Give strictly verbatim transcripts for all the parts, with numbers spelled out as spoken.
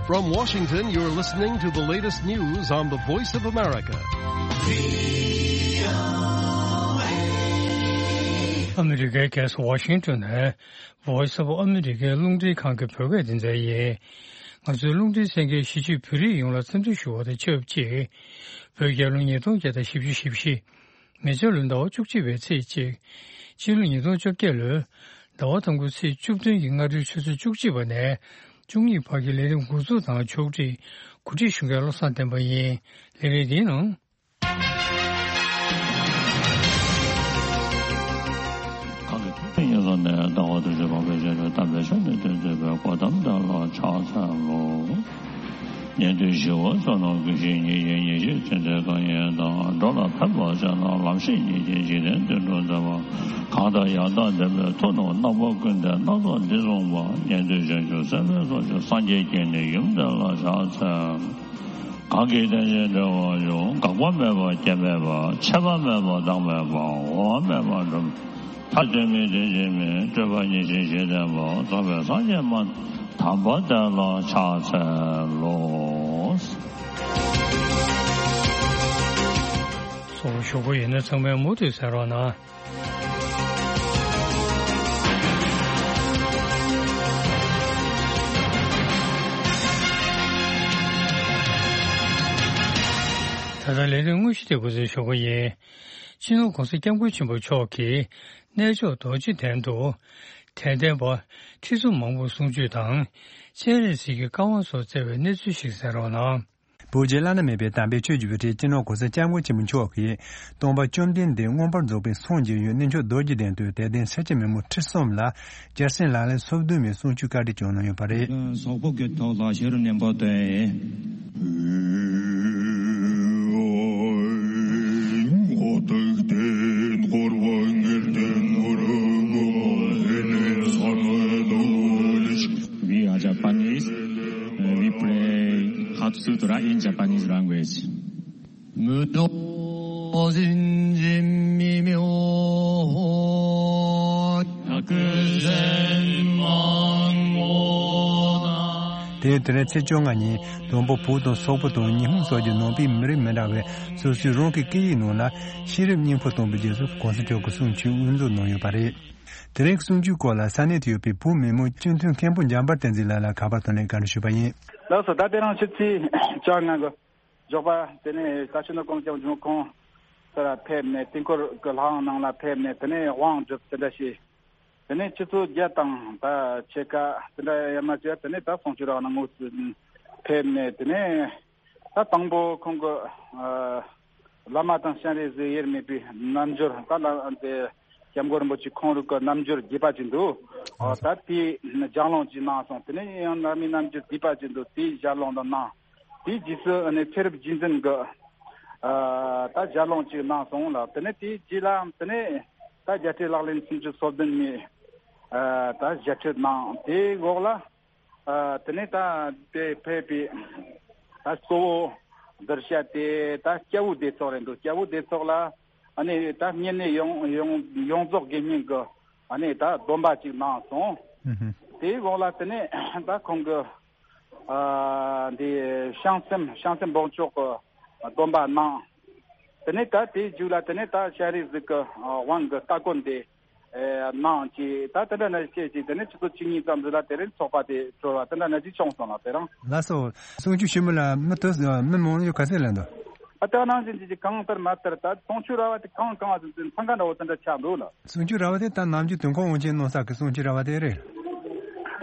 From Washington, you're listening to the latest news on the Voice of America. ཨ་མི་རི་ཀའི་རྒྱལ་ས་ཝ་ཤིང་ཏོན་ནས་Voice of America་རླུང་འཕྲིན་ཁང་གི་བོད་སྐད་སྡེ་ཚན་ཡིན། ང་ཚོའི་རླུང་འཕྲིན་གསན་མཁན་གཞིས་བྱེས་བོད་རིགས་ཡོངས་ལ་འཚམས་འདྲི་ཞུ་བ་དང་ཆབས་ཅིག་བོད་རྒྱལ་ལོ་ཉིས་སྟོང་བརྒྱ་དང་བཞི་བཅུ་ཞེ་བཞི། མེ་བྱ་ལོའི་ཟླ་བ་བཅུ་གཅིག་པའི་ཚེས་གཅིག་སྤྱི་ལོ་ཉིས་སྟོང་བཅོ་བརྒྱད་ལོའི་ཟླ་བ་དང་པོའི་ཚེས་བཅུ་བདུན་གྱི་སྔ་དྲོའི་ཆུ་ཚོད་བཅུ་གཅིག་པ་ནས་བཅུ་གཉིས་བར་གྱི་ལས་རིམ་འགོ་འཛུགས་དང་ཕྱོགས་སྒྲིག་གོ་སྒྲིག་ཞུ་མཁན་བློ་བཟང་བསྟན་པ་ཡིན། ལས་རིམ་འདིའི་ནང་། གང་གི་ཐུགས་རྗེ་ཉེར་བཟང་ནས་ཟླ་བ་དྲུག་ཅུ་པ་པའི་ཞལ་ལུང་དམ་པའི་ཆོས་ནི་སྟོན་མཛད་པའི་གོ་ཏམ་དེ་ལ་ཕྱག་འཚལ་ལོ། ཉན་ཐོས་ཞི་བ་བསོད་ནམས་ཀྱི་ཞིང་ཉིད་ཀྱི་ཉིད་ཀྱི་ཚེ་འདས་གང་ཡིན་དང་། འགྲོ་ལ་ཕན་པར་བྱས་ན་ལམ་ཤེས་ཉིད་ཀྱི་འཇིག་རྟེན་དུ་འགྲོ་མཛད་པ། གང་དག་ཡང་དག་བདེན་པའི་མཐུ་རྣམས་རྣམ་པ་ཀུན་ལྡན་སྣ་ཚོགས་འདི་གསུངས་པ། ཉན་ཐོས་བྱང་ཆུབ་སེམས་དཔའི་ཚོགས་ཀྱིས་སངས་རྒྱས་ཀྱི་ནི་ཡུམ་དེ་ལ་ཕྱག་འཚལ། གང་གིས་དེ་བཞིན་འགྲེལ་བར་འབྱུང་། འགག་པ་མེད་པ་སྐྱེ་མེད་པ། ཆད་པ་མེད་པ་བདག་མེད་པ། འོང་བ་མེད་པ་འགྲོ་མེད་པ། ཐ་དད་མིན་དེ་བཞིན་མིན། སྤྲོས་པ་ཉེར་ཞི་ཞི་བསྟན་པ། རྫོགས་པའི་སངས་རྒྱས་སྨྲ་དམ་པ་དེ་ལ་ཕྱག་འཚལ་ལོ། གསུང་ཞུ་གི་ཡོད་ན་ཚང་མས་མུ་མཐུད་གསན་རོགས་གནང་། ད་ལྟ་ལས་དོན་དངོས་གཞི་དེ་འགོ་འཛུགས་ཞུ་གི་ཡིན། སྤྱི་ནོར་༸གོང་ས་༸སྐྱབས་མགོན་ཆེན་པོ་མཆོག་གིས་གནས་མཆོག་རྡོ་རྗེ་གདན་དུ་དད་ལྡན་པ་ཁྲི་ཚོ་མང་པོར་གསུང་ཆོས་དང་། སྤྱན་རས་གཟིགས་ཀྱི་བཀའ་དབང་སོགས་སྩལ་བའི་གནས་ཚུལ་ཞིག་གསན་རོགས་གནང་། བོད་ཀྱི་བླ་ན་མེད་པའི་དམ་པའི་ཆོས་ཀྱི་དབུ་ཁྲིད་སྤྱི་ནོར་༸གོང་ས་༸སྐྱབས་མགོན་ཆེན་པོ་མཆོག་གིས་སྟོན་པ་བཅོམ་ལྡན་འདས་མངོན་པར་རྫོགས་པའི་སངས་རྒྱས་ཡུལ་གནས་མཆོག་རྡོ་རྗེ་གདན་དུ་དད་ལྡན་སེར་སྐྱ་མི་མང་ཁྲི་གསུམ་ལ་སྐྱ་སེར་ལག་ལེན་སོ་བདུན་པའི་གསུང་ཆོས་བཀའ་འདྲི་བསྐྱངས་གནང་ཡོད་པ་རེད། ཟོག་པོ་གི་ཐོག་ལ་ཤེས་རབ་སྙིང་པོ་སྟོན། We are Japanese. Uh, we play Hatsutura in Japanese language. དེ་དེ་རིང་ཚེས་བཅོ་ལྔ་ཉིན་བོན་པོ་བོད་དང་སོག་པོ་དང་ཉི་ཧོང་སོགས་ཀྱི་ནང་པའི་མི་རིགས་མི་འདྲ་བའི་སོ་སོའི་རང་གི་སྐད་ཡིག་ནང་ལ་ཤེས་རབ་སྙིང་པོ་སྟོན་པའི་རྗེས་སུ་གོང་ས་མཆོག་གི་གསུང་ཆོས་དབུ་འཛུགས་གནང་ཡོད་པ་རེད། དེ་རིང་གསུང་ཆོས་སྐོར་ལ་ས་གནས་དུ་ཡོད་པའི་བོད་མི་མང་སྤྱི་འཐུས་མཁན་པོ་འཇམ་དཔལ་བསྟན་འཛིན་ལགས་ལ་ཁ་པར་ཐོག་ནས་བཀའ་འདྲི་ཞུས་པ་ཡིན། ལགས་སོ། ད་དེ་རིང་ཕྱི་ཚེས་བཅོ་ལྔ་གི་ཞོགས་པ་དེ་ནས་ད་ཕྱི་ནང་གང་ཅང་བྱུང་ཁོང་ཚོ་ལ་ཕེབས་ནས་དུས་འཁོར་གྱི་ལྷ་ཁང་ནང་ལ་ཕེབས་ནས་དེ་ནས་དབང་སྒྲུབ་དེ་འདྲ་བྱས། དེ་ནས་ཆུ་ཚོད་བརྒྱད་དང་ད་ཕྱེད་ཀ་དེ་འདྲ་ཡར་མར་བྱས། དེ་ནས་ད་གསུང་ཆོས་ར་ནང་ངོས་སུ་ཕེབས་ནས། དེ་ནས་ད་དང་པོ་ཁོང་གི་ཨ་བླ་མ་དང་སྤྱན་རས་གཟིགས་དབྱེར་མེད་པའི་རྣལ་འབྱོར། ད་ལ་དེ་སྐྱབས་མགོན་རིན་པོ་ཆེ་ཁོང་རང་གི་རྣལ་འབྱོར་རྒྱས་པ་ཅིག་འདུག་ཨ་ད་དེའི་ལྗགས་ལུང་ཅིག་གནང་སོང་། དེ་ནས་ཡང་བླ་མའི་རྣལ་འབྱོར་རྒྱས་པ་ཅིག་འདུག་དེའི་ལྗགས་ལུང་དང་གནང་། དེའི་རྗེས་སུ་ཨ་ནི་ཚེ་རབས་རྗེས་འཛིན་གྱི་ཨ་ད་ལྗགས་ལུང་ཅིག་གནང་སོང་ལ། དེ་ནས་དེའི་རྗེས་ལ་དེ་ནས་ད་རྒྱལ་སྲས་ལག་ལེན་སུམ་ཅུ་སོ་བདུན་མའི་ཨ་ད་ཞལ་ཁྲིད་གནང་། དེའི་འོག་ལ་ཨ་དེ་ནས་ད་དེ་ཕེབས་པའི་ད་གཙོ་བོ་གདུལ་བྱ་དེ་ད་སྐྱ་བོའི་སྡེ་ཚོགས་རེད་འདུག་སྐྱ་བོའི་སྡེ་ཚོགས་ལ་ཨ་ནི་ད་བསྙེན་གནས་ཡོངས་ཡོངས་ཡོངས་རྫོགས་དགེ་བསྙེན་གྱི་ཨ་ནི་ད་སྡོམ་པ་ཅིག་གནང་སོང་། ཨུ་ཧུ། དེའི་འོག་ལ་དེ་ནས་ད་ཁོང་གི་ཨ་འདི་བྱང་སེམས་བྱང་སེམས་འབོགས་ཆོག་གི་སྡོམ་པ་གནང་། དེ་ནས་ད་དེའི་མཇུག་ལ་དེ་ནས་ད་སྤྱན་རས་གཟིགས་ཀྱི་དབང་གི་སྟ་གོན་དེ་གནང་། ཅེས་ད་དེ་འདྲ་ནང་བཞིན་བྱས་ཅིག་དེ་ནས་ཆུ་ཚོད་བཅུ་གཉིས་ཙམ་ཞིག་ལ་དེ་རིང་ཚོགས་པ་དེ་གྲོལ་བ་དེ་འདྲ་ནང་བཞིན་བྱུང་སོང་ལགས། དེ་རིང་ལགས་སོ། གསུང་ཆོས་ཞུ་མི་ལ་མི་དུ་མི་མང་ཡོད་ག་ཚད་ལ་འདུག་ཨ་ད་ནང་བཞིན་བྱས་ཅིག་གང་ལྟར་མ་ལྟར་ད་གསུང་ཆོས་ར་བ་དེ་གང་གང་བ་ཚོ་འཚང་ཁ་འདྲ་བོ་དེ་འདྲ་ཆགས་འདུག་ལགས། གསུང་ཆོས་ར་བ་དེ་ད་ནམ་རྒྱུན་དུས་འཁོར་དབང་ཆེན་གནང་ས་གི་གསུང་ཆོས་ར་བ་དེ་རེད།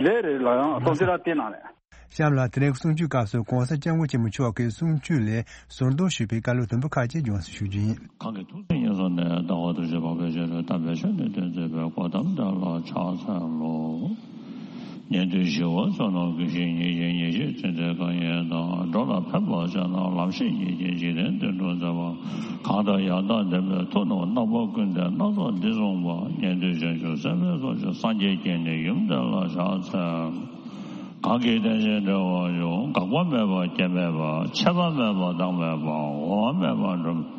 རེད་རེད་ལགས། ཡང་གསུང་ཆོས་ར་དེ་ནང་རེད། གཤམ་ལ་དེ་རིང་གསུང་ཆོས་སྐབས་སུ་གོང་ས་སྐྱབས་མགོན་ཆེན་པོ་མཆོག་གིས་གསུང་ཆོས་ལས་ཟུར་འདོན་ཞུས་པའི་བཀའ་སློབ་དུམ་བུ་ཁག་ཅིག་སྦྱོངས་སུ་ཞུ་རྒྱུ་ཡིན། གང་གི་ཐུགས་སྲས་ཉེར་བཟང་ནས་ཟླ་བ་དྲུག་ཅུ་པ་པའི་ཞལ་ལུང་དམ་པའི་ཆོས་ནི་སྟོན་མཛད་པའི་གོ་ཏམ་དེ་ལ་ཕྱག་འཚལ་ལོ། ཉན་ཐོས་ཞི་བ་བསོད་ནམས་ཀྱི་ཞིང་ཉིད་ཀྱི་ཉིད་ཀྱི་ཚེ་འདས་གང་ཡིན་དང་། འགྲོ་ལ་ཕན་པར་བྱས་ན་ལམ་ཤེས་ཉིད་ཀྱི་འཇིག་རྟེན་དུ་འགྲོ་མཛད་པ། གང་དག་ཡང་དག་བདེན་པའི་མཐུ་རྣམས་རྣམ་པ་ཀུན་ལྡན་སྣ་ཚོགས་འདི་གསུངས་པ། ཉན་ཐོས་བྱང་ཆུབ་སེམས་དཔའི་ཚོགས་ཀྱིས་སངས་རྒྱས་ཀྱི་ནི་ཡུམ་དེ་ལ་ཕྱག་འཚལ། གང་གིས་དེ་བཞིན་འགྲེལ་བར་འབྱུང་། འགག་པ་མེད་པ་སྐྱེ་མེད་པ། ཆད་པ་མེད་པ་བདག་མེད་པ། འོང་བ་མེད་པ་འགྲོ་མེད་པ།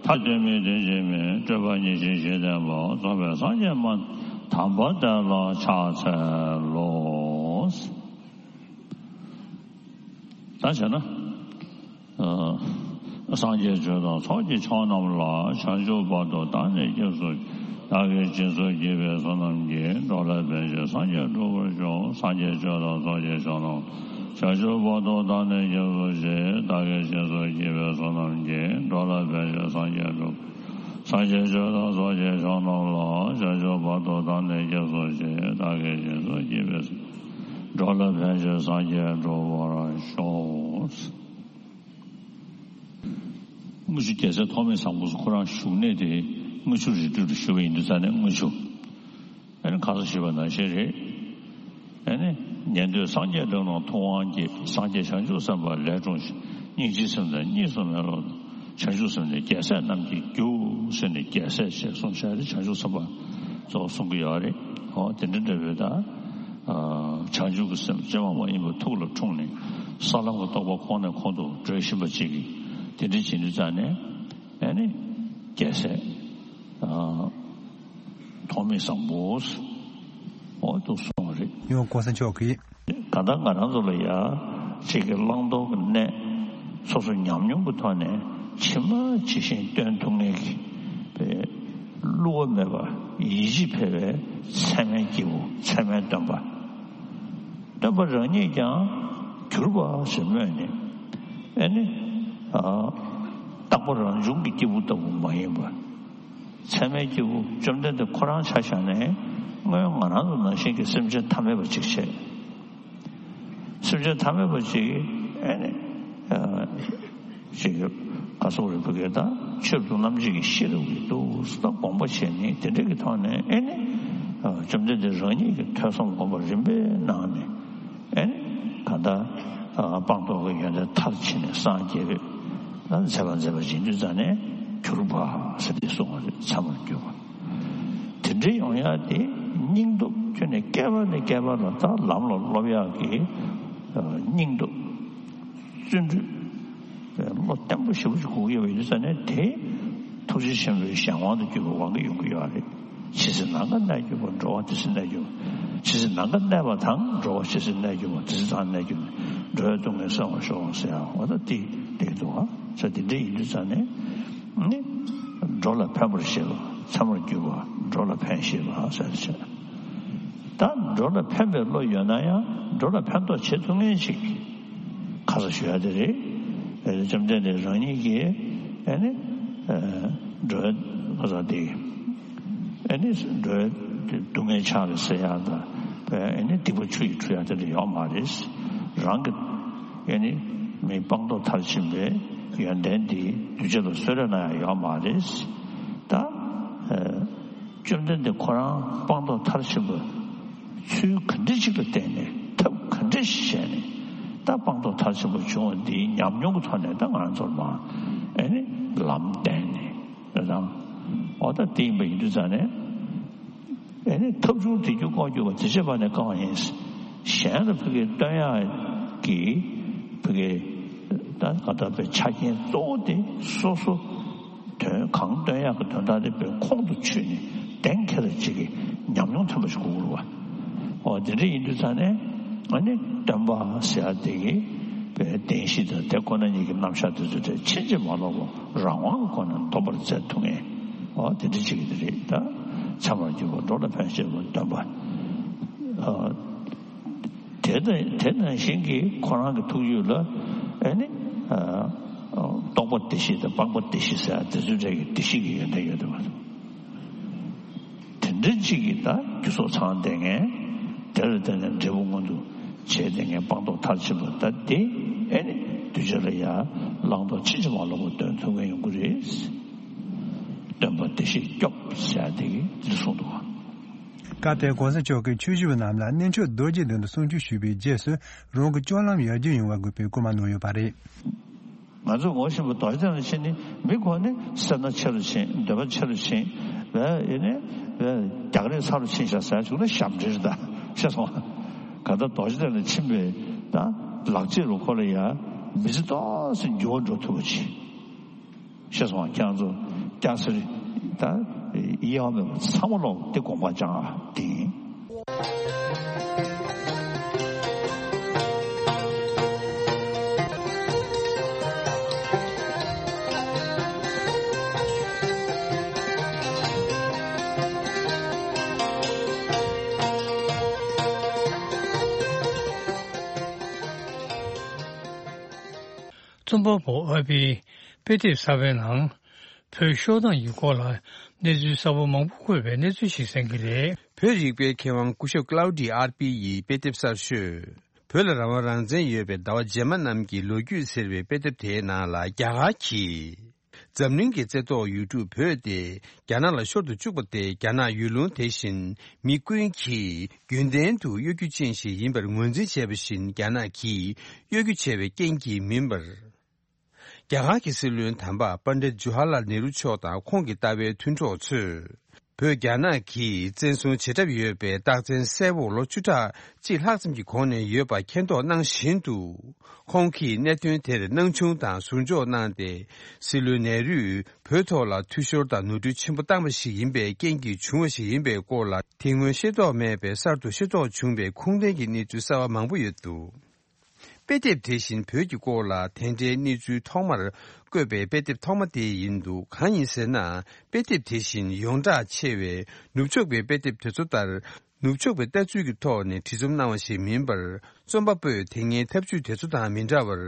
ཐ་དད་མིན་དེ་བཞིན་མིན། སྤྲོས་པ་ཉེར་ཞི་ཞི་བསྟན་པ། རྫོགས་པའི་སངས་རྒྱས་སྨྲ་དམ་པ་དེ་ལ་ཕྱག་འཚལ་ལོ། ད་བྱས་ན། ཨ། སངས་རྒྱས་ཆོས་དང་ཚོགས་ཀྱི་མཆོག་རྣམས་ལ། བྱང་ཆུབ་བར་དུ་བདག་ནི་སྐྱབས་སུ། བདག་གིས་སྦྱིན་སོགས་བགྱིས་པའི་བསོད་ནམས་ཀྱིས། འགྲོ་ལ་ཕན་ཕྱིར་སངས་རྒྱས་འགྲུབ་པར་ཤོག་སངས་རྒྱས་ཆོས་དང་ཚོགས་ཀྱི་མཆོག་རྣམས། བྱང་ཆུབ་བར་དུ་བདག་ནི་སྐྱབས་སུ་མཆི། བདག་གིས་སྦྱིན་སོགས་བགྱིས་པའི་བསོད་ནམས་ཀྱིས། འགྲོ་ལ་ཕན་ཕྱིར་སངས་རྒྱས་འགྲུབ། སངས་རྒྱས་ཆོས་དང་ཚོགས་ཀྱི་མཆོག་རྣམས་ལ། བྱང་ཆུབ་བར་དུ་བདག་ནི་སྐྱབས་སུ་མཆི། བདག་གིས་སྦྱིན་སོགས་བགྱིས་པའི། འགྲོ་ལ་ཕན་ཕྱིར་སངས་རྒྱས་འགྲུབ་པར་ཤོག་དངུལ་ཆུ་རྒྱལ་སྲས་ཐོགས་མེད་བཟང་པོ་ཁོ་རང་བཞུགས་གནས་དེ་དངུལ་ཆུ་རི་ཁྲོད་དུ་བཞུགས་པ་ཡིན་དུས་ཙང་ནས་དངུལ་ཆུ། ཨ་ནི་ཁ་སང་ཞུས་པ་ནང་བཞིན་རེད། ཨ་ནི་ཉན་ཐོས་སངས་རྒྱས་འགྲོ་རྣམས་ཐུབ་དབང་སྐྱེས། སངས་རྒྱས་བྱང་ཆུབ་སེམས་དཔའ་ལས་འཁྲུངས་ཤིང་། སྙིང་རྗེའི་སེམས་ནི་གཉིས་སུ་མེད་པ་དང་། བྱང་ཆུབ་སེམས་ནི་རྒྱལ་སྲས་རྣམས་ཀྱི་རྒྱུ་ཟེར་ནས་རྒྱལ་སྲས་ཞེས་གསུངས་བཞག་རེད། བྱང་ཆུབ་སེམས་དཔའ་གཙོ་བོ་གསུང་གི་ཡོད་རེད། འོ་དེ་འདྲ་འདྲ་བོའི་ད་བྱང་ཆུབ་ཀྱི་སེམས་ཅི་མ་མ་ཡིན་པ་ཐུགས་ལ་འཁྲུངས་ནས་ས་ལམ་གྱི་རྟོགས་པ་ཁོང་ནས་ཁོང་དུ་འགྲོ་བཞིན་པ་ཅིག་གིས་དེ་འདྲ་བྱེད་དུས་ཙང་ནས་ཨ་ནི་རྒྱལ་སྲས། ཐོགས་མེད་བཟང་པོ། འོ་འདུག་སོང་བ་རེད། ཡང་གོང་ས་མཆོག་གིས། གང་ལྟར་ང་རང་ཚོ་ལ་ཡ་གཅིག་གི་བླང་དོར་གྱི་གནས་སོ་སོ་ཉམས་མྱོང་གི་ཐོག་ནས་ཇི་མ་ཇི་བཞིན་སྟོན་ཐུབ་མཁན་གྱི་བླུ་བ་མེད་པ་ཡིད་ཆེས་འཕེར་བའི་ཚད་མའི་སྐྱེས་བུ་ཚད་མའི་སྟོན་པ། སྟོན་པ་རང་ཉིད་ཀྱང་གྱུར་པ་ཞེས་སྨོས་ནས་ཨེ་ནི་རྟག་པ་རང་བྱུང་གི་སྐྱེས་བུ་ལྟ་བུ་མ་ཡིན་པ། ཚད་མའི་སྐྱེས་བུ་བཅོམ་ལྡན་འདས་ཁོ་རང་ཆ་བཞག་ནས་སྔོན་ང་རང་ཚོ་ནང་བཞིན་གྱི་སེམས་ཅན་ཐ་མལ་པ་ཅིག་བྱས། སེམས་ཅན་ཐ་མལ་པ་ཅིག་ཨེ་ནི་ཅིག་ག་སོགས་རེ་བུ་གས་དང་ཆོས་སྡུག་རྣམ་འབྱེད་ཀྱི་ཤེས་རབ་ཀྱི་འདུག་ད་དགོངས་པ་བཞེས་ནས་དེ་འདྲ་གི་ཐོག་ནས་ཨེ་ནི་བཅོམ་ལྡན་འདས་རང་ཉིད་ཀྱི་ཐོས་བསམ་སྒོམ་པ་རིམ་པས་གནང་ནས། ཨེ་ནི་གང་ལྟར་སྤངས་རྟོགས་ཀྱི་ཡོན་ཏན་མཐར་ཕྱིན་ནས་སངས་རྒྱས་པའི་མཛད་པ་མཛད་པ་ཡིན་དུས་ཙང་ནས་གྱུར་པ་ཟེར་ཏེ་གསུངས་པ་རེད། ཚད་མར་གྱུར་པ། དེ་འདྲའི་ཡོང་ཡ་དེ་སྙིང་སྟོབས་ཁྱོན་ནས་བསྐལ་པ་ནས་བསྐལ་པ་ལ་ད་ལམ་ལ་སློབ་ཡག་གི་སྙིང་སྟོབས། བརྩོན་འགྲུས། བློ་བརྟན་པོ་ཞེ་པོ་ཅིག་དགོས་ཀྱི་ཡོད་པ་ཡིན་དུས་ཙང་ནས་དེ་ཐུགས་རྗེ་ཆེན་པོའི་གཞན་དབང་དུ་གྱུར་པའི་དབང་གིས་ཡོང་གི་ཡོད་རེད། ཇི་སྲིད་ནམ་མཁའ་གནས་གྱུར་པ། འགྲོ་བ་དེ་སྲིད་གནས་གྱུར་པ། ཇི་སྲིད་ནམ་མཁའ་གནས་པ་དང་། འགྲོ་བ་ཇི་སྲིད་གནས་གྱུར་པ། དེ་སྲིད་ནམ་མཁའ་གནས་གྱུར་པ། འགྲོ་བའི་སྡུག་བསྔལ་སེལ་བར་ཤོག་ཟེར་ཡ་འོ་ད་དེ་འགྲིག་འདུག་ཨ། ས་དེ་འདྲ་ཡིན་དུས་ཙང་ནས་ནི་འགྲོ་ལ་ཕན་པར་བྱེད་པ། ཚད་མར་གྱུར་པ་འགྲོ་ལ་ཕན་ཞེས་པ་ཟེར་བྱས། ད་འགྲོ་ལ་ཕན་པའི་བློ་ཡོད་ན་ཡང་འགྲོ་ལ་ཕན་ཐོགས་བྱེད་ཐུབ་མཁན་ཞིག་ཁ་ས་ཞུ་ཡ་དེ་རེད། བཅོམ་ལྡན་འདས་རང་ཉིད་ཀྱིས་ཨེ་ནི་འགྲོ་བ་ཁ་ས་དེ་ཨེ་ནི་འགྲོ་བའི་སྡུག་བསྔལ་ཕྱག་ལ་འཚལ་ཡ་དང་ཨེ་ནི་སྡིག་པ་ཆུ་ཡིས་འཁྲུ་ཡ་དེ་འདྲ་ཡོད་མ་རེད། རང་གི་ཨེ་ནི་མི་སྤངས་རྟོགས་མཐར་ཕྱིན་པའི་ཡོན་ཏན་དེ་གདུལ་བྱ་ལ་གསོལ་རས་གནང་ཡ་ཡོད་མ་རེད། ད་བཅོམ་ལྡན་འདས་ཁོ་རང་སྤངས་རྟོགས་མཐར་ཕྱིན་པ་ཚུལ་ག་འདྲ་ཅིག་ལ་བརྟེན་ནས་ཐབས་ག་འདྲ་ཞིག་བྱས་ནས་ད་སྤངས་རྟོགས་མཐར་ཕྱིན་པ་བྱུང་བ་འདིའི་ཉམས་མྱོང་གི་ཐོག་ནས་ད་ང་ཚོར་མ་ཨེ་ནི་ལམ་བསྟན་ནས་རེད་དང་། འོ་ད་དེ་ཡིན་པ་ཡིན་དུས་ཙང་ནས་ཨེ་ནི་ཐབས་བྱུང་དེ་རྒྱུ་ལྐོག་གྱུར་པ་དེ་བྱེད་པ་ནས་བསྐང་བ་ཡིན། གཞན་ལ་ཕ་གིའི་སྟོན་ཡག་གི་ཕ་གིའི་ད་ག་ད་པའི་ཆ་རྐྱེན་གཙོ་བོ་དེ་སོ་སོ། དོན་གང་སྟོན་ཡག་གི་དོན་དག་དེ་བའི་ཁོང་དུ་ཆུད་ནས་གདེང་ཁེལ་བ་ཅིག་གི་ཉམས་མྱོང་ཐོན་པ་ཞིག་དགོས་རུ་བ། འོ་དེ་འདྲ་ཡིན་དུས་ཙང་ནས་ཨ་ནི་སྟོན་པ་ཟེར་ཡ་དེ་གི་བའི་བདེན་བཞི་དང་དེ་ཁོ་ན་ཉིད་ཀྱི་རྣམ་གཞག་དེ་ཚོ་དེ་ཕྱིན་ཅི་མ་ལོག་པ་རང་དབང་གི་སྒོ་ནས་འདོམས་པར་མཛད་ཐུབ་མཁན་འོ་དེ་འདྲ་ཅིག་གི་དེ་རེད་ད། ཚད་མར་གྱུར་པ་འགྲོ་ལ་ཕན་བྱེད་པ་སྟོན་པ། དེ་དང་དེ་ནང་བཞིན་གྱི་ཁོ་རང་གི་ཐུགས་རྒྱུད་ལ་ཨེ་ནི་རྟོག་པ་བདེ་གཤེགས་དང་སྤངས་པ་བདེ་གཤེགས་ཟེར་ཡ་དེ་ཚོའི་གྲས་ཀྱི་བདེ་གཤེགས་ཀྱི་ཡོན་ཏན་ཡོད་དེ་མ་གཏོགས། དེ་འདྲ་ཅིག་གིས་ད་རྒྱུ་ཚོགས་ཚང་བསྡད་མཁན། དེ་ལ་བརྟེན་ནས་འབྲས་བུ་མངོན་དུ་བྱས་བསྡད་མཁན་སྤངས་རྟོགས་མཐར་ཕྱིན་པ་ད་དེ་ཨེ་ནི་གདུལ་བྱ་ལ་ཡང་བླང་དོར་ཕྱིན་ཅི་མ་ལོག་པ་སྟོན་ཐུབ་མཁན་ཡོང་གི་རེད། སྟོན་པ་བདེ་གཤེགས་སྐྱོབ་ཟེར་ཡ་དེ་གིས་འདི་གསུངས་འདུག་ག། སྐབས་དེར་གོང་ས་མཆོག་གིས་ཆོས་ཞུ་བ་རྣམས་ལ་རྣལ་འབྱོར་རྡོ་རྗེ་གདན་དུ་གསུང་ཆོས་ཞུས་པའི་རྗེས་སུ་རང་གི་སྤྱོད་ལམ་ཡར་རྒྱས་ཡོང་བ་དགོས་པའི་སྐུལ་མ་གནང་ཡོད་པ་རེད། ང་ཚོས་ངོ་ཤེས་པ་རྡོ་རྗེ་གདན་ལ་ཕྱིན་ནས་མི་ཁོ་ནི་སེར་སྣ་ཆེ་རུ་ཕྱིན། འདོད་པ་ཆེ་རུ་ཕྱིན། བས་ཡིན་ནས་བས་རྒྱག་རེས་ཚ་རུ་ཕྱིན་ཤག་ཟེར་བྱུང་ན་ཞབས་འདྲེན་རེད་ད། ཤེས་སོང་། ག་ད་རྡོ་རྗེ་གདན་ལ་ཕྱིན་པའི་ད་ལག་རྗེས་རུ་ཁོ་ལ་ཡ་མི་ཚེ་ཏོག་ཙམ་འགྱུར་བ་འགྲོ་ཐུབ་པ་ཅིག་ཤེས་སོང་། ཁྱེད་རང་ཚོ་སྐྱག་སེར་ད་དབྱེ་བ་མེད་པ་ཚང་མ་ལོག་དེ་དགོངས་པ་བཅངས་ཨ་དེ་ཡིན། སྟོན་པ་པོ་ཨར་པིའི་དཔེ་དེབ་གསར་པའི་ནང་། བོད་ཤོག་གྲངས་ཀྱི་སྐོར་ལ་གནས་ཚུལ་གསར་པ་མང་པོ་འཁོད་པའི་གནས་ཚུལ་ཞིག་གསན་གྱི་རེད། བོད་རིག་པའི་མཁས་དབང་སྐུ་ཞབས་ཀླའུ་ཌི་ཨར་པི་ཡི་དཔེ་དེབ་གསར་ཤོས། བོད་ལ་རང་དབང་རང་བཙན་ཡོད་པའི་ཟླ་བ་རྗེས་མ་རྣམས་ཀྱི་ལོ་རྒྱུས་ཟེར་བའི་དཔེ་དེབ་དེའི་ནང་ལ། རྒྱ་གར་གྱིས་འཛམ་གླིང་གི་རྩེ་ཐོག་ཡུལ་གྲུ་བོད་དེ་རྒྱ་ནག་ལ་ཤོར་དུ་བཅུག་པ་དེ། རྒྱ་ནག་ཡུལ་ལུང་དེ་བཞིན་མི་ཀུན་གྱིས་རྒྱུན་ལྡན་དུ་གཡོ་སྒྱུ་ཅན་ཞིག་ཡིན་པར་ངོས་འཛིན་བྱས་པ་བཞིན། རྒྱ་ནག་གིས་གཡོ་སྒྱུ་བྱས་པའི་རྐྱེན་གྱིས་མིན་པར། རྒྱ་གར་གྱི་སྲིད་བློན་དམ་པ་པཎྜི་ཏ་ཇོ་ཧར་ལཱལ་ནེ་རུ་མཆོག་དང་ཁོང་གི་ལྟ་བའི་མཐུན་གྲོགས་ཚོས། བོད་རྒྱ་ནག་གིས་བཙན་བཟུང་བྱེད་གྲབས་ཡོད་པའི་རྟགས་མཚན་གསལ་བོ་ལོ་བཅུ་ཕྲག་གཅིག་ལྷག་ཙམ་གྱི་གོང་ནས་ཡོད་པ་མཁྱེན་རྟོགས་གནང་བཞིན་དུ། ཁོང་གིས་གནད་དོན་དེར་སྣང་ཆུང་དང་ཟུར་འཇོག་གནང་སྟེ། སྲིད་བློན་ནེ་རུས་བོད་ཐོག་ལ་འཐུས་ཤོར་དང་ནོར་འཁྲུལ་ཆེན་པོ་བཏང་བ་ཞིག་ཡིན་པའི་རྐྱེན་གྱིས་བྱུང་བ་ཞིག་ཡིན་པའི་སྐོར་ལ། དེ་སྔོན་ཤེས་རྟོགས་མེད་པའི་གསར་དུ་ཤེས་རྟོགས་བྱུང་བའི་ཁུངས་ལྡན་གྱི་གནས་ཚུལ་གསར་བ་མང་པོ་ཡོད་འདུག་དཔེ་དེབ་དེ་བཞིན་བོད་ཀྱི་སྐོར་ལ་དེ་འདྲའི་གནས་ཚུལ་ཐོག་མར་བཀོད་པའི་དཔེ་དེབ་ཐོག་མ་དེ་ཡིན་འདུག་གང་ཡིན་ཟེར་ན། དཔེ་དེབ་དེ་བཞིན་ཡོངས་གྲགས་ཆེ་བའི་ནུབ་ཕྱོགས་པའི་དཔེ་དེབ་དེ་ཚོ་ལྟར། ནུབ་ཕྱོགས་པའི་ལྟ་ཚུལ་གྱི་ཐོག་ནས་བྲིས་རྩོམ་གནང་བ་ཞིག་མིན་པར། རྩོམ་པ་པོས་དེ་སྔའི་ཐབས་ཇུས་དེ་ཚོ་དང་མི་འདྲ་བར།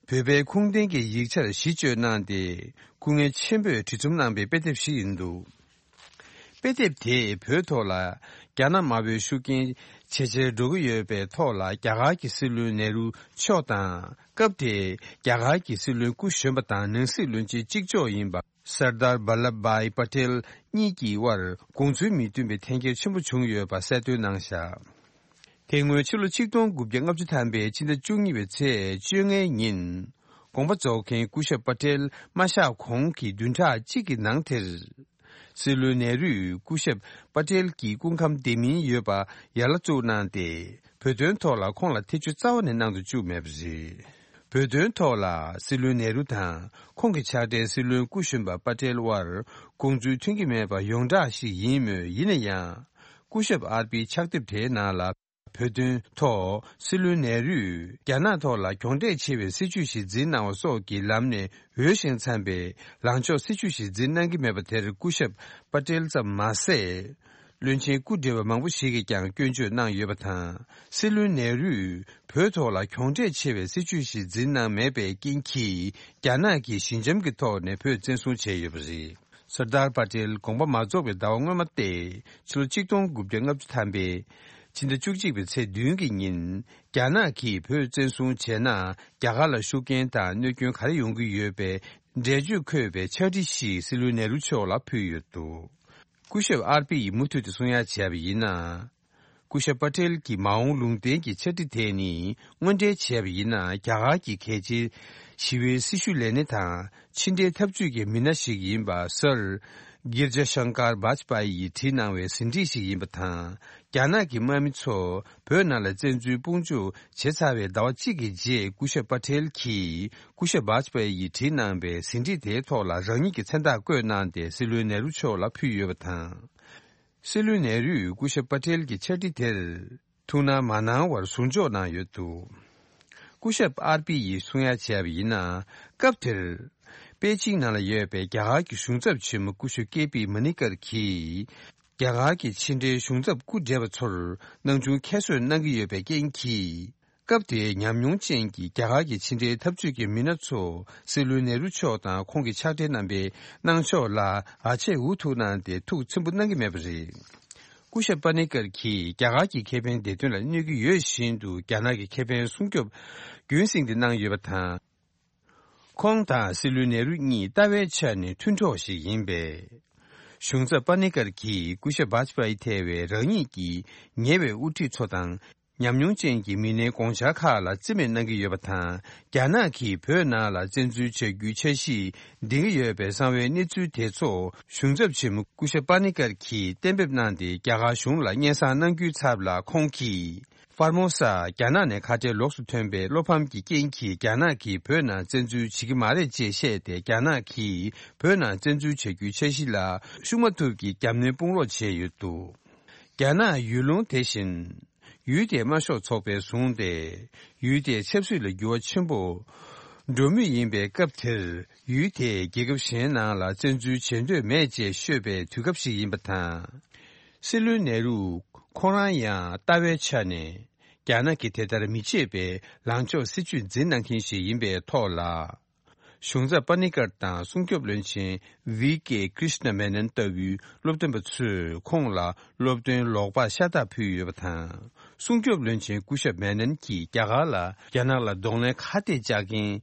བོད་པའི་ཁུངས་ལྡན་གྱི་ཡིག་ཆར་གཞི་བཅོལ་གནང་སྟེ། སྐུ་ངལ་ཆེན་པོས་བྲིས་རྩོམ་གནང་པའི་དཔེ་དེབ་ཞིག་ཡིན་འདུག་དཔེ་དེབ་དེས་བོད་ཐོག་ལ་རྒྱ་ནག་དམར་པོའི་ཤུགས་རྐྱེན་ཇེ་ཆེར་འགྲོ་གི་ཡོད་པའི་ཐོག་ལ། རྒྱ་གར་གྱི་སྲིད་བློན་ནེ་རུ་མཆོག་དང་། སྐབས་དེའི་རྒྱ་གར་གྱི་སྲིད་བློན་སྐུ་གཞོན་པ་དང་ནང་སྲིད་བློན་ཆེན་གཅིག་ལྕོགས་ཡིན་པ་སར་དར་བྷལ་ལབ་བྷའི་པ་ཏེལ་གཉིས་ཀྱི་དབར་དགོངས་ཚུལ་མི་མཐུན་པའི་འཐེན་འཁྱེར་ཆེན་པོ་བྱུང་ཡོད་པ་གསལ་སྟོན་གནང་བཞག་དེ་སྔོན་ཕྱི་ལོ་ཆིག་སྟོང་དགུ་བརྒྱ་ལྔ་བཅུ་ཐམ་པའི་ཕྱི་ཟླ་བཅུ་གཉིས་པའི་ཚེས་བཅོ་ལྔའི་ཉིན། དགོངས་པ་རྫོགས་མཁན་སྐུ་ཞབས་པ་ཏེལ་མ་གཤེགས་གོང་གི་བདུན་ཕྲག་གཅིག་གི་ནང་དེར། སྲིད་བློན་ནེ་རུས་སྐུ་ཞབས་པ་ཏེལ་གྱི་སྐུ་ཁམས་བདེ་མིན་ཡོད་པ་ཡར་ལ་བཙུགས་གནང་སྟེ། བོད་དོན་ཐོག་ལ་ཁོང་ལ་ཐེ་བྱུས་རྩ་བ་ནས་གནང་དུ་བཅུག་མེད་པ་རེད། བོད་དོན་ཐོག་ལ་སྲིད་བློན་ནེ་རུ་དང་ཁོང་གི་ཕྱག་སྦྲེལ་སྲིད་བློན་སྐུ་གཞོན་པ་པ་ཏེལ་དབར་དགོངས་ཚུལ་མཐུན་གྱི་མེད་པ་ཡོངས་གྲགས་ཤིག་ཡིན་མོད། ཡིན་ན་ཡང་། སྐུ་ཞབས་ཨར་པིའི་ཕྱག་དེབ་དེའི་ནང་ལ། བོད་དོན་ཐོག་སྲིད་བློན་ནེ་རུས་རྒྱ་ནག་ཐོག་ལ་གྱོང་གྲས་ཆེ་བའི་སྲིད་ཇུས་ཤིག་འཛིན་གནང་བ་སོགས་ཀྱི་ལམ་ནས་འོས་ཤིང་འཚམས་པའི་ལངས་ཕྱོགས་སྲིད་ཇུས་ཤིག་འཛིན་གནང་གི་མེད་པ་དེར། སྐུ་ཞབས་པ་ཏེལ་ཙམ་མ་ཟད། བློན་ཆེན་སྐུ་བགྲེས་པ་མང་པོ་ཞིག་གིས་ཀྱང་སྐྱོན་བརྗོད་གནང་ཡོད་པ་དང་། སྲིད་བློན་ནེ་རུས་བོད་ཐོག་ལ་གྱོང་གྲས་ཆེ་བའི་སྲིད་ཇུས་ཤིག་འཛིན་གནང་མེད་པའི་རྐྱེན་གྱིས། རྒྱ་ནག་གིས་ཞི་འཇམ་གྱི་ཐོག་ནས་བོད་བཙན་བཟུང་བྱས་ཡོད་པ་རེད། སར་དར་པ་ཏེལ་དགོངས་པ་མ་རྫོགས་པའི་ཟླ་བ་སྔོན་མ་སྟེ། ཕྱི་ལོ་ཆིག་སྟོང་དགུ་བརྒྱ་ལྔ་བཅུ་ཐམ་པའི་ཕྱི་ཟླ་བཅུ་གཅིག་པའི་ཚེས་བདུན་གྱི་ཉིན། རྒྱ་ནག་གིས་བོད་བཙན་བཟུང་བྱས་ན། རྒྱ་གར་ལ་ཤུགས་རྐྱེན་དང་གནོད་སྐྱོན་ག་རེ་ཡོང་གི་ཡོད་པའི་འགྲེལ་བརྗོད་འཁོད་པའི་ཕྱག་བྲིས་ཤིག་སྲིད་བློན་ནེ་རུ་མཆོག་ལ་ཕུལ་ཡོད་འདུག་སྐུ་ཞབས་ཨར་པི་ཡིས་མུ་མཐུད་དུ་གསུང་ཡ་བྱས་པ་ཡིན་ན། སྐུ་ཞབས་པ་ཏེལ་གྱི་མ་འོངས་ལུང་བསྟན་གྱི་ཕྱག་བྲིས་དེ་ནི། དངོས་འབྲེལ་བྱས་པ་ཡིན་ན། རྒྱ་གར་གྱི་གལ་ཆེའི་ཞི་བའི་སྲི་ཞུ་ལས་སྣེ་དང་། ཕྱི་འབྲེལ་ཐབས་ཇུས་ཀྱི་མི་སྣ་ཞིག་ཡིན་པ། སར་གིར་ཇ་ཤང་ཀར་བཱཇ་པ་ཡིས་བྲིས་གནང་བའི་ཟིན་བྲིས་ཤིག་ཡིན་པ་དང་། རྒྱ་ནག་གི་དམག་མི་ཚོ་བོད་ནང་ལ་བཙན་འཛུལ་དཔུང་འཇུག་བྱས་ཚར་བའི་ཟླ་བ་གཅིག་གི་རྗེས། སྐུ་ཞབས་པ་ཏེལ་གྱིས་སྐུ་ཞབས་བཱཇ་པ་ཡིས་བྲིས་གནང་བའི་ཟིན་བྲིས་དེའི་ཐོག་ལ་རང་ཉིད་ཀྱི་མཚན་རྟགས་བཀོད་གནང་སྟེ། སྲིད་བློན་ནེ་རུ་མཆོག་ལ་ཕུལ་ཡོད་པ་དང་། སྲིད་བློན་ནེ་རུས་སྐུ་ཞབས་པ་ཏེལ་གྱི་ཕྱག་བྲིས་དེར་ཐུགས་སྣང་མ་གནང་བར་ཟུར་འཇོག་གནང་ཡོད་འདུག་སྐུ་ཞབས་ཨར་པི་ཡིས་གསུང་ཡ་བྱས་པ་ཡིན་ན། སྐབས་དེར་པེ་ཅིང་ནང་ལ་ཡོད་པའི་རྒྱ་གར་གྱི་གཞུང་ཚབ་ཆེན་མོ་སྐུ་ཞབས་ཀེ་པི་མ་ནི་ཀར་གྱིས། རྒྱ་གར་གྱི་ཕྱི་འབྲེལ་གཞུང་ཚབ་སྐུ་བགྲེས་པ་ཚོར་སྣང་ཆུང་ཁྱད་གསོད་གནང་གི་ཡོད་པའི་རྐྱེན་གྱིས། སྐབས་དེའི་ཉམས་མྱོང་ཅན་གྱི་རྒྱ་གར་གྱི་ཕྱི་འབྲེལ་འཐབ་ཇུས་ཀྱི་མི་སྣ་ཚོ་སྲིད་བློན་ནེ་རུ་མཆོག་དང་ཁོང་གི་ཕྱག་སྦྲེལ་རྣམ་པའི་གནང་ཕྱོགས་ལ་ཨ་ཆད་འུ་ཐུག་གནང་སྟེ་ཐུགས་ཚིམ་པོ་གནང་གི་མེད་པ་རེད། སྐུ་ཞབས་པ་ནི་ཀར་གྱིས་རྒྱ་གར་གྱི་ཁེ་ཕན་བདེ་དོན་ལ་གནོད་ཀྱི་ཡོད་བཞིན་དུ། རྒྱ་ནག་གི་ཁེ་ཕན་སྲུང་སྐྱོབ་རྒྱུན་བསྲིངས་ཏེ་གནང་ཡོད་པ་དང་། ཁོང་དང་སྲིད་བློན་ནེ་རུ་གཉིས་ལྟ་བའི་ཆ་ནས་མཐུན་གྲོགས་ཤིག་ཡིན་པས། གཞུང་ཚབ་པ་ནི་ཀར་གྱིས་སྐུ་ཞབས་བཱཇ་པ་ཡི་ཐེ་བའི་རང་ཉིད་ཀྱི་ཉེ་བའི་དབུ་ཁྲིད་ཚོ་དང་། ཉམས་མྱོང་ཅན་གྱི་མི་སྣའི་དགོངས་འཆར་ཁག་ལ་རྩིས་མེད་གནང་གི་ཡོད་པ་དང་། རྒྱ་ནག་གིས་བོད་ནང་ལ་བཙན་འཛུལ་བྱ་རྒྱུའི་འཆར་གཞི་འདིང་གི་ཡོད་པའི་གསང་བའི་གནས་ཚུལ་དེ་ཚོ་གཞུང་ཚབ་ཆེན་མོ་སྐུ་ཞབས་པ་ནི་ཀར་གྱིས་གཏན་འབེབས་གནང་སྟེ། རྒྱ་གར་གཞུང་ལ་སྙན་སེང་གནང་རྒྱུའི་ཚབ་ལ། ཁོང་གིས་ཧྥར་མོ་ས་རྒྱ་ནག་ནས་ཁ་བྲལ་ལོགས་སུ་ཐོན་པའི་བློ་ཕམ་གྱི་རྐྱེན་གྱིས། རྒྱ་ནག་གིས་བོད་ནང་བཙན་འཛུལ་བྱེད་ཀྱི་མ་རེད་ཅེས་བཤད་དེ། རྒྱ་ནག་གིས་བོད་ནང་བཙན་འཛུལ་བྱ་རྒྱུའི་འཆར་གཞི་ལ་ཤུགས་མ་ཐུབ་ཀྱིས་རྒྱབ་གནོན་དཔུང་རོགས་བྱས་ཡོད་འདུག་རྒྱ་ནག་ཡུལ་ལུང་དེ་བཞིན་ཡུལ་དེའི་དམར་ཤོག་ཚོགས་པས་བཟུང་སྟེ། ཡུལ་དེའི་ཆབ་སྲིད་ལ་འགྱུར་བ་ཆེན་པོ་འགྲོ་མུས་ཡིན་པའི་སྐབས་དེར། ཡུལ་དེས་རྒྱལ་ཁབ་གཞན་ནང་ལ་བཙན་འཛུལ་བྱེད་འདོད་མེད་ཅེས་ཤོད་པའི་དུས་སྐབས་ཤིག་ཡིན་པ་དང་། སྲིད་བློན་ནེ་རུ་ཁོང་རང་ཡང་ལྟ་བའི་ཆ་ནས། རྒྱ་ནག་གིས་དེ་ལྟར་མི་བྱེད་པའི་ལངས་ཕྱོགས་སྲིད་ཇུས་འཛིན་གནང་མཁན་ཞིག་ཡིན་པའི་ཐོག་ལ། གཞུང་ཚབ་པ་ནི་ཀར་དང་སྲུང་སྐྱོབ་བློན་ཆེན་ཝི་ཀེ་ཀྲིཤ་ན་མེ་ནན་ལྟ་བུའི་སློབ་སྟོན་པ་ཚོས་ཁོང་ལ་སློབ་སྟོན་ལོག་པར་ཤ་སྟག་ཕུལ་ཡོད་པ་དང་། སྲུང་སྐྱོབ་བློན་ཆེན་སྐུ་ཞབས་མེ་ནན་གྱིས་རྒྱ་གར་ལ་རྒྱ་ནག་ལ་གདོང་ལེན་ཁ་གཏད་བཅག་མཁན་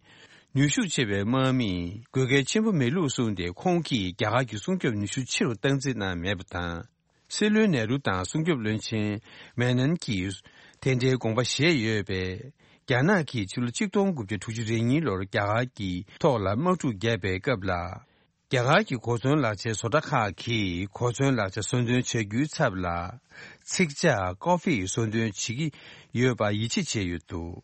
ནུས་ཤུགས་ཆེ་བའི་དམག་མིས་དགོས་གལ་ཆེན་པོ་མེད་ལུགས་གསུངས་ཏེ། ཁོང་གིས་རྒྱ་གར་གྱི་སྲུང་སྐྱོབ་ནུས་ཤུགས་ཆེ་རུ་བཏང་རྩིས་གནང་མེད་པ་དང་། སྲིད་བློན་ནེ་རུ་དང་སྲུང་སྐྱོབ་བློན་ཆེན་མེ་ནན་གྱིས་དེ་འདྲའི་དགོངས་པ་བཞེས་ཡོད་པས། རྒྱ་ནག་གིས་ཕྱི་ལོ་ཆིག་སྟོང་དགུ་བརྒྱ་དྲུག་ཅུ་རེ་གཉིས་ལོར་རྒྱ་གར་གྱི་ཐོག་ལ་དམག་འཁྲུག་བརྒྱབ་པའི་སྐབས་ལ། རྒྱ་གར་གྱི་གོ་མཚོན་ལག་ཆའི་བཟོ་གྲྭ་ཁག་གིས་གོ་མཚོན་ལག་ཆ་བཟོ་འདོན་བྱ་རྒྱུའི་ཚབ་ལ། ཚིག་ཇ་ཀོ་ཧྥེ་བཟོ་འདོན་བྱེད་ཀྱི་ཡོད་པ་ཡིད་ཆེས་བྱས་ཡོད་འདུག་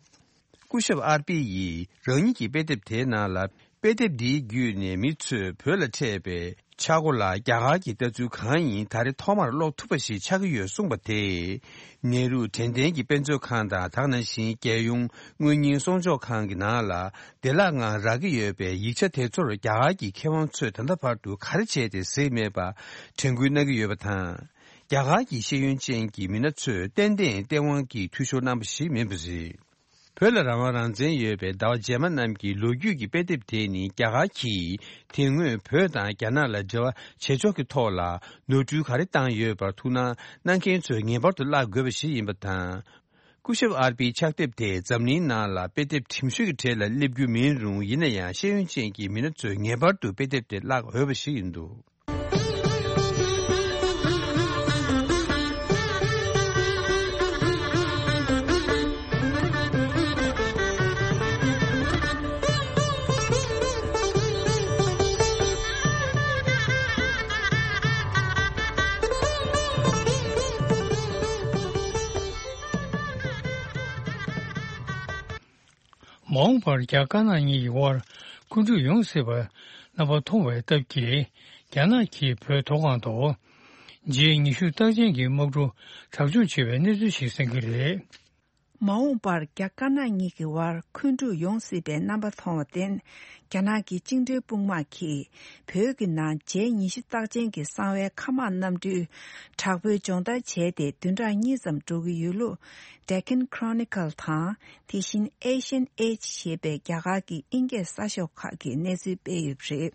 སྐུ་ཞབས་ཨར་པི་ཡིས་རང་ཉིད་ཀྱི་དཔེ་དེབ་དེའི་ནང་ལ། དཔེ་དེབ་འདིའི་བརྒྱུད་ནས་མི་ཚོས་བོད་ལ་འཕྲད་པའི་ཆག་སྒོ་ལ་རྒྱ་གར་གྱི་ལྟ་ཚུལ་གང་ཡིན་ད་རེས་ཐོག་མར་ཀློག་ཐུབ་པ་ཞིག་ཆགས་ཀྱི་ཡོད་གསུངས་པ་དེས། ནེ་རུ་དྲན་རྟེན་གྱི་དཔེ་མཛོད་ཁང་དང་། དེ་ནང་བཞིན་རྒྱལ་ཡོངས་དངོས་གཉེར་སྲུང་སྐྱོབ་ཁང་གི་ནང་ལ་བདེ་བླག་ངང་རག་གི་ཡོད་པའི་ཡིག་ཆ་དེ་ཚོར་རྒྱ་གར་གྱི་མཁས་དབང་ཚོས་ད་ལྟ་བར་དུ་ག་རེ་བྱས་ཏེ་གཟིགས་མེད་པ་དྲན་སྐུལ་གནང་གི་ཡོད་པ་དང་། རྒྱ་གར་གྱི་ཤེས་ཡོན་ཅན་གྱི་མི་སྣ་ཚོས་ཏན་ཏན་བསྟན་དབང་གིས་འཐུས་ཤོར་གནང་པ་ཞིག་མིན་པ་རེད། བོད་ལ་རང་དབང་རང་བཙན་ཡོད་པའི་ཟླ་བ་རྗེས་མ་རྣམས་ཀྱི་ལོ་རྒྱུས་ཀྱི་དཔེ་དེབ་དེ་ནི། རྒྱ་གར་གྱིས་དེ་སྔོན་བོད་དང་རྒྱ་ནག་ལ་འབྲེལ་བ་བྱེད་ཕྱོགས་ཀྱི་ཐོག་ལ་ནོར་འཁྲུལ་ག་རེ་བཏང་ཡོད་པར་ཐུགས་སྣང་གནང་མཁན་ཚོས་ངེས་པར་དུ་བཀླག་དགོས་པ་ཞིག་ཡིན་པ་དང་། སྐུ་ཞབས་ཨར་པིའི་ཕྱག་དེབ་དེ་འཛམ་གླིང་ནང་ལ་དཔེ་དེབ་གྲིམ་ཤོས་ཀྱི་གྲས་ལ་སླེབས་རྒྱུ་མིན་རུང་། ཡིན་ན་ཡང་ཤེས་ཡོན་ཅན་གྱི་མི་སྣ་ཚོས་ངེས་པར་དུ་དཔེ་དེབ་དེ་བཀླག་འོས་པ་ཞིག་ཡིན་འདུག་མ་འོངས་པར་རྒྱ་དཀར་ནག་གཉིས་ཀྱི་དབར་འཁོན་འཁྲུག་ཡོང་སྲིད་པ་རྣམ་པ་མཐོང་བའི་སྟབས་ཀྱིས། རྒྱ་ནག་གིས་བོད་མཐོ་སྒང་དུ་ཇེ་ཉི་ཤུ་རྟགས་ཅན་གྱི་དམག་གྲུ་དྲག་སྦྱོང་བྱེད་པའི་གནས་ཚུལ་ཞིག་གསན་གྱི་རེད། མ་འོངས་པར་རྒྱ་དཀར་ནག་གཉིས་ཀྱི་དབར་འཁོན་འཁྲུག་ཡོང་སྲིད་པའི་རྣམ་པ་མཐོང་བར་བརྟེན། རྒྱ་ནག་གི་བཅིངས་འགྲོལ་དཔུང་དམག་གིས་བོད་ཀྱི་ནང་ཇེ་ཉི་ཤུ་རྟགས་ཅན་གྱི་གསང་བའི་མཁའ་དམག་གནམ་གྲུའི་དྲག་པོའི་སྦྱོང་བརྡར་བྱས་ཏེ། བདུན་ཕྲག་གཉིས་ཙམ་འགྲོ་གི་ཡོད་ལུགས། Deccan Chronicle དང་། དེ་བཞིན་Asian Age ཞེས་པའི་རྒྱ་གར་གྱི་ཨིན་སྐད་གསར་ཤོག་ཁག་གིས་གནས་ཚུལ་སྤེལ་ཡོད་པ་རེད།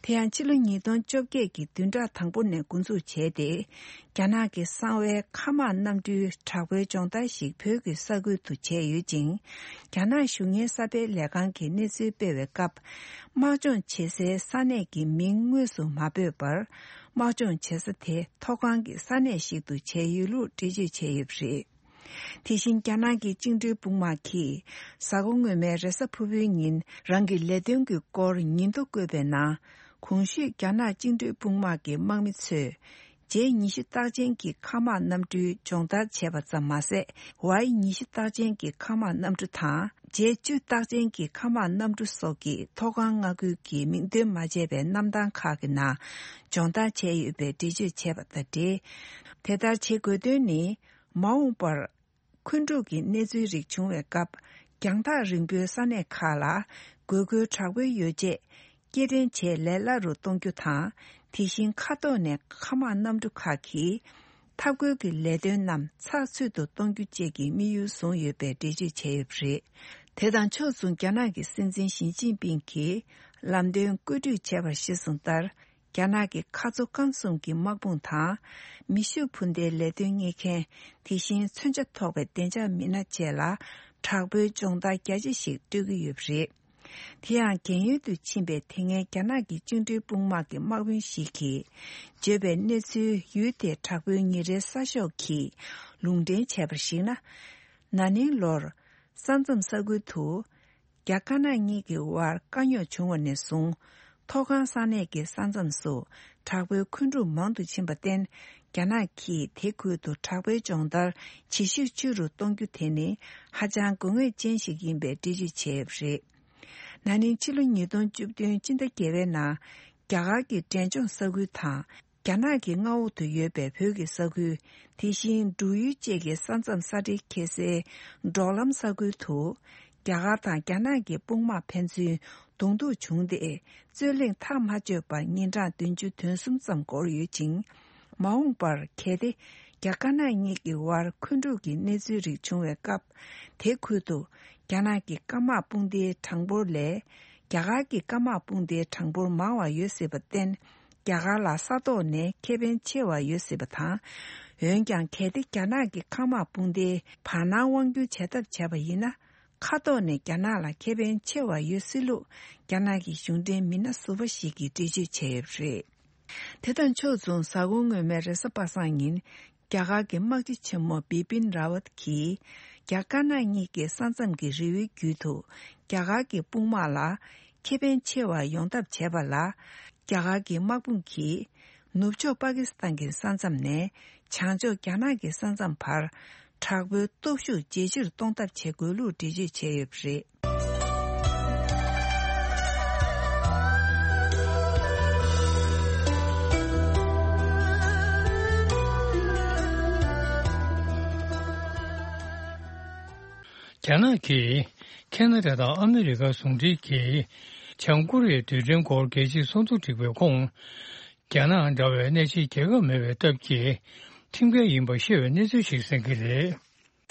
དེ་ཡང་ཕྱི་ལོ་ཉིས་སྟོང་བཅོ་བརྒྱད་ཀྱི་བདུན་ཕྲག་དང་པོ་ནས་འགོ་འཛུགས་བྱས་ཏེ། རྒྱ་ནག་གི་གསང་བའི་མཁའ་དམག་གནམ་གྲུའི་དྲག་པོའི་སྦྱོང་བརྡར་ཞིག་བོད་ཀྱི་ས་ཁུལ་དུ་བྱས་ཡོད་ཅིང་། རྒྱ་ནག་གཞུང་གཉེར་གསར་སྤེལ་ལས་ཁང་གིས་གནས་ཚུལ་སྤེལ་བའི་སྐབས། དམག་སྦྱོང་བྱེད་སའི་ས་གནས་ཀྱི་མིང་དངོས་སུ་མ་འབོད་པར། དམག་སྦྱོང་བྱེད་ས་དེ་མཐོ་སྒང་གི་ས་གནས་ཤིག་ཏུ་བྱས་ཡོད་ལུགས་འགྲེལ་བརྗོད་བྱས་ཡོད་པ་རེད། དེ་བཞིན་རྒྱ་ནག་གི་བཅིངས་འགྲོལ་དཔུང་དམག་གིས་གཟའ་འཁོར་སྔོན་མའི་རེས་གཟའ་ཕུར་བུའི་ཉིན་རང་གི་ལས་དོན་གྱི་སྐོར་ཉིན་ཐོ་བཀོད་པའི་ནང་། གོང་ཞུས་རྒྱ་ནག་བཅིངས་འགྲོལ་དཔུང་དམག་གི་དམག་མི་ཚོས་ཇེ་ཉི་ཤུ་རྟགས་ཅན་གྱི་མཁའ་དམག་གནམ་གྲུའི་སྦྱོང་བརྡར་བྱས་པ་ཙམ་མ་ཟད། ཝའི་ཉི་ཤུ་རྟགས་ཅན་གྱི་མཁའ་དམག་གནམ་གྲུ་དང་། ཇེ་བཅུ་རྟགས་ཅན་གྱི་མཁའ་དམག་གནམ་གྲུ་སོགས་ཀྱི་མཐོ་སྒང་མངའ་ཁུལ་གྱི་མིང་འདོན་མ་བྱས་པའི་གནམ་ཐང་ཁག་གི་ནང་སྦྱོང་བརྡར་བྱས་ཡོད་པའི་འགྲེལ་བརྗོད་བྱས་པ་དང་འབྲེལ། དེ་ལྟར་བྱེད་དགོས་དོན་ནི། མ་འོངས་པར་འཁོན་འཁྲུག་གི་གནས་ཚུལ་རིགས་བྱུང་བའི་སྐབས། རྒྱང་ཐག་རིང་པོའི་ས་གནས་ཁག་ལ་དགོས་མཁོ་དྲག་པོའི་ཡོ་བྱད་སྐྱེལ་འདྲེན་བྱེད་ལས་སླ་རུ་གཏོང་རྒྱུ་དང་། དེ་བཞིན་མཁའ་ཐོག་ནས་མཁའ་དམག་གནམ་གྲུ་ཁག་གི་འཐབ་རྒོལ་གྱི་ལས་དོན་རྣམས་ཚགས་ཚུད་དུ་གཏོང་རྒྱུ་བཅས་ཀྱི་དམིགས་ཡུལ་བཟུང་ཡོད་པའི་འགྲེལ་བརྗོད་བྱས་ཡོད་པ་རེད། དེ་དང་ཕྱོགས་མཚུངས་རྒྱ་ནག་གི་སྲིད་འཛིན་ཞི་ཅིན་ཕིང་གིས་ལམ་སྟོན་བཀོད་སྒྲིག་བྱས་པར་གཞི་བཟུང་ལྟར། རྒྱ་ནག་གི་མཁའ་མཚོ་སྐམ་གསུམ་གྱི་དམག་དཔུང་དང་། མེ་ཤུགས་འཕུར་མདེལ་ལས་དོན་གཉེར་མཁན། དེ་བཞིན་མཚོན་ཆ་ཐོགས་པའི་བདེ་འཇགས་མི་སྣ་བཅས་ལ་དྲག་པོའི་སྦྱོང་བརྡར་རྒྱ་ཆེ་ཞིག་སྤྲོད་ཀྱི་ཡོད་པ་རེད། དེ་ཡང་རྒན་ཡོལ་དུ་ཕྱིན་པའི་དེ་སྔའི་རྒྱ་ནག་གི་བཅིངས་འགྲོལ་དཔུང་དམག་གི་དམག་དཔོན་ཞིག་གིས་བརྗོད་པའི་གནས་ཚུལ་ཡུལ་དེའི་དྲག་པོའི་ཉིན་རེའི་གསར་ཤོག་གིས་ལུང་འདྲེན་བྱས་པར་གཞིགས་ན། ན་ནིང་ལོར་ས་མཚམས་ས་ཁུལ་དུ། རྒྱ་དཀར་ནག་གཉིས་ཀྱི་དབར་དཀའ་རྙོག་བྱུང་བ་ནས་བཟུང་། མཐོ་སྒང་ས་གནས་ཀྱི་ས་མཚམས་སུ་དྲག་པོའི་འཁོན་འཁྲུག་མང་དུ་ཕྱིན་པར་བརྟེན། རྒྱ་ནག་གིས་དེ་ཁུལ་དུ་དྲག་པོའི་སྦྱོང་བརྡར་ཇེ་ཤུགས་ཆེ་རུ་གཏོང་རྒྱུ་དེ་ནི་ཧ་ཅང་དགོས་ངེས་ཅན་ཞིག་ཡིན་པའི་འགྲེལ་བརྗོད་བྱས་ཡོད་པ་རེད། ན་ནིང་ཕྱི་ལོ་ཉིས་སྟོང་བཅུ་བདུན་སྤྱི་ཟླ་བརྒྱད་པའི་ནང་རྒྱ་གར་གྱི་འབྲས་ལྗོངས་ས་ཁུལ་དང་། རྒྱ་ནག་གི་མངའ་འོག་ཏུ་ཡོད་པའི་བོད་ཀྱི་ས་ཁུལ། དེ་བཞིན་འབྲུག་ཡུལ་བཅས་ཀྱི་ས་མཚམས་ས་འབྲེལ་འཁེལ་སའི་འབྲོག་ལམ་ས་ཁུལ་དུ། རྒྱ་གར་དང་རྒྱ་ནག་གི་དཔུང་དམག་ཕན་ཚུན་གདོང་ཐུག་བྱུང་སྟེ། རྩོད་གླེང་ཐག་མ་ཆོད་པར་ཉིན་གྲངས་བདུན་ཅུ་དོན་གསུམ་ཙམ་འགོར་ཡོད་ཅིང་། མ་འོངས་པར་གལ་ཏེ་རྒྱ་དཀར་ནག་གཉིས་ཀྱི་དབར་འཁོན་འཁྲུག་གི་གནས་ཚུལ་རིགས་བྱུང་བའི་སྐབས། དེ་ཁུལ་དུ་རྒྱ་ནག་གི་སྐམ་དམག་དཔུང་སྡེའི་གྲངས་འབོར་ལས། རྒྱ་གར་གྱི་སྐམ་དམག་དཔུང་སྡེའི་གྲངས་འབོར་མང་བ་ཡོད་སྲིད་པར་བརྟེན། རྒྱ་གར་ལ་ས་ཐོག་ནས་ཁེ་ཕན་ཆེ་བ་ཡོད་སྲིད་པ་དང་། འོན་ཀྱང་། གལ་ཏེ་རྒྱ་ནག་གི་སྐམ་དམག་དཔུང་སྡེའི་བར་སྣང་དབང་སྒྱུར་བྱེད་ཐབས་བྱས་པ་ཡིན་ན། མཁའ་ཐོག་ནས་རྒྱ་ནག་ལ་ཁེ་ཕན་ཆེ་བ་ཡོད་སྲིད་ལུགས། རྒྱ་ནག་གི་གཞུང་འབྲེལ་མི་སྣ་ཟུར་པ་ཞིག་གིས་འགྲེལ་བརྗོད་བྱས་ཡོད་པ་རེད། དེ་དང་ཕྱོགས་མཚུངས། གཟའ་འཁོར་སྔོན་མའི་རེས་གཟའ་པ་སངས་ཉིན། རྒྱ་གར་གྱི་དམག་སྤྱི་ཆེན་མོ་བི་པིན་ར་ཝད་ཀྱིས། རྒྱ་དཀར་ནག་གཉིས་ཀྱི་ས་མཚམས་ཀྱི་རི་བོའི་རྒྱུད་དུ། རྒྱ་གར་གྱི་དཔུང་དམག་ལ་ཁེ་ཕན་ཆེ་བ་ཡོང་ཐབས་བྱས་པ་ལ། རྒྱ་གར་གྱི་དམག་དཔུང་གིས། ནུབ་ཕྱོགས་པ་ཀི་སི་ཐན་གྱི་ས་མཚམས་ནས། བྱང་ཕྱོགས་རྒྱ་ནག་གི་ས་མཚམས་བར། དྲག་པོའི་སྟོབས་ཤུགས་ཇེ་ཆེར་གཏོང་ཐབས་བྱེད་དགོས་ལུགས་འགྲེལ་བརྗོད་བྱས་ཡོད་པ་རེད། རྒྱ་ནག་གིས་ཁེ་ན་ཌ་དང་ཨ་མི་རི་ཀ་ཟུང་འབྲེལ་གྱིས་བྱང་ཀོ་རི་ཡའི་རྡུལ་ཕྲན་སྐོར་རྒྱལ་སྤྱིའི་ཚོགས་འདུ་བསྒྲིགས་པའི་ཁོངས། རྒྱ་ནག་འདྲ་བའི་གནད་ཆེའི་རྒྱལ་ཁབ་མེད་པའི་སྟབས་ཀྱིས་ཁྲིམས་འགལ་ཡིན་པ་ཤེས་པའི་གནས་ཚུལ་ཞིག་གསན་གྱི་རེད།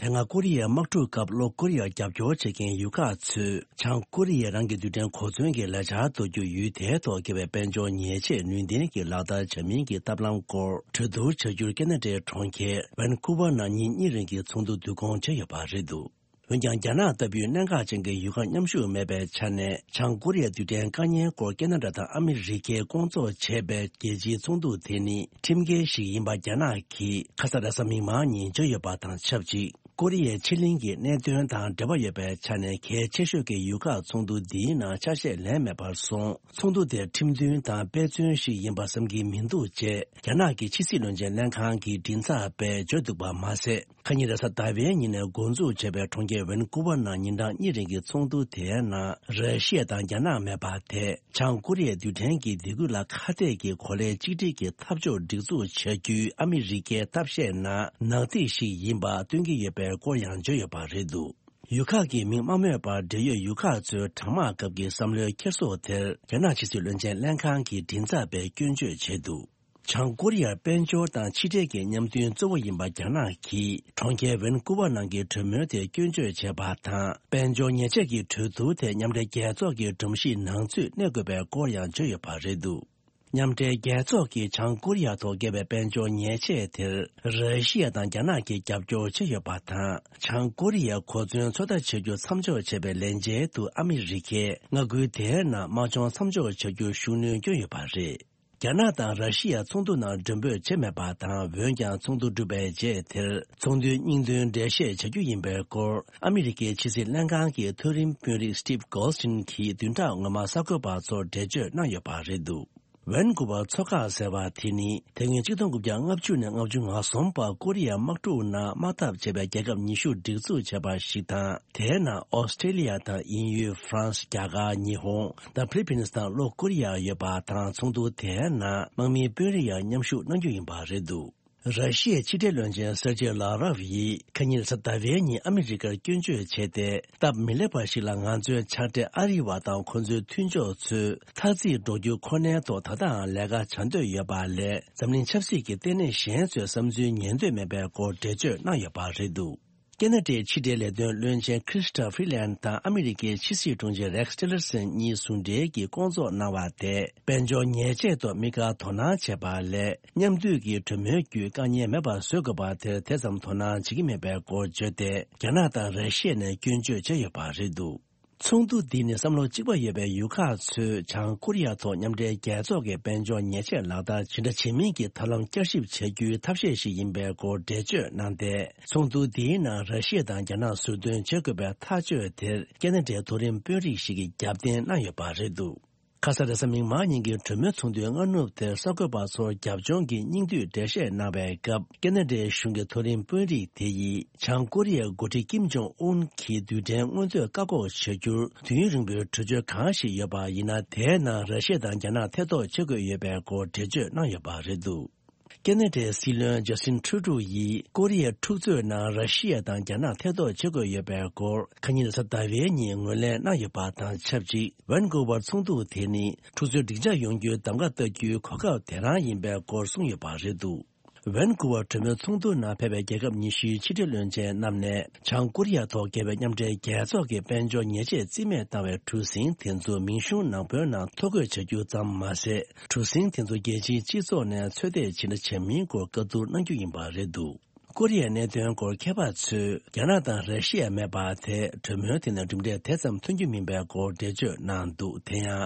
དེ་སྔ་ཀོ་རི་ཡའི་དམག་འཁྲུག་སྐབས་ལྷོ་ཀོ་རི་ཡར་རྒྱབ་སྐྱོར་བྱེད་མཁན་ཡུལ་ཁག་ཚོས་བྱང་ཀོ་རི་ཡས་རང་གི་རྡུལ་ཕྲན་གོ་མཚོན་གྱི་ལས་འཆར་གཏོད་རྒྱུ་ཡུལ་དེའི་ཐོག་བཀལ་བའི་དཔལ་འབྱོར་ཉེས་ཆད་ནུས་ལྡན་གྱིས་ལག་བསྟར་བྱ་མིན་གྱི་ཐབས་ལམ་སྐོར་གྲོས་བསྡུར་བྱ་རྒྱུར་ཁེ་ན་ཌའི་གྲོང་ཁྱེར་ཝན་ཀུ་ཝར་ནང་ཉིན་གཉིས་རིང་གི་ཚོགས་འདུ་བསྡུ་སྐོང་བྱས་ཡོད་པ་རེད་འདུག་འོན་ཀྱང་། རྒྱ་ནག་ལྟ་བུའི་གནད་འགག་ཅན་གྱི་ཡུལ་ཁག་མཉམ་ཞུགས་མེད་པའི་ཆ་ནས། བྱང་ཀོ་རི་ཡའི་རྡུལ་ཕྲན་བཀག་ཉར་སྐོར་ཁེ་ན་ཌ་དང་ཨ་མི་རི་ཀས་སྐོང་ཚོགས་བྱས་པའི་རྒྱལ་སྤྱིའི་ཚོགས་འདུ་དེ་ནི་ཁྲིམས་འགལ་ཞིག་ཡིན་པ་རྒྱ་ནག་གིས་ཁ་ས་རེས་གཟའ་མིག་དམར་ཉིན་བརྗོད་ཡོད་པ་དང་ཆབས་ཅིག་ཀོ་རི་ཡའི་ཕྱེད་གླིང་གི་གནད་དོན་དང་འབྲེལ་བ་ཡོད་པའི་ཆ་ནས། གལ་ཆེ་ཤོས་ཀྱི་ཡུལ་ཁག་ཚོགས་འདུ་འདིའི་ནང་ཆ་ཤས་ལེན་མེད་པར་སོང་། ཚོགས་འདུ་དེ་ཁྲིམས་མཐུན་དང་དཔེ་མཚོན་ཞིག་ཡིན་པ་བསམ་གྱི་མི་འདུག་ཅེས་རྒྱ་ནག་གི་ཕྱི་སྲིད་བློན་ཆེན་ལྷན་ཁང་གི་མགྲིན་ཚབ་པས་བརྗོད་འདུག་པ་མ་ཟད། ཁ་ཉིན་རེས་གཟའ་ཟླ་བའི་ཉིན་ནས་འགོ་འཛུགས་བྱས་པའི་གྲོང་ཁྱེར་ཝན་ཀུ་ཝར་ནང་ཉིན་གྲངས་གཉིས་རིང་གི་ཚོགས་འདུ་དེའི་ནང་། ར་ཤི་ཡ་དང་རྒྱ་ནག་མེད་པ་དེས་བྱང་ཀོ་རི་ཡའི་རྡུལ་ཕྲན་གྱི་སྡེ་ཁུལ་ལ་ཁ་གཏད་ཀྱི་གོ་ལའི་གཅིག་སྒྲིལ་གྱི་འཐབ་ཕྱོགས་སྒྲིག་འཛུགས་བྱ་རྒྱུའི་ཨ་མི་རི་ཀའི་ཐབས་ཤེས་ནང་ནག་ཐིག་ཞིག་ཡིན་པ་སྟོན་གྱི་ཡོད་པའི་སྐོར་ཡང་བརྗོད་ཡོད་པ་རེད་འདུག་ཡུལ་ཁག་གི་མིང་མ་སྨོས་པར། འབྲེལ་ཡོད་ཡུལ་ཁག་ཚོའི་གྲང་དམག་སྐབས་ཀྱི་བསམ་བློའི་འཁྱེར་སོ་དེར། རྒྱ་ནག་ཕྱི་སྲིད་བློན་ཆེན་ལྷན་ཁང་གི་མགྲིན་ཚབ་པས་སྐྱོན་བརྗོད་བྱས་འདུག་བྱང་ཀོ་རི་ཡར་དཔལ་འབྱོར་དང་ཕྱི་འབྲེལ་གྱི་མཉམ་མཐུན་གཙོ་བོ་ཡིན་པ་རྒྱ་ནག་གིས། གྲོང་ཁྱེར་ཝན་ཀུ་ཝར་ནང་གི་གྲོས་མོལ་དེ་སྐྱོན་བརྗོད་བྱས་པ་དང་། དཔལ་འབྱོར་ཉེས་ཆད་ཀྱི་གྲོས་བསྡུར་དེ་མཉམ་འབྲེལ་རྒྱལ་ཚོགས་ཀྱི་སྒྲོམ་གཞིའི་ནང་ཚུད་གནས་དགོས་པའི་སྐོར་ཡང་བརྗོད་ཡོད་པ་རེད་འདུག་མཉམ་འབྲེལ་རྒྱལ་ཚོགས་ཀྱིས་བྱང་ཀོ་རི་ཡ་ཐོག་བཀལ་བའི་དཔལ་འབྱོར་ཉེས་ཆད་དེར། ར་ཤི་ཡ་དང་རྒྱ་ནག་གིས་རྒྱབ་སྐྱོར་བྱས་ཡོད་པ་དང་། བྱང་ཀོ་རི་ཡའི་གོ་མཚོན་ཚོད་ལྟ་བྱ་རྒྱུ་མཚམས་འཇོག་བྱས་པའི་ལན་འཇལ་དུ། ཨ་མི་རི་ཀས་མངའ་ཁུལ་དེའི་ནང་དམག་སྦྱོང་མཚམས་འཇོག་བྱ་རྒྱུར་ཤུགས་སྣོན་བསྐྱོན་ཡོད་པ་རེད། རྒྱ་ནག་དང་ར་ཤི་ཡ་ཚོགས་འདུ་ནང་མགྲོན་འབོད་བྱས་མེད་པ་དང་། འོན་ཀྱང་། ཚོགས་འདུ་གྲུབ་པའི་རྗེས་དེར། ཚོགས་འདུའི་སྙིང་དོན་འགྲེལ་བཤད་བྱ་རྒྱུ་ཡིན་པའི་སྐོར། ཨ་མི་རི་ཀའི་ཕྱི་སྲིད་ལྷན་ཁང་གི་མཐོ་རིམ་དཔོན་རིགས་Steve Goldstein་གྱིས་བདུན་ཕྲག་སྔོན་མ་གསར་འགོད་པ་ཚོར་འགྲེལ་བརྗོད་གནང་ཡོད་པ་རེད་འདུག་ཝན་ཀུ་ཝར་མཚོ་འགག་ཟེར་བ་དེ་ནི། དེ་སྔོན་ཆིག་སྟོང་དགུ་བརྒྱ་ལྔ་བཅུ་ནས་ལྔ་བཅུ་ང་གསུམ་བར་ཀོ་རི་ཡའི་དམག་འཁྲུག་ནང་དམག་འཐབ་བྱས་པའི་རྒྱལ་ཁབ་ཉི་ཤུ་སྒྲིག་འཛུགས་བྱས་པ་ཞིག་དང་། དེའི་ནང་ཨོ་སི་ཀྲེ་ལི་ཡ་དང་། དབྱིན་ཡུལ། ཧྥ་རན་སི། རྒྱ་གར། ཉི་ཧོང་དང་། ཕི་ལི་པིན་སི་དང་། ལྷོ་ཀོ་རི་ཡ་ཡོད་པ་དང་། ཚོགས་འདུ་དེའི་ནང་དམག་མིའི་དཔོན་རིགས་ཡང་མཉམ་ཞུགས་གནང་རྒྱུ་ཡིན་པ་རེད་འདུག་ར་ཤི་ཡའི་ཕྱི་འབྲེལ་བློན་ཆེན་སེར་ཇེ་ལ་རོབ་ཡིས་ཁ་ཉིན་གཟའ་ཟླ་བའི་ཉིན་ཨ་མི་རི་ཀར་སྐྱོན་བརྗོད་བྱས་ཏེ། སྟབས་མི་ལེགས་པ་ཞིག་ལ། ང་ཚོའི་ཕྱག་སྦྲེལ་ཨ་རི་བ་དང་ཁོ་ཚོའི་མཐུན་ཕྱོགས་ཚོས་འཐབ་རྩོད་འགྲོ་རྒྱུ་ཁོ་ནའི་ཐོག་ད་ལྟའང་ལས་ཀ་བྱ་འདོད་ཡོད་པ་ལས། འཛམ་གླིང་ཆབ་སྲིད་ཀྱི་ལྟེ་གནས་གཞན་ཚོས་བསམ་ཚུལ་ཉན་འདོད་མེད་པའི་སྐོར་འགྲེལ་བརྗོད་གནང་ཡོད་པ་རེད་འདུག་ཁེ་ན་ཌའི་ཕྱི་འབྲེལ་ལས་དོན་བློན་ཆེན་Chrystia Freeland་དང་ཨ་མི་རི་ཀའི་ཕྱི་སྲིད་དྲུང་ཆེ་Rex Tillerson་གཉིས་ཟུང་འབྲེལ་གྱིས་སྐོང་ཚོགས་གནང་བ་དེས། དཔལ་འབྱོར་ཉེས་ཆད་ཐོག་དམིགས་བཀར་དོ་སྣང་བྱས་པ་ལས། མཉམ་འདུས་ཀྱི་གྲོས་མོལ་བརྒྱུད་དཀའ་ངལ་མེད་པར་བཟོ་དགོས་པ་དེར་དེ་ཙམ་དོ་སྣང་བྱེད་ཀྱི་མེད་པའི་སྐོར་བརྗོད་དེ། རྒྱ་ནག་དང་ར་ཤི་ཡ་ནས་སྐྱོན་བརྗོད་བྱས་ཡོད་པ་རེད་འདུག་ཚོགས་འདུ་འདི་ནི་བསམ་བློ་གཅིག་པ་ཡོད་པའི་ཡུལ་ཁག་ཚོས་བྱང་ཀོ་རི་ཡ་ཐོག་མཉམ་འབྲེལ་རྒྱལ་ཚོགས་ཀྱི་དཔལ་འབྱོར་ཉེས་ཆད་ལག་བསྟར་ཇི་འདྲ་བྱེད་མིན་གྱི་ཐབས་ལམ་བསྐྱར་ཞིབ་བྱ་རྒྱུའི་ཐབས་ཤེས་ཤིག་ཡིན་པའི་སྐོར་འགྲེལ་བརྗོད་གནང་སྟེ། ཚོགས་འདུ་འདིའི་ནང་ར་ཤི་ཡ་དང་རྒྱ་ནག་ཟུར་འདོན་བྱེད་དགོས་པའི་ཐག་གཅོད་དེར་ཁེ་ན་ཌའི་མཐོ་རིམ་དཔོན་རིགས་ཤིག་གིས་རྒྱབ་རྟེན་གནང་ཡོད་པ་རེད་འདུག་ཁ་ས་རེས་གཟའ་མིག་དམར་ཉིན་གྱི་གྲོས་མོལ་ཚོགས་འདུའི་སྔ་ནུབ་དེར་གསར་འགོད་པ་ཚོར་རྒྱབ་ལྗོངས་ཀྱི་སྙིང་བསྡུས་འགྲེལ་བཤད་གནང་བའི་སྐབས། ཁེ་ན་ཌའི་གཞུང་གི་མཐོ་རིམ་དཔོན་རིགས་དེ་ཡིས། བྱང་ཀོ་རི་ཡའི་འགོ་ཁྲིད་ཀིམ་ཇོང་ཨུན་གྱིས་རྡུལ་ཕྲན་མངོན་འདོད་བཀག་འགོག་བྱ་རྒྱུར་དུས་ཡུན་རིང་པོའི་གྲོས་ཆོད་གང་ཞིག་ཡོད་པ་ཡིན་ན། དེའི་ནང་ར་ཤི་ཡ་དང་རྒྱ་ནག་ཐེ་གཏོགས་བྱེད་དགོས་ཡོད་པའི་སྐོར་འགྲེལ་བརྗོད་གནང་ཡོད་པ་རེད་འདུག་ཁེ་ན་ཌའི་སྲིད་བློན་ཇ་སི་ཊིན་ཁྲུ་ཌོ་ཡིས། ཀོ་རི་ཡའི་འཁྲུག་རྩོད་ནང་ར་ཤི་ཡ་དང་རྒྱ་ནག་ཐེ་གཏོགས་བྱེད་དགོས་ཡོད་པའི་སྐོར། ཁ་ཉིན་གཟའ་ཟླ་བའི་ཉིན་ངོས་ལེན་གནང་ཡོད་པ་དང་ཆབས་ཅིག་ཝན་ཀུ་ཝར་ཚོགས་འདུ་དེ་ནི། འཁྲུག་རྩོད་འགྲིག་འཇགས་ཡོང་རྒྱུའི་གདམ་ག་བཏགས་རྒྱུའི་གོ་སྐབས་དེ་རང་ཡིན་པའི་སྐོར་གསུངས་ཡོད་པ་རེད་འདུག་ཝན་ཀུ་ཝར་གྲོས་མོལ་ཚོགས་འདུ་ནང་ཕེབས་པའི་རྒྱལ་ཁབ་ཉི་ཤུའི་ཕྱི་དྲིལ་བློན་ཆེན་རྣམས་ནས་བྱང་ཀོ་རི་ཡ་ཐོག་རྒྱལ་བའི་མཉམ་འབྲེལ་རྒྱལ་ཚོགས་ཀྱི་དཔལ་འབྱོར་ཉེས་ཆད་རྩིས་མེད་བཏང་བའི་གྲུ་གཟིངས་དེ་ཚོ་མིང་གཞུང་ནང་བོད་ནང་ཐོ་འགོད་བྱ་རྒྱུ་ཙམ་མ་ཟད། གྲུ་གཟིངས་དེ་ཚོ་རྒྱལ་སྤྱིའི་སྤྱི་ཚོགས་ནས་ཚོད་ལྟ་བྱེད་ན་བྱ་མིན་སྐོར་བཀའ་བསྡུར་གནང་རྒྱུ་ཡིན་པ་རེད་འདུག་ཀོ་རི་ཡའི་གནད་དོན་སྐོར་མཁས་པ་ཚོས་རྒྱ་ནག་དང་ར་ཤི་ཡ་མེད་པ་དེ་གྲོས་མོལ་དེ་ནས་གྲུབ་འབྲས་དེ་ཙམ་ཐོན་རྒྱུ་མིན་པའི་སྐོར་འགྲེལ་བརྗོད་གནང་འདུག་དེ་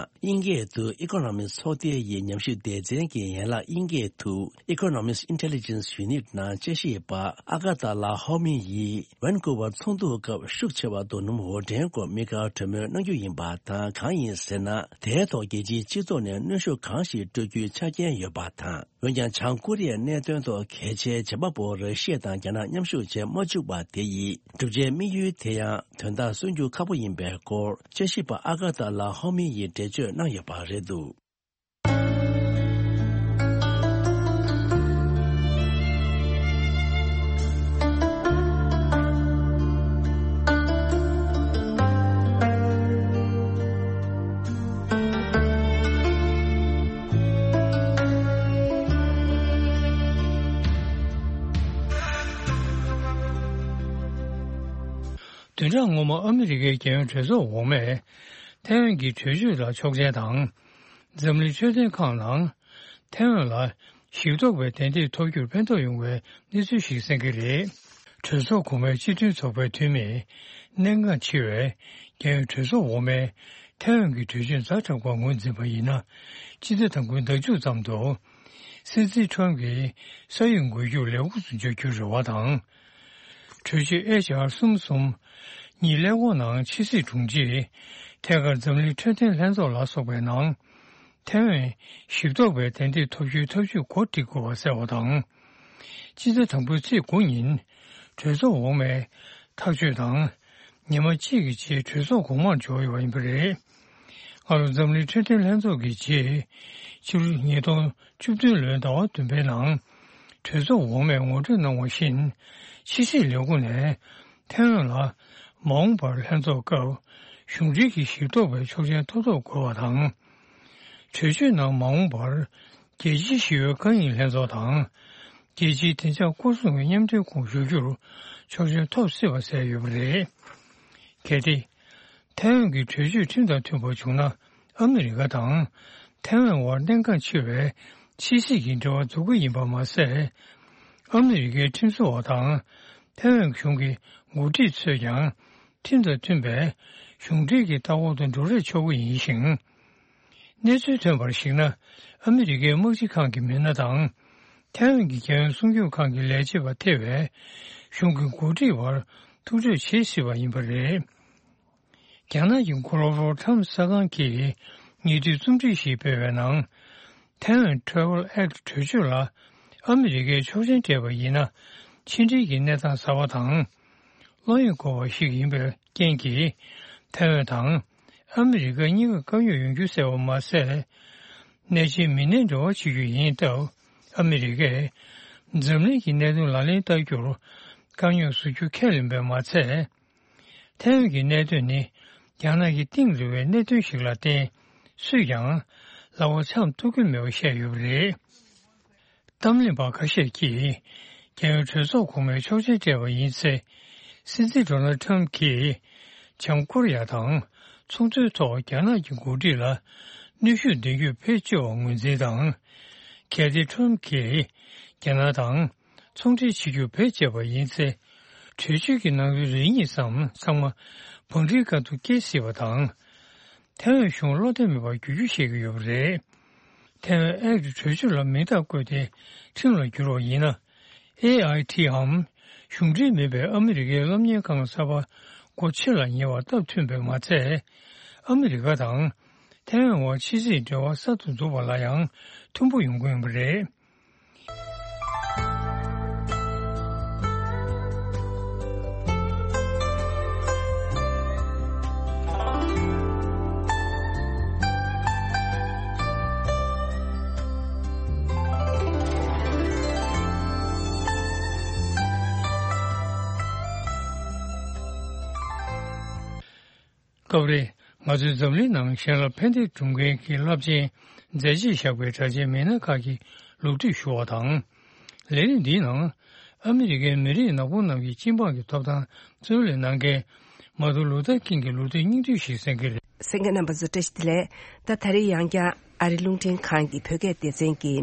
ཡང་དབྱིན་སྐད་དུ་Economist ཚོགས་སྡེ་ཡི་ཉམས་ཞིབ་སྡེ་ཚན་གྱི་ཡན་ལག་དབྱིན་སྐད་དུ་Economist Intelligence Unit ནང་དཔྱད་ཞིབ་པ་ཨ་ག་ཏ་ལ་ཧོ་མི་ཡིས་ཝན་ཀུ་ཝར་ཚོགས་འདུ་སྐབས་ཤུགས་ཆེ་བ་རྡོ་སྣུམ་འོར་འདྲེན་སྐོར་དམིགས་བཀར་གྲོས་མོལ་གནང་རྒྱུ་ཡིན་པ་དང་། གང་ཡིན་ཟེར་ན། དེའི་ཐོག་རྒྱལ་སྤྱིའི་སྤྱི་ཚོགས་ནས་གནོན་ཤུགས་གང་ཞིག་སྤྲོད་རྒྱུའི་ཆ་རྐྱེན་ཡོད་པ་དང་། འོན་ཀྱང་། བྱང་ཀོ་རི་ཡའི་གནད་དོན་ཐོག་གལ་ཆེའི་བྱེད་པ་པོ་ར་ཤི་ཡ་དང་རྒྱ་ནག་མཉམ་ཞུགས་བྱེད་མ་བཅུག་པ་དེ་ཡིས་གྲུབ་ཆའི་དམིགས་ཡུལ་དེ་ཡང་དོན་དག་སོན་རྒྱུ་ཁག་པོ་ཡིན་པའི་སྐོར་དཔྱད་ཞིབ་པ་ཨ་ག་ཏ་ལ་ཧོ་མི་ཡིས་འགྲེལ་བརྗོད་གནང་ཡོད་པ་རེད་འདུག་བདུན་ཕྲག་སྔོན་མ་ཨ་མི་རི་ཀའི་རྒྱལ་ཡོངས་གྲོས་ཚོགས་འོག་མས་ཐའེ་ཝན་གྱི་གྲོས་ཆོད་ལ་ཆོག་མཆན་དང་། འཛམ་གླིང་འཕྲོད་བསྟེན་ཁང་ནང་ཐའེ་ཝན་ལ་ཞིབ་རྟོག་པའི་དན་ཐིག་ཐོབ་རྒྱུར་ཕན་ཐོགས་ཡོང་བའི་གནས་ཚུལ་ཞིག་གསན་གྱི་རེད། གྲོས་ཚོགས་གོང་མའི་སྤྱི་མཐུན་ཚོགས་པའི་འཐུས་མི་གནད་འགག་ཆེ་བའི་རྒྱལ་ཡོངས་གྲོས་ཚོགས་འོག་མས་ཐའེ་ཝན་གྱི་གྲོས་ཆོད་ཛ་དྲག་པ་ངོས་འཛིན་པ་ཡིན་ན། སྤྱི་ཟླ་དང་པོའི་ཟླ་མཇུག་ཙམ་དུ་སྲིད་འཛིན་ཁྲོམ་གྱིས་ས་ཡོམ་འགོག་རྒྱུར་ལས་ཁུངས་སུ་འཇོག་རྒྱུའི་རེ་བ་དང་། གྲོས་ཆོད་ཨེཆ་ཨར་གསུམ་གསུམ་གཉིས་ཀླད་ཀོར་ནང་ཕྱི་སྲིད་དྲུང་ཆེ། ཐད་ཀར་འཛམ་གླིང་འཕྲོད་བསྟེན་ལྷན་ཚོགས་ལ་སོགས་པའི་ནང་། ཐའེ་ཝན་ཞིབ་རྟོག་པའི་དན་ཐིག་ཐོབ་རྒྱུའི་ཐབས་ཇུས་འགོ་ཁྲིད་དགོས་པ་གསལ་བ་དང་། སྤྱི་ཟླ་དང་པོའི་ཚེས་དགུ་ཉིན་གྲོས་ཚོགས་འོག་མས་ཐག་གཅོད་དང་། ཉི་མ་གཅིག་གི་རྗེས་གྲོས་ཚོགས་གོང་མར་འབྱོར་ཡོད་པ་ཡིན་པ་རེད། སྔ་ལོ་འཛམ་གླིང་འཕྲོད་བསྟེན་ལྷན་ཚོགས་ཀྱི་རྗེས། ཕྱི་ལོ་ཉིས་སྟོང་བཅུ་བདུན་ལོའི་ཟླ་བ་བདུན་པའི་ནང་། གྲོས་ཚོགས་འོག་མས་ངོ་སྤྲོད་གནང་བ་བཞིན། ཕྱི་སྲིད་ལས་ཁུངས་ནས་ཐའེ་ཝན་ལ་མ་འོངས་པར་ལྷན་ཚོགས་སྐབས་གཞུང་འབྲེལ་གྱི་ཞིབ་རྟོག་པའི་ཆོག་མཆན་ཐོབ་ཐབས་དགོས་པ་དང་། གྲོས་ཆོད་ནང་མ་འོངས་པར་རྒྱལ་སྤྱིའི་ཞི་བའི་བཀའ་རྙིང་ལྷན་ཚོགས་དང་། རྒྱལ་སྤྱིའི་བདེ་འཇགས་སྐོར་སྲུང་གི་མཉམ་འབྲེལ་ཁོངས་ཞུགས་རྒྱུར་ཆོག་མཆན་ཐོབ་སྲིད་པ་གསལ་ཡོད་པ་རེད། གལ་ཏེ། ཐའེ་ཝན་གྱི་གྲོས་ཆོད་ཁྲིམས་དང་མཐུན་པར་བྱུང་ན། ཨ་མི་རི་ཀ་དང་ཐའེ་ཝན་དབར་གནད་འགག་ཆེ་བའི་ཕྱི་སྲིད་ཀྱི་འབྲེལ་བ་འཛུགས་ཀྱི་ཡིན་པ་མ་ཟད། ཨ་མི་རི་ཀའི་ཁྲིམས་བཟོ་བ་དང་ཐའེ་ཝན་གཞུང་གི་འགོ་ཁྲིད་ཚོས་ཀྱང་ཁྲིམས་དང་མཐུན་པའི་གཞུང་འབྲེལ་གྱི་ལྟ་བ་དང་འགྲོ་རེས་ཆོག་གི་ཡིན་ཞིང་། གནས་ཚུལ་ཐོན་པར་གཞིགས་ན། ཨ་མི་རི་ཀའི་དམག་སྤྱི་ཁང་གི་མི་སྣ་དང་། ཐའེ་ཝན་གྱི་རྒྱལ་ཡོངས་སྲུང་སྐྱོབ་ཁང་གི་ལས་བྱེད་པ་ཐེ་བའི་གཞུང་གི་འགོ་ཁྲིད་བར་ཐུག་འཕྲད་བྱེད་སྲིད་པ་ཡིན་པ་རེད། རྒྱ་ནག་གི་གོ་ལོ་རོ་ཁྲམ་གསར་ཁང་གིས་ཉེ་དུས་རྩོམ་སྒྲིག་ཞིག་སྤེལ་བའི་ནང་། ཐའེ་ཝན་ཊེ་རེ་ཝལ་ཨེག་ཊི་གྲོས་ཆོད་ལ་ཨ་མི་རི་ཀས་ཆོག་མཆན་སྤྲད་པ་ཡིན་ན། ཕྱི་འབྲེལ་གྱི་གནས་སྟངས་གསར་པ་དང་། བློ་ཡིད་འགུག་པ་ཞིག་ཡིན་པའི་རྐྱེན་གྱིས། ཐའེ་ཝན་དང་ཨ་མི་རི་ཀ་གཉིས་ཀ་དཀའ་རྙོག་ཡོང་རྒྱུ་གསལ་བ་མ་ཟད། གནད་ཆེའི་མི་སྣའི་འབྲེལ་བ་བྱེད་རྒྱུ་ཡིན་སྟབས། ཨ་མི་རི་ཀས་འཛམ་གླིང་གི་གནད་དོན་ལག་ལེན་བསྟར་རྒྱུར་དཀའ་རྙོག་བཟོ་རྒྱུ་ཁས་ལེན་པས་མ་ཚད། ཐའེ་ཝན་གྱི་གནད་དོན་ནི་རྒྱ་ནག་གི་གཏིང་རིང་བའི་གནད་དོན་ཞིག་ལ་བརྟེན། སུས་ཀྱང་ལག་པ་འཆང་ཐུབ་ཀྱི་མེད་པ་བཤད་ཡོད་པ་རེད། གཏམ་གླེང་པ་ཁ་ཤས་ཀྱིས་རྒྱལ་ཡོངས་གྲོས་ཚོགས་གོང་མས་ཆོག་མཆན་སྤྲད་པ་ཡིན་ཚེ། སྲིད་འཛིན་ཌོ་ནལ་ཊམ་གྱིས་བྱང་ཀོ་རི་ཡ་དང་ཚོང་དོན་ཐོག་རྒྱ་ནག་གི་འགོ་ཁྲིད་ལ་གནོན་ཤུགས་འདོན་རྒྱུ་བེད་སྤྱོད་པ་ངོས་འཛིན་དང་། གལ་ཏེ་ཊམ་གྱིས་རྒྱ་ནག་དང་ཚོང་འབྲེལ་བྱེད་རྒྱུ་བེད་སྤྱད་པ་ཡིན་ཚེ། གྲོས་ཆོད་ཀྱི་ནང་དོན་རེ་གཉིས་ཙམ་ཚང་མ་བང་སྒྲིག་ཁ་ཐུག་སྐྱེལ་སྲིད་པ་དང་། ཐའེ་ཝན་གཞུང་བློ་བདེ་མེད་པར་འགྱུར་རྒྱུ་བཤད་ཀྱི་ཡོད་པ་རེད། ཐའེ་ཝན་ཨེག་ཊི་གྲོས་ཆོད་ལ་མིང་རྟགས་བཀོད་དེ་ཁྲིམས་ལ་བསྒྱུར་བ་ཡིན་ན། ཨེ་ཨའི་ཊི་འམ། གཞུང་འབྲེལ་མིན་པའི་ཨ་མི་རི་ཀའི་སློབ་གཉེར་ཁང་གསར་པ་སྒོ་ཕྱེ་ལ་ཉེ་བར་སྟབས་མཐུན་པས་མ་ཚད། ཨ་མི་རི་ཀ་དང་ཐའེ་ཝན་དབར་ཕྱི་སྲིད་འབྲེལ་བ་གསར་དུ་འཛུགས་པ་ལ་ཡང་མཐུན་པོ་ཡོང་གི་ཡོད་པ་རེད། སྐབས་རེ་ང་ཚོས་འཛམ་གླིང་ནང་གཞན་ལ་ཕན་བདེ་སྒྲུབ་མཁན་གྱི་རླབས་ཆེན་མཛད་རྗེས་བཞག་པའི་གྲགས་ཅན་མི་སྣ་ཁག་གི་ལོ་རྒྱུས་ཞུ་བ་དང་། ལས་རིམ་འདིའི་ནང་ཨ་མི་རི་ཀའི་མི་རིགས་ནག་པོ་རྣམས་ཀྱི་སྤྱི་འབངས་ཀྱི་ཐོབ་ཐང་རྩོད་ལེན་གནང་མཁན་མར་ཏིན་ལུ་ཐར་ཀིང་གི་ལོ་རྒྱུས་སྙིང་བསྡུས་ཤིག་གསན་གྱི་རེད། གསན་མཁན་རྣམ་པ་ཚོ་བཀྲ་ཤིས་བདེ་ལེགས། ད་ད་རེས་ཡང་བསྐྱར་ཨ་རི་རླུང་འཕྲིན་ཁང་གི་བོད་སྐད་སྡེ་ཚན་གྱི་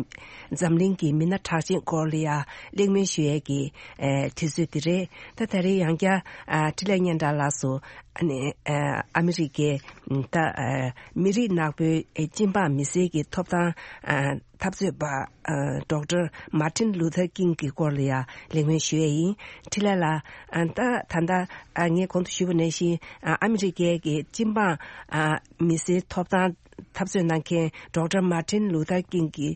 འཛམ་གླིང་གི་མི་སྣ་གྲགས་ཅན་སྐོར་ལ་ཡ་གླེང་མོལ་ཞུ་ཡས་ཀྱི་ཨེ་དུས་ཚོད་འདི་རེད། ད་ད་རེས་ཡང་བསྐྱར་ཨ་འཕྲིན་ལས་སྙན་གྲགས་ལགས་སུ་ཨ་ནི་ཨ་ཨ་མི་རི་ཀའི་ད་ཨ་མི་རིགས་ནག་པོའི་ཨེ་སྤྱི་འབངས་མི་སེར་གྱི་ཐོབ་ཐང་ཨ་འཐབ་རྩོད་པ་ཨ་ཌོག་ཊར་མར་ཏིན་ལུ་ཐར་ཀིང་གི་སྐོར་ལ་ཡ་གླེང་མོལ་ཞུ་ཡས་ཡིན། འཕྲིན་ལས་ལགས། ཨ་ད་ད་ལྟ་ཨ་ངས་གོང་དུ་ཞུས་པ་ནང་བཞིན་ཨ་ཨ་མི་རི་ཀའི་གི་སྤྱི་འབངས་ཨ་མི་སེར་ཐོབ་ཐང་འཐབ་རྩོད་གནང་མཁན་ཌོག་ཊར་མར་ཏིན་ལུ་ཐར་ཀིང་གི་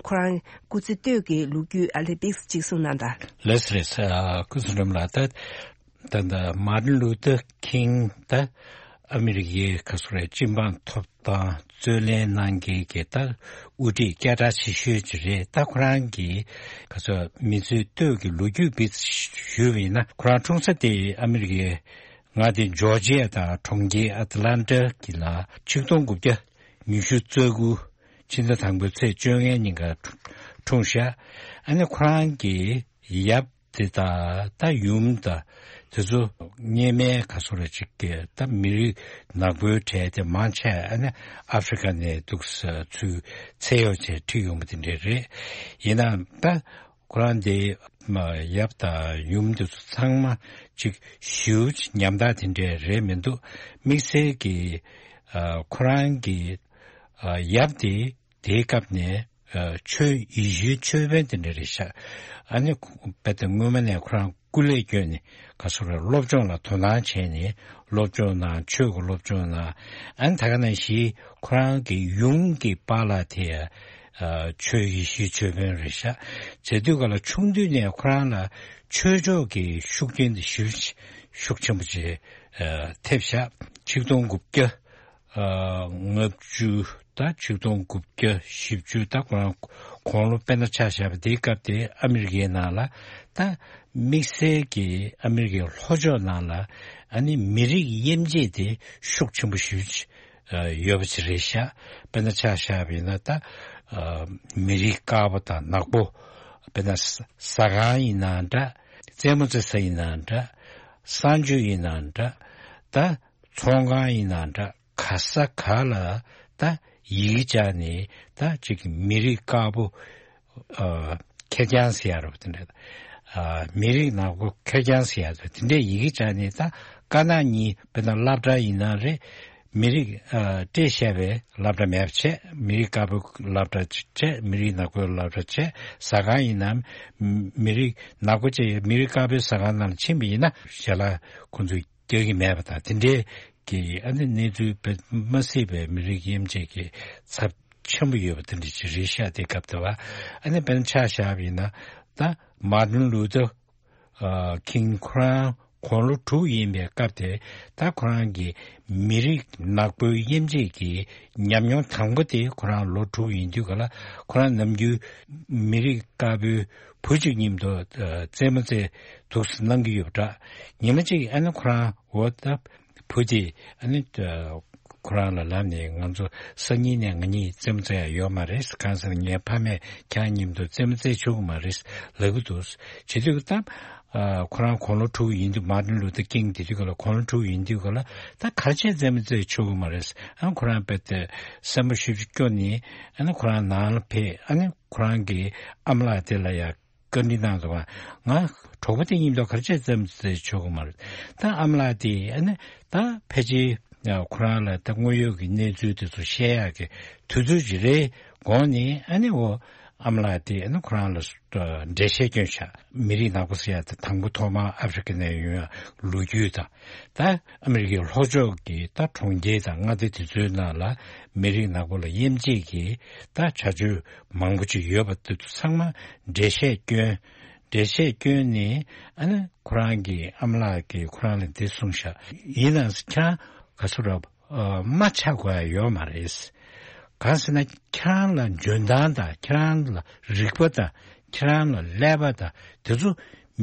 ཁོ་རང་སྐུ་ཚེ་སྟོད་ཀྱི་ལོ་རྒྱུས་ཨ་ལེ་པིག་ཅིག་གསུང་གནང་དང་། ལགས་སོ། ལགས་སོ། ཨ་སྐུ་ཚེ་རིང་ལགས། ད་ད་ད་མར་ཏིན་ལུ་ཐར་ཀིང་ད་ཨ་མི་རི་ཀའི་ག་ཚོད་རེད། སྤྱི་འབངས་ཐོབ་ཐང་རྩོད་ལེན་གནང་མཁན་གྱི་ད་དབུ་ཁྲིད་སྐད་གྲགས་ཆེ་ཤོས་ཅིག་རེད། ད་ཁོ་རང་གིས་ག་ཚོད་མི་ཚེ་སྟོད་ཀྱི་ལོ་རྒྱུས་པིག་ཞུས་པ་ཡིན་ན། ཁོ་རང་འཁྲུངས་ས་དེ་ཨ་མི་རི་ཀའི་མངའ་སྡེ་ཇོར་ཇི་ཡ་དང་གྲོང་ཁྱེར་ཨ་ཏི་ལན་ཊ་གི་ལ་ཆིག་སྟོང་དགུ་བརྒྱ་ཉི་ཤུ་རྩ་དགུ་ཕྱི་ཟླ་དང་པོའི་ཚེས་བཅོ་ལྔའི་ཉིན་ཀ་འཁྲུངས་ཤག་ཨ་ནི་ཁོ་རང་གི་ཡབ་དེ་དང་ད་ཡུམ་དང་དེ་ཚོ་སྔོན་མའི་ག་ཚོད་རེ་ཅིག་གི་ད་མི་རིགས་ནག་པོའི་གྲས་དེ་མང་ཆེ་ཨ་ནི་ཨ་ཧྥི་རི་ཀ་ནས་འདུག་ས་ཚུར་ཚེ་ཡོག་བྱས་ཁྲིད་ཡོང་བ་དེ་འདྲས་རེད། ཡིན་ནའང་ད་ཁོ་རང་དེ་མ་ཡབ་དང་ཡུམ་དེ་ཚོ་ཚང་མ་ཅིག་ཞེ་པོ་ཅིག་ཉམ་ཐག་དེ་འདྲས་རེད་མི་འདུག་དམིགས་བསལ་གྱི་ཨ་ཁོ་རང་གི་ཨ་ཡབ་དེ་དེའི་སྐབས་ནས་ཨ་ཆོས་ཡེ་ཤུའི་ཆོས་དཔོན་དེ་འདྲ་རེད་ཤག་ཨ་ནི་ཁོ་དཔེ་དེ་སྔོན་མ་ནས་ཁོ་རང་སྐུ་ལས་བསྐྱོན་ནས་ག་ཚོད་རེད། སློབ་སྦྱོང་ལ་དོ་སྣང་བྱས་ནས་སློབ་སྦྱོང་གནང་། ཆོས་ཀྱི་སློབ་སྦྱོང་གནང་། ཨ་ནི་ད་ག་ནང་བཞིན་ཁོ་རང་གི་ཡུམ་གྱི་པཱ་ལགས་དེ་ཨ་ཆོས་ཡེ་ཤུའི་ཆོས་དཔོན་རེད་ཤག་བྱས་དུས་ག་ལ་ཆུང་དུས་ནས་ཁོ་རང་ལ་ཆོས་ཕྱོགས་ཀྱི་ཤུགས་རྐྱེན་དེ་ཞེ་པོ་ཅིག་ཤུགས་ཆེན་པོ་ཅིག་ཨ་ཐེབས་ཤག་ཆིག་སྟོང་དགུ་བརྒྱ་ཨ་ལྔ་བཅུ་དང་ཆིག་སྟོང་དགུ་བརྒྱ་བཞི་བཅུ་ད་ཁོ་རང་དགུང་ལོ་དཔེར་ན་ཆ་བཞག་པ་དེའི་སྐབས་དེ་ཨ་མི་རི་ཀའི་ནང་ལ་ད་དམིགས་བསལ་གྱི་ཨ་མི་རི་ཀའི་ལྷོ་ཕྱོགས་ནང་ལ་ཨ་ནི་མི་རིགས་དབྱེ་འབྱེད་དེ་ཤུགས་ཆེན་པོ་ཞེ་པོ་ཅིག་ཡོད་པ་ཅིག་རེད་ཤག་དཔེར་ན་ཆ་བཞག་པ་ཡིན་ན་ད་ཨ་མི་རིགས་དཀར་པོ་དང་ནག་པོ། དཔེར་ན་ཟ་ཟ་ཁང་ཡིན་ན་འདྲ། རྩེད་མོ་རྩེ་ས་ཡིན་ན་འདྲ། གསང་སྤྱོད་ཡིན་ན་འདྲ། ད་ཚོང་ཁང་ཡིན་ན་འདྲ། ག་ས་ག་ལ་ད་ཡི་གེ་བཅག་ནས་ད་ཅིག་མི་རིགས་དཀར་པོ་ཨ་ཁེར་རྐྱང་ཟེར་ཡ་རེད་པ། དེ་འདྲ་ཨ་མི་རིགས་ནག་པོ་ཁེར་རྐྱང་ཟེར་ཡ་རེད། དེ་འདྲའི་ཡི་གེ་བཅག་ནས་ད་དཀར་ནག་གཉིས། དཔེར་ན་སློབ་གྲྭ་ཡིན་ན་རེད། མི་རིགས་ཨ་སྤྲད་བཞག་པའི་སློབ་གྲྭ་མེད་པ་བྱས། མི་རིགས་དཀར་པོའི་སློབ་གྲྭ་བྱས། མི་རིགས་ནག་པོའི་སློབ་གྲྭ་བྱས། ཟ་ཁང་ཡིན་ནའང་མི་རིགས་ནག་པོ་བྱས་མི་རིགས་དཀར་པོའི་ཟ་ཁང་ནང་ལ་ཕྱིན་པ་ཡིན་ན་ཞལ་ལག་ཁོང་ཚོས་རྒྱག་གི་མེད་པ་དང་། དེ་འདྲའི་གི་ཨ་ནི་གནས་ཚུལ་དཔེ་མ་སྲིད་པའི་མི་རིགས་དབྱེ་འབྱེད་ཀྱི་ཚབས་ཆེན་པོ་ཡོད་པ་དེ་འདྲ་ཅིག་རེད་ཤག་དེ་སྐབས་དེ་བ་ཨ་ནི་དཔེར་ན་ཆ་བཞག་པ་ཡིན་ན་ད་མར་ཏིན་ལུ་ཐར་ཨ་ཀིང་ཁོ་རང་དགུང་ལོ་དྲུག་ཡིན་པའི་སྐབས་དེ་ད་ཁོ་རང་གི་མི་རིགས་ནག་པོའི་དབྱེ་འབྱེད་ཀྱི་ཉམས་མྱོང་དང་པོ་དེ་ཁོ་རང་ལོ་དྲུག་ཡིན་དུས་ག་ལ་ཁོ་རང་ནམ་རྒྱུན་མི་རིགས་དཀར་པོའི་བུ་གཅིག་མཉམ་དུ་ཨ་རྩེད་མོ་རྩེ་འདུག་སེ་གནང་གི་ཡོད་པ་འདྲ། ཉི་མ་གཅིག་ཨ་ནི་ཁོ་རང་འོ་ད་བུ་དེ་ཨ་ནི་ཨ་ཁོ་རང་ལ་ལབ་ནས། ང་ཚོ་སང་ཉིན་ནས་ང་གཉིས་རྩེད་མོ་རྩེ་ཡ་ཡོད་མ་རེད། གང་ཟེར་ན་ངའི་ཕ་མས་ཁྱེད་རང་མཉམ་དུ་རྩེད་མོ་རྩེ་ཆོག་གི་མ་རེད་ལབ་ཀྱི་འདུག་ཟེར་དུས་ད། ཨ་ཁོ་རང་དགུང་ལོ་དྲུག་ཡིན་དུས། མར་ཏིན་ལུ་ཐར་ཀིང་དེ་དུས་ག་ལ་དགུང་ལོ་དྲུག་ཡིན་དུས་ག་ལ་ད་ག་རེ་བྱས་རྩེད་མོ་རྩེ་ཆོག་གི་མ་རེད། ཨ་ཁོ་རང་དཔེ་དེ་སེམས་པ་ཤུགས་ཆེ་སྐྱོ་ནས་ཨ་ནི་ཁོ་རང་ནང་ལ་ཕེབས། ཨ་ནི་ཁོ་རང་གི་ཨ་མ་ལགས་དེ་ལ་ཡ་བཀའ་འདྲི་གནང་འདུག་ག་ང་གྲོགས་པོ་དེ་མཉམ་དུ་ག་རེ་བྱས་རྩེད་མོ་རྩེ་ཆོག་གི་མ་རེད། ད་ཨ་མ་ལགས་དེ་ཨ་ནི་ད་ཕལ་ཆེར་ཁོ་རང་ལ་ད་དངོས་ཡོད་ཀྱི་གནས་ཚུལ་དེ་ཚོ་བཤད་ཡག་གི་དུས་ཚོད་ཅིག་རེད་དགོངས་ནས། ཨ་ནི་འོ་ཨ་མ་ལགས་དེ་ཨ་ནི་ཁོ་རང་ལ་འགྲེལ་བཤད་བསྐྱོན་ཤག་མི་རིགས་ནག་པོ་ཟེར་ཡ་དེ་དང་པོ་ཐོག་མར་ཨ་ཧྥི་རི་ཀ་ནས་ཡོང་ཡ་ལོ་རྒྱུས་དང་། ད་ཨ་མི་རི་ཀའི་ལྷོ་ཕྱོགས་ཀྱི་ད་གྲོང་ཁྱེར་དང་མངའ་སྡེ་དེ་ཚོའི་ནང་ལ་མི་རིགས་ནག་པོ་ལ་དབྱེ་འབྱེད་ཀྱི་ད་བྱ་སྤྱོད་མང་པོ་ཅིག་ཡོད་པ་དེ་ཚོ་ཚང་མ་འགྲེལ་བཤད་བསྐྱོན། འགྲེལ་བཤད་བསྐྱོན་ནས་ཨ་ནི་ཁོ་རང་གི་ཨ་མ་ལགས་ཀྱིས་ཁོ་རང་ལ་འདི་གསུངས་ཤག་ཡིན་ནའང་ཁྱེད་རང་ག་ཚོད་ར་ཨ་མ་ཆགས་དགོས་ཡ་ཡོད་མ་རེད། གང་ཟེར་ན་ཁྱེད་རང་ལ་འཇོན་ཐང་དང་། ཁྱེད་རང་ལ་རིག་པ་དང་། ཁྱེད་རང་ལ་ཀླད་པ་དང་། དེ་ཚོ་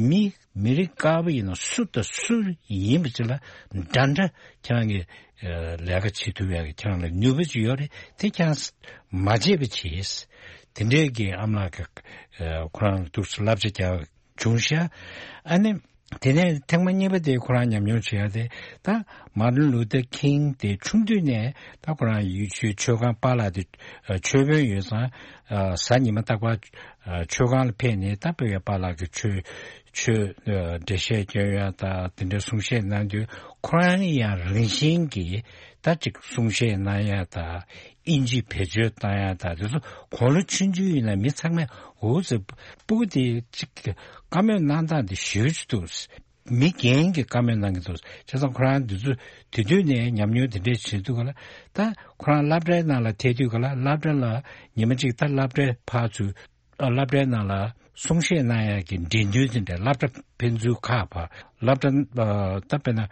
མི་མི་རིགས་དཀར་པོ་ཡིན་ན་སུ་དང་སུ་ཡིན་པ་ཅིག་ལ་འདྲ་འདྲ་ཁྱེད་རང་གི་ཨ་ལས་ཀ་བྱེད་ཐུབ་ཡག་གི་ཁྱེད་རང་ལ་ནུས་པ་ཅིག་ཡོད་རེད། དེ་ཁྱེད་རང་མ་བརྗེད་པ་བྱེད། དེ་འདྲའི་གི་ཨ་མ་ལགས་ཀྱི་ཨ་ཁོ་རང་ལ་ཐུགས་སུ་བསླབ་བྱ་རྒྱག་བྱུང་ཤག་ཨ་ནི། དེ་ནས་ཐེངས་མ་གཉིས་པ་དེ་ཁོ་རང་ཉམས་མྱོང་བྱེད་ཡ་དེ། ད་མར་ཏིན་ལུ་ཐར་ཁིང་དེ་ཆུང་དུས་ནས་ད་ཁོ་རང་ཡུལ་ཤུལ་མཆོད་ཁང་པཱ་ལགས་དེ་ཨ་མཆོད་དཔོན་ཡོད་ཙང་། ཨ་གཟའ་ཉི་མ་རྟག་པར་ཨ་མཆོད་ཁང་ལ་ཕེབས་ནས་ད་དཔེ་ཡ་པཱ་ལགས་ཀྱི་ཆོས་ཆོས་ཨ་འགྲེལ་བཤད་སྐྱོན་ཡ་དང་དེ་འདྲའི་གསུང་བཤད་གནང་དུས། ཁོ་རང་ཡང་རང་བཞིན་གྱིས་ད་ཅིག་གསུང་བཤད་གནང་ཡ་དང་། ཨིན་ཇི་བེད་སྤྱོད་བཏང་ཡ་དང་དེ་ཚོ་དགུང་ལོ་ཆུང་ཆུང་ཡིན་ན་མི་ཚང་མས་འུ་ཚོའི་སྤུ་གུ་དེ་ཅིག་བཀའ་མོལ་གནང་སྟངས་དེ་ཞེ་པོ་ཅིག་འདུག་མི་རྒན་གྱིས་བཀའ་མོལ་གནང་གི་འདུག་བྱས་ཙང་ཁོ་རང་དེ་ཚོ་དེ་དུས་ནས་ཉམས་མྱོང་དེ་འདྲས་བྱེད་དུས་ག་ལ། ད་ཁོ་རང་སློབ་གྲྭའི་ནང་ལ་ཐད་དུས་ག་ལ། སློབ་གྲྭ་ལ་ཉི་མ་གཅིག་ད་སློབ་གྲྭའི་ཕར་ཚུར་ཨ་སློབ་གྲྭའི་ནང་ལ་གསུང་བཤད་གནང་ཡག་གི་འགྲན་བསྡུར་དེ་འདྲ། སློབ་གྲྭ་ཕན་ཚུན་ཁག་བར། སློབ་གྲྭ་ཨ་ད་དཔེར་ན་ཨ་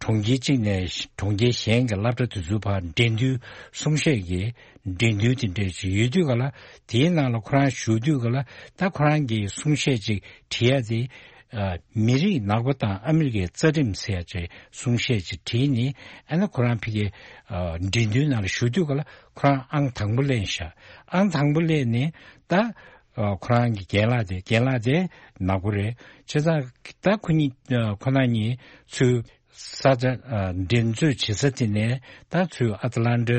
གྲོང་ཁྱེར་གཅིག་ནས་གྲོང་ཁྱེར་གཞན་གྱི་སློབ་གྲྭ་དེ་ཚོའི་བར་འགྲན་བསྡུར་གསུང་བཤད་ཀྱི་འགྲན་བསྡུར་དེ་འདྲ་ཞིག་ཡོད་དུས་ག་ལ། དེའི་ནང་ལ་ཁོ་རང་ཞུགས་དུས་ག་ལ། ད་ཁོ་རང་གི་གསུང་བཤད་ཅིག་བྲིས་ཡ་དེ་ཨ་མི་རིགས་ནག་པོ་དང་ཨ་མི་རི་ཀའི་རྩ་ཁྲིམས་ཟེར་ཡ་ཅིག་གསུང་བཤད་ཅིག་བྲིས་ནས། ཨ་ནི་ཁོ་རང་ཕ་གིའི་ཨ་འགྲན་བསྡུར་ནང་ལ་ཞུགས་དུས་ག་ལ། ཁོ་རང་ཨང་དང་པོ་ལེན་ཤག་ཨང་དང་པོ་ལེན་ནས་ད། ཨ་ཁོ་རང་གི་རྒན་ལགས་དེ། རྒན་ལགས་དེ་ནག་པོ་རེད། བྱས་ཙང་ད་ཁོ་གཉིས་ཨ་ཁོ་ན་གཉིས་ཚུར་ས་ཆ་ཨ་འགྲན་རྩོད་བྱེད་ས་དེ་ནས་ད་ཚུར་ཨ་ཏི་ལན་ཏ་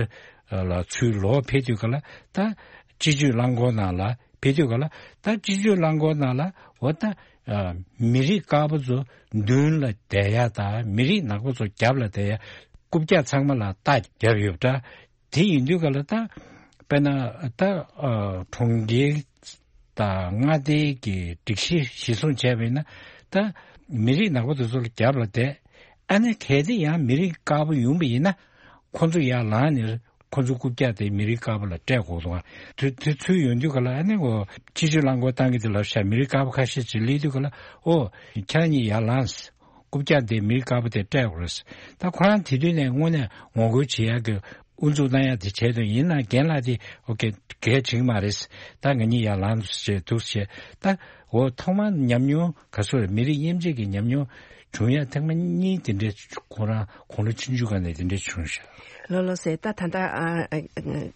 ལ་ཚུར་ལོག་ཕེབས་དུས་ག་ལ། ད་སྤྱི་སྤྱོད་རླངས་འཁོར་ནང་ལ་ཕེབས་དུས་ག་ལ། ད་སྤྱི་སྤྱོད་རླངས་འཁོར་ནང་ལ་འོ་ད་ཨ་མི་རིགས་དཀར་པོ་ཚོ་མདུན་ལ་བསྡད་ཡ་དང་མི་རིགས་ནག་པོ་ཚོ་རྒྱབ་ལ་བསྡད་ཡ་རྐུབ་བཀྱག་ཚང་མ་ལ་རྟ་བརྒྱབ་ཡོད་པ་འདྲ། དེ་ཡིན་དུས་ག་ལ། ད་དཔེར་ན་ད་ཨ་གྲོང་ཁྱེར་དང་མངའ་སྡེ་གི་སྒྲིག་གཞི་གཞིར་བཟུང་བྱས་པ་ཡིན་ན། ད་མི་རིགས་ནག་པོ་དེ་ཚོ་ལ་རྒྱབ་ལ་བསྡད། ཨ་ནི་གལ་ཏེ་ཡང་མི་རིགས་དཀར་པོ་ཡོང་པ་ཡིན་ན། ཁོ་ཚོ་ཡར་ལངས་ནས་ཁོ་ཚོ་རྐུབ་བཀྱག་དེ་མི་རིགས་དཀར་པོ་ལ་སྤྲད་དགོས་འདུག་ཨ། དེ་དེ་ཚུར་ཡོང་དུས་ག་ལ། ཨ་ནི་འོ་སྤྱི་སྤྱོད་རླངས་འཁོར་བཏང་གི་དེ་ལབ་ཤག་མི་རིགས་དཀར་པོ་ཁ་ཤས་ཅིག་སླེབས་དུས་ག་ལ། ཨོ་ཁྱེད་རང་གཉིས་ཡར་ལངས། རྐུབ་བཀྱག་དེ་མི་རིགས་དཀར་པོ་དེ་སྤྲད་དགོས་རེད། ད་ཁོ་རང་དེ་དུས་ནས་དངོས་གནས་ངོ་རྒོལ་བྱེད་ཡག་གི་དབུ་འཛུགས་གནང་ཡག་དེ་བྱས་དོན་ཡིན་ན། རྒན་ལགས་དེ་ཨོ་ཀེ་གལ་ཆེ་གི་མ་རེད། ད་ང་གཉིས་ཡར་ལངས་བྱས་འདུག་བྱས། ད་འོ་ཐོག་མར་ཉམས་མྱོང་ག་ཚོད་རེད། མི་རིགས་དབྱེ་འབྱེད་ཀྱི་ཉམས་མྱོང་བྱུང་ཡ་ཐེངས་མ་གཉིས་དེ་འདྲས། ཁོ་རང་དགུང་ལོ་ཆུང་ཆུང་སྒང་ནས་དེ་འདྲས་བྱུང་ཤག་ལགས་ལགས་སེ། ད་ད་ལྟ་ཨ་ཨ་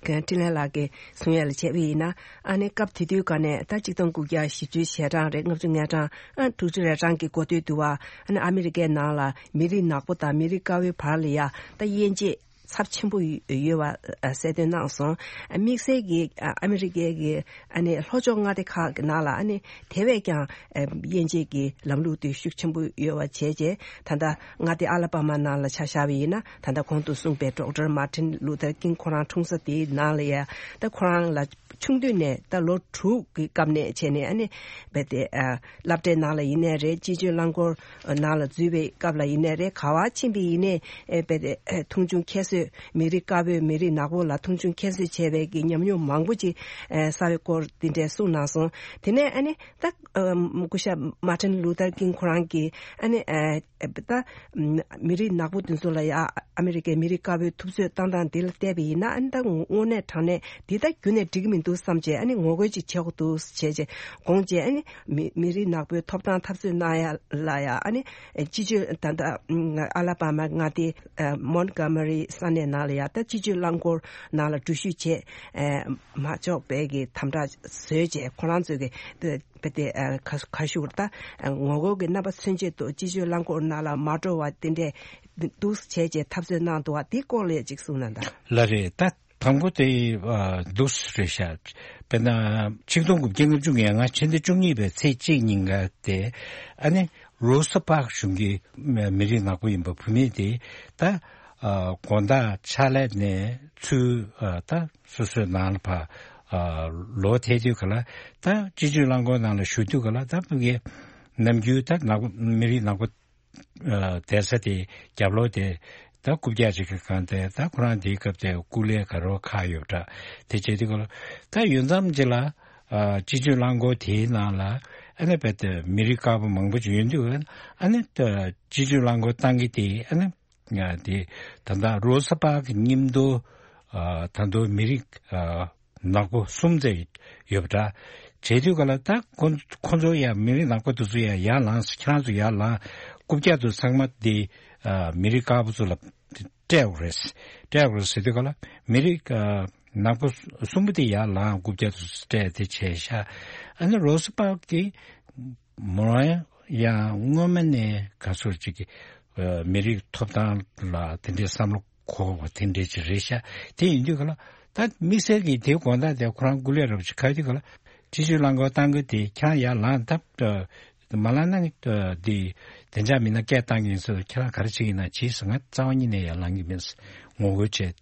འཕྲིན་ལས་ལགས་ཀྱིས་གསུང་ཡ་ལ་བྱས་པ་ཡིན་ན། ཨ་ནི་སྐབས་དེ་དུས་ག་ནས་ད་གཅིག་སྟོང་དགུ་བརྒྱ་བཞི་བཅུ་ཞེ་གྲངས་རེད། ལྔ་བཅུ་ང་གྲངས་ཨ་དྲུག་ཅུ་རེ་གྲངས་ཀྱི་འགོ་སྟོད་དུ་བ། ཨ་ནི་ཨ་མི་རི་ཀའི་ནང་ལ་མི་རིགས་ནག་པོ་དང་མི་རིགས་དཀར་པོའི་བར་ལ་ཡ་ད་དབྱེ་འབྱེད་ཚབས་ཆེན་པོ་ཡོད་པ་གསལ་སྟོན་གནང་སོང་། དམིགས་བསལ་གྱི་ཨ་མི་རི་ཀའི་གི་ཨ་ནི་ལྷོ་ཕྱོགས་མངའ་སྡེ་ཁག་གི་ནང་ལ་ཨ་ནི་དེ་བས་ཀྱང་དབྱེ་འབྱེད་ཀྱི་ལམ་ལུགས་དེ་ཤུགས་ཆེན་པོ་ཡོད་པ་བྱས་རྗེས། ད་ལྟ་མངའ་སྡེ་ཨ་ལ་པ་མ་ནང་ལ་ཆ་བཞག་པ་ཡིན་ན། ད་ལྟ་གོང་དུ་གསུངས་པའི་ཌོག་ཊར་མར་ཊིན་ལུ་ཐར་ཀིང་ཁོ་རང་འཁྲུངས་ས་དེའི་ནང་ལ་ཡ། ད་ཁོ་རང་ལ་ཆུང་དུས་ནས་ད་ལོ་དྲུག་གི་སྐབས་ནས་བྱས་ནས་ཨ་ནི་རྦད་དེ་ཨ་སློབ་གྲྭའི་ནང་ལ་ཡིན་ནའི་རེད། སྤྱི་སྤྱོད་རླངས་འཁོར་ནང་ལ་འཛུལ་བའི་སྐབས་ལ་ཡིན་ནའི་རེད། ག་བ་ཕྱིན་པ་ཡིན་ནའི་ཨེ་རྦད་དེ་ཨེ་མཐོང་ཆུང་ཁྱད་གསོད། མི་རིགས་དཀར་པོས་མི་རིགས་ནག་པོ་ལ་མཐོང་ཆུང་ཁྱད་གསོད་བྱས་པའི་གི་ཉམས་མྱོང་མང་པོ་ཅིག་ཨེ་བསགས་པའི་སྐོར་དེ་འདྲའི་གསུངས་གནང་སོང་། དེ་ནས་ཨ་ནི་ད་ཨ་སྐུ་ཞབས་མར་ཊིན་ལུ་ཐར་ཀིང་ཁོ་རང་གིས་ཨ་ནི་ཨེ་ད་མི་རིགས་ནག་པོ་དེ་ཚོ་ལ་ཡ་ཨ་མི་རི་ཀའི་མི་རིགས་དཀར་པོའི་ཐུབ་ཚོད་བཏང་སྟངས་འདི་ལ་བལྟས་པ་ཡིན་ན། ཨ་ནི་ད་དངོས་གནས་དྲང་གནས་འདི་ད་ཁྱོན་ནས་འགྲིག་གི་མི་འདུག་བསམ་བྱས། ཨ་ནི་ངོ་རྒོལ་ཅིག་བྱེད་དགོས་འདུག་བྱས་རྗེས་དགོངས་བྱས། ཨ་ནི་མི་མི་རིགས་ནག་པོའི་ཐོབ་ཐང་འཐབ་རྩོད་གནང་ཡ་ལ་ཡ། ཨ་ནི་སྤྱི་སྤྱོད་ད་ལྟ་ཨ་ལ་པ་མ་མངའ་སྡེ་མོན་གྷོ་མ་རི་ས་གནས་ནང་ལ་ཡ། ད་སྤྱི་སྤྱོད་རླངས་འཁོར་ནང་ལ་འགྲུལ་བཞུད་བྱས་མ་ཆོག་པའི་གི་དམ་དྲག་བཟོས་རྗེས། ཁོ་རང་ཚོས་གི་དཔེ་དེ་ཨ་ཁ་ཁ་ཤུར་ད་ཨ་ངོ་རྒོལ་གྱི་རྣམ་པ་མཚོན་ཆེད་དུ་སྤྱི་སྤྱོད་རླངས་འཁོར་ནང་ལ་མ་འགྲོ་བ་དེ་འདྲས་འདུག་བྱས་རྗེས་འཐབ་རྩོད་གནང་འདུག་བ། དེའི་སྐོར་ལ་ཅིག་གསུངས་ན་ད། ལགས་རེད། ད་དང་པོ་དེ་ཨ་འདུག་རེད་ཤག་དཔེར་ན་ཆིག་སྟོང་དགུ་བརྒྱ་ལྔ་བཅུ་ང་ལྔ་ཕྱི་ཟླ་བཅུ་གཉིས་པའི་ཚེས་གཅིག་ཉིན་ཀ་དེ། ཨ་ནི་རོ་ས་པག་གཞུང་གི་མི་རིགས་ནག་པོ་ཡིན་པ་བུད་མེད་དེ་ད་ཨ་དགོང་དག་ཕྱག་ལས་ནས་ཚུར་ཨ་ད་སོ་སོའི་ནང་ལ་ཕར་ཨ་ལོག་ཐལ་དུས་ག་ལ། ད་སྤྱི་སྤྱོད་རླངས་འཁོར་ནང་ལ་བཞུགས་དུས་ག་ལ། ད་ཕ་གི་ནམ་རྒྱུན་ད་ནག་པོ་མི་རིགས་ནག་པོ་ཨ་བསྡད་ས་དེ་རྒྱབ་ལོགས་དེ་ད་རྐུབ་བཀྱག་ཅིག་གི་སྒང་དེ། ད་ཁོ་རང་དེའི་སྐབས་དེ་སྐུ་ལས་ག་རོ་ཁག་ཡོད་པ་འདྲ། དེ་བྱས་དུས་ག་ལ་ད་ཡུན་ཙམ་ཅིག་ལ་ཨ་སྤྱི་སྤྱོད་རླངས་འཁོར་དེའི་ནང་ལ་ཨ་ནི་རྦད་དེ་མི་རིགས་དཀར་པོ་མང་པོ་ཅིག་ཡོད་དུས། ཨ་ནི་ད་སྤྱི་སྤྱོད་རླངས་འཁོར་བཏང་གི་དེ་ཨ་ནི། ཡ་དེ་ད་ལྟ་རོ་ས་པག་གི་མཉམ་དུ་ཨ་ད་དུང་མི་རིགས་ཨ་ནག་པོ་གསུམ་ཙམ་ཡོད་པ་འདྲ། བྱས་དུས་ག་ལ་ད་ཁོ་ཁོ་ཚོ་ཡ་མི་རིགས་ནག་པོ་དེ་ཚོ་ཡ་ཡར་ལངས་སོང་། ཁྱེད་རང་ཚོ་ཡར་ལངས། རྐུབ་བཀྱག་དེ་ཚང་མ་དེ་ཨ་མི་རིགས་དཀར་པོ་ཚོ་ལ་སྤྲད་དགོས་རེད། སྤྲད་དགོས་རེད་ཟེར་དུས་ག་ལ་མི་རིགས་ཨ་ ནག་པོ་གསུམ་པོ་དེ་ཡར་ལངས་རྐུབ་བཀྱག་ཏུ་སྤྲད་དེ་བྱས་ཤག་ཨ་ནི་རོ་སི་པག་གིས་མོ་རང་ཡང་སྔོན་མ་ནས་ག་ཚོད་ཅིག་གི་མི་རིགས་ཐོབ་ཐང་ལ་དེ་འདྲའི་བསམ་བློ་འཁོར་བ་དེ་འདྲའི་ཅིག་རེད་ཤག་དེ་ཡིན་དུས་ག་ལ་ད་དམིགས་བསལ་གྱི་དེའི་དགོང་དག་དེ་ཁོ་རང་སྐུ་ལས་རབ་ཅིག་ཁ་དུས་ག་ལ་སྤྱི་སྤྱོད་རླངས་འཁོར་བཏང་གི་དེ་ཁྱེད་རང་ཡར་ལངས་ད། མ་ལངས་ན་འདི་བདེ་འཇགས་མི་སྣ་སྐད་བཏང་གི་ཡིན་ཟེར། ཁྱེད་རང་ག་རེ་བྱེད་ཀྱི་ཡིན་ན་བྱེད་ཟེར། ང་རྩ་བ་ཉིད་ནས་ཡར་ལངས་ཀྱི་མིན་ཟེར། ངོ་རྒོལ་བྱས།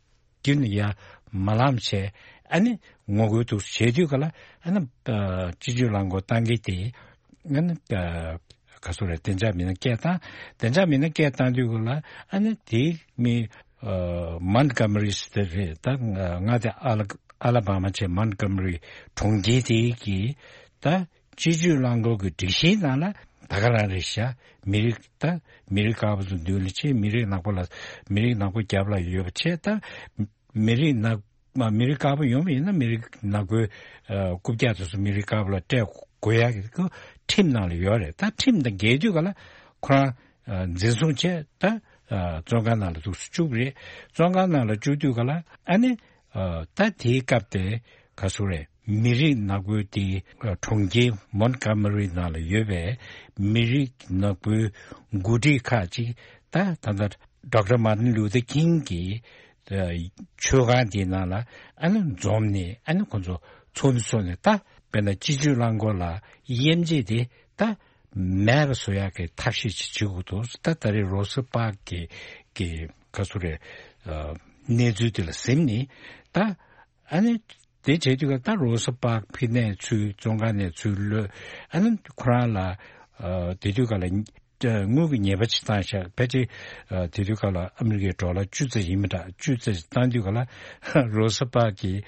རྒྱུན་ནས་ཡར་མ་ལངས་བྱས། ཨ་ནི་ངོ་རྒོལ་འདུག་བྱས་དུས་ག་ལ་ཨ་ནི་སྤྱི་སྤྱོད་རླངས་འཁོར་བཏང་གི་དེ་ཨ་ནི་ག་ཚོད་རེད། བདེ་འཇགས་མི་སྣ་སྐད་བཏང་། བདེ་འཇགས་མི་སྣ་སྐད་བཏང་དུས་ག་ལ་ཨ་ནི་དེ་མི་མོན་གྷོ་མ་རི་ཟེར་དེ་རེད། ད་ང་དེ་ཨ་ལ་ཨ་ལ་བ་མ་བྱས་མོན་གྷོ་མ་རི་གྲོང་ཁྱེར་དེ་གི་ད། སྤྱི་སྤྱོད་རླངས་འཁོར་གྱི་སྒྲིག་གཞི་ནང་ལ་ད་ག་རང་རེད་ཤག་མི་རིགས་ད་མི་རིགས་དཀར་པོ་ཚོ་མདུན་ལ་ཆེ། མི་རིགས་ནག་པོ་ལ་མི་རིགས་ནག་པོ་རྒྱབ་ལ་ཡོད་པ་བྱས། ད་མི་རིགས་ནག་མ་མི་རིགས་དཀར་པོ་ཡོང་བ་ཡིན་ན་མི་རིགས་ནག་པོའི་རྐུབ་བཀྱག་དེ་ཚོ་མི་རིགས་དཀར་པོ་ལ་སྤྲད་དགོས་ཡག་གི་ཁྲིམས་ནང་ལ་ཡོད་རེད། ད་ཁྲིམས་དང་འགལ་དུས་ག་ལ་ཁོ་རང་འཛིན་བཟུང་བྱས་ད་བཙོན་ཁང་ནང་ལ་འདུག་སེ་བཅུག་རེད། བཙོན་ཁང་ནང་ལ་བཅུག་དུས་ག་ལ་ཨ་ནི། ད་དེའི་སྐབས་དེ་ག་ཚོད་རེད། མི་རིགས་ནག་པོའི་དེ་གྲོང་ཁྱེར་མོན་གྷོ་མ་རི་ནང་ལ་ཡོད་པའི་མི་རིགས་ནག་པོའི་འགོ་ཁྲིད་ཁག་ཅིག་ད་ད་ལྟ་ཌོག་ཊར་མར་ཏིན་ལུ་ཐར་ཀིང་གི་མཆོད་ཁང་དེའི་ནང་ལ་ཨ་ནི་འཛོམས་ནས་ཨ་ནི་ཁོ་ཚོ་ཚོགས་འདུ་ཚོགས་ནས། ད་དཔེར་ན་སྤྱི་སྤྱོད་རླངས་འཁོར་ལ་དབྱེ་འབྱེད་དེ་ད་མེད་པ་བཟོ་ཡག་གི་ཐབས་ཤེས་ཅིག་བྱེད་དགོས་འདུག་ད་ད་རེས་རོ་སི་པག་གི་གི་ག་ཚོད་རེད། གནས་ཚུལ་དེ་ལ་གཟིམས་ནས་ད། ཨ་ནི། དེ་བྱེད་དུས་ཀ་ད་རོ་སི་པག་ཕི་ནས་ཚུར་བཙོན་ཁང་ནས་ཚུར་གློད། ཨ་ནི་ཁོ་རང་ལ་དེ་དུས་ཀ་ལ་དངུལ་གྱི་ཉེས་པ་ཅིག་བཏང་ཤག་ཕལ་ཆེར་དེ་དུས་ཀ་ལ་ཨ་མི་རི་ཀའི་ཌོ་ལར་བཅུ་ཙམ་ཡིན་མི་འདྲ། བཅུ་ཙམ་བཏང་དུས་ཀ་ལ་རོ་སི་པག་གིས་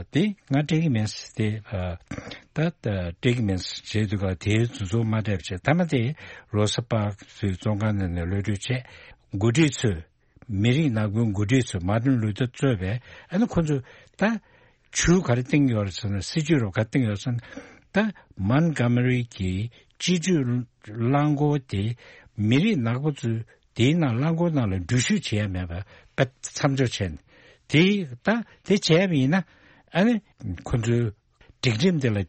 དེ་ང་སྤྲད་ཀྱི་མེད་ཟེར། དེ་ད་སྤྲད་ཀྱི་མེད་ཟེར་བྱས་དུས་ཀ་ལ་དེའི་དུས་ཚོད་མ་སྤྲད་པ་བྱས། མཐའ་མ་དེ་རོ་སི་པག་ཚུར་བཙོན་ཁང་ནང་ནས་གློད་གྲོལ་བྱས། འགོ་ཁྲིད་ཚོས། མི་རིགས་ནག་པོའི་འགོ་ཁྲིད་ཚོས་མར་ཏིན་ལུ་ཐར་གཙོས་པའི་ཨ་ནི་ཁོ་ཚོས་ད་ཇུས་ག་རེ་བཏིང་ཡོད་རེད་ཟེར་ན། སྲིད་ཇུས་རོབ་ག་བཏིང་ཡོད་ཟེར་ན། ད་མོན་གྷོ་མ་རི་གི་སྤྱི་སྤྱོད་རླངས་འཁོར་དེ་མི་རིགས་ནག་པོ་ཚོས་དེའི་ནང་རླངས་འཁོར་ནང་ལ་འགྲུལ་བཞུད་བྱེད་ཡ་མེད་པ་མཚམས་འཇོག་བྱས་ནས། དེ་ད་དེ་བྱས་པ་ཡིན་ན་ཨ་ནི་ཁོ་ཚོའི་སྒྲིག་ཁྲིམས་དེ་ལ་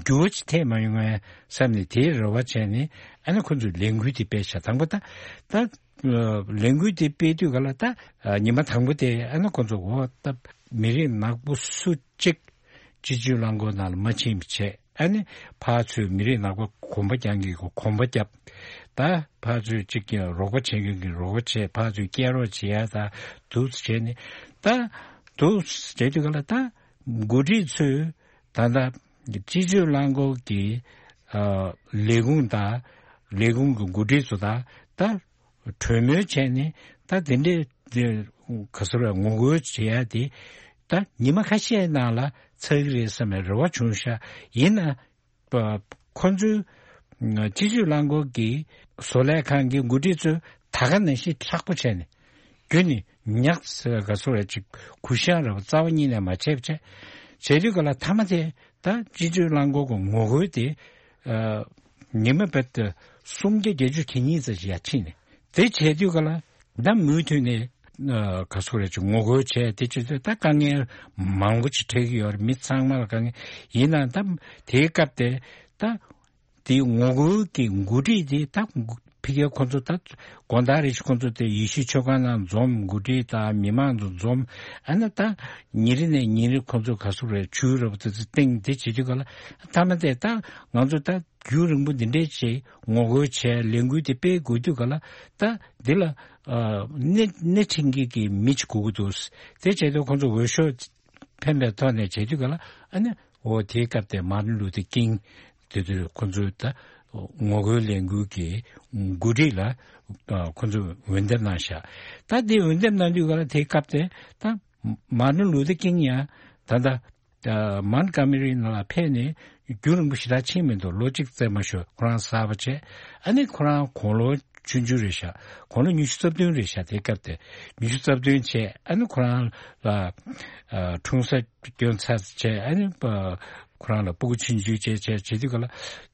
འགྱུར་བ་ཅིག་ཐེབས་མ་ཡོང་ངམ་བསམ་ནས་དེའི་རེ་བ་བྱས་ནས་ཨ་ནི་ཁོ་ཚོས་ལས་འགུལ་དེ་སྤེལ་ཤག་དང་པོ་ད་ད་ལས་འགུལ་དེ་སྤེལ་དུས་ག་ལ་ད་ཉི་མ་དང་པོ་དེ་ཨ་ནི་ཁོ་ཚོ་འོ་ད་མི་རིགས་ནག་པོ་སུ་གཅིག་སྤྱི་སྤྱོད་རླངས་འཁོར་ནང་ལ་མ་ཕྱིན་པ་བྱས། ཨ་ནི་ཕར་ཚུར་མི་རིགས་ནག་པོ་གོམ་པ་རྒྱག་མཁན་གྱིས་གོམ་པ་བརྒྱབ། ད་ཕར་ཚུར་གཅིག་ཀྱང་རོགས་པ་བྱེད་མཁན་གྱིས་རོགས་པ་བྱས། ཕར་ཚུར་སྐྱེལ་རོགས་བྱེད་ཡ་ད་འདུག་བྱས་ནས་ད་འདུག་བྱས་དུས་ག་ལ་ད། འགོ་ཁྲིད་ཚོས་ད་ལྟ་སྤྱི་སྤྱོད་རླངས་འཁོར་གྱི་ཨ་ལས་ཁུངས་དང་ལས་ཁུངས་ཀྱི་འགོ་ཁྲིད་ཚོ་དང་ད་གྲོས་མོལ་བྱས་ནས་ད་དེ་འདྲའི་དེ་ག་ཟེར་བ་ངོ་རྒོལ་བྱེད་ཡ་དེ་ད་ཉི་མ་ཁ་ཤས་ནང་ལ་ཚར་གྱི་རེད་བསམ་པའི་རེ་བ་བྱུང་ཤག་ཡིན་ན་པ་ཁོ་ཚོའི་སྤྱི་སྤྱོད་རླངས་འཁོར་གྱི་བཟོ་ལས་ཁང་གི་འགོ་ཁྲིད་ཚོས་ད་ག་ནང་བཞིན་མཁྲེགས་པོ་བྱས་ནས། རྒྱུ་ནི་ཉག་ཟེར་ག་སོ་རེ་ཅིག་གུ་ཤང་རེ་བ་རྩ་བ་ཉིད་ནས་མ་བྱས་པ་བྱས། བྱས་དུས་ག་ལ་མཐའ་མ་དེ་ད་སྤྱི་སྤྱོད་རླངས་འཁོར་གྱི་ངོ་རྒོལ་དེ་ཉི་མ་བར་དུ་སུམ་བརྒྱ་བརྒྱད་ཅུ་གྱ་གཉིས་ཙམ་ཞིག་ཡར་ཕྱིན་ནས། དེ་བྱས་དུས་ག་ལ་ད་མུ་མཐུད་ནས་ག་སོ་རེ་ཅིག་ངོ་རྒོལ་བྱས། དེ་བྱས་དུས་ད་དཀའ་ངལ་མང་པོ་ཅིག་འཕྲད་ཀྱི་ཡོད་རེད། མི་ཚང་མ་ལ་དཀའ་ངལ་ཡིན་ན་ད་དེའི་སྐབས་དེ་ད། དེའི་ངོ་རྒོལ་གྱི་འགོ་ཁྲིད་དེ་ད་ཕ་གིར་ཁོ་ཚོ་ད་དགོང་དག་རེ་ཞིག་ཁོ་ཚོ་དེ་ཡེ་ཤུའི་མཆོད་ཁང་ནང་འཛོམས། འགོ་ཁྲིད་དང་མི་མང་ཚོ་འཛོམས། ཨ་ནི་ད་ཉིན་རེ་ནས་ཉིན་རེ་ཁོ་ཚོ་ག་ཟུག་རེད་ཇུས་རེ་བ་དེ་ཚོ་བཏིང་། དེ་བྱེད་དུས་ག་ལ་མཐའ་མ་དེ་ད་ང་ཚོ་ད་རྒྱུན་རིང་པོ་འདི་འདྲའི་ཆེད་ངོ་རྒོལ་བྱས། ལས་འགུལ་དེ་སྤེལ་དགོས་དུས་ག་ལ་ད་འདི་ལ་སྣེ་སྣེ་ཁྲིད་མཁན་གྱི་མི་ཅིག་དགོས་ཀྱི་འདུག་དེ་བྱས་དུས་ཁོ་ཚོ་འོས་ཤོག་ཕན་པའི་ཐོག་ནས་བྱེད་དུས་ག་ལ་ཨ་ནི་འོ་དེའི་སྐབས་དེ་མར་ཏིན་ལུ་ཐར་ཀིང་དེ་ཚོས་ཁོ་ཚོའི་ད་ངོ་རྒོལ་ལས་འགུལ་གྱི་འགོ་ཁྲིད་ལ་ཁོ་ཚོས་འོས་འདེམས་གནང་ཤག་ད་དེ་འོས་འདེམས་གནང་དུས་ག་ལ་དེའི་སྐབས་དེ་ད་མར་ཏིན་ལུ་ཐར་ཀིང་ཡང་ད་ལྟ་མོན་གྷོ་མ་རི་ནང་ལ་ཕེབས་ནས་རྒྱུན་རིང་པོ་ཞེ་དྲག་ཕྱིན་མི་འདུག་ལོ་གཅིག་ཙམ་མ་ཞུ་ཁོ་རང་གསར་པ་བྱས། ཨ་ནི་ཁོ་རང་དགུང་ལོ་ཆུང་ཆུང་རེད་ཤག་དགུང་ལོ་ཉི་ཤུ་རྩ་བདུན་རེད་ཤག་དེའི་སྐབས་དེ་ཉི་ཤུ་རྩ་བདུན་བྱས། ཨ་ནི་ཁོ་རང་ལ་ཨ་འཁྲུངས་ས་སྐྱོན་ཚར་བྱས། ཨ་ནི་ཁོ་རང་ལ་སྤུ་གུ་ཆུང་ཆུང་བྱས་བྱས་བྱེད་དུས་ག་ལ་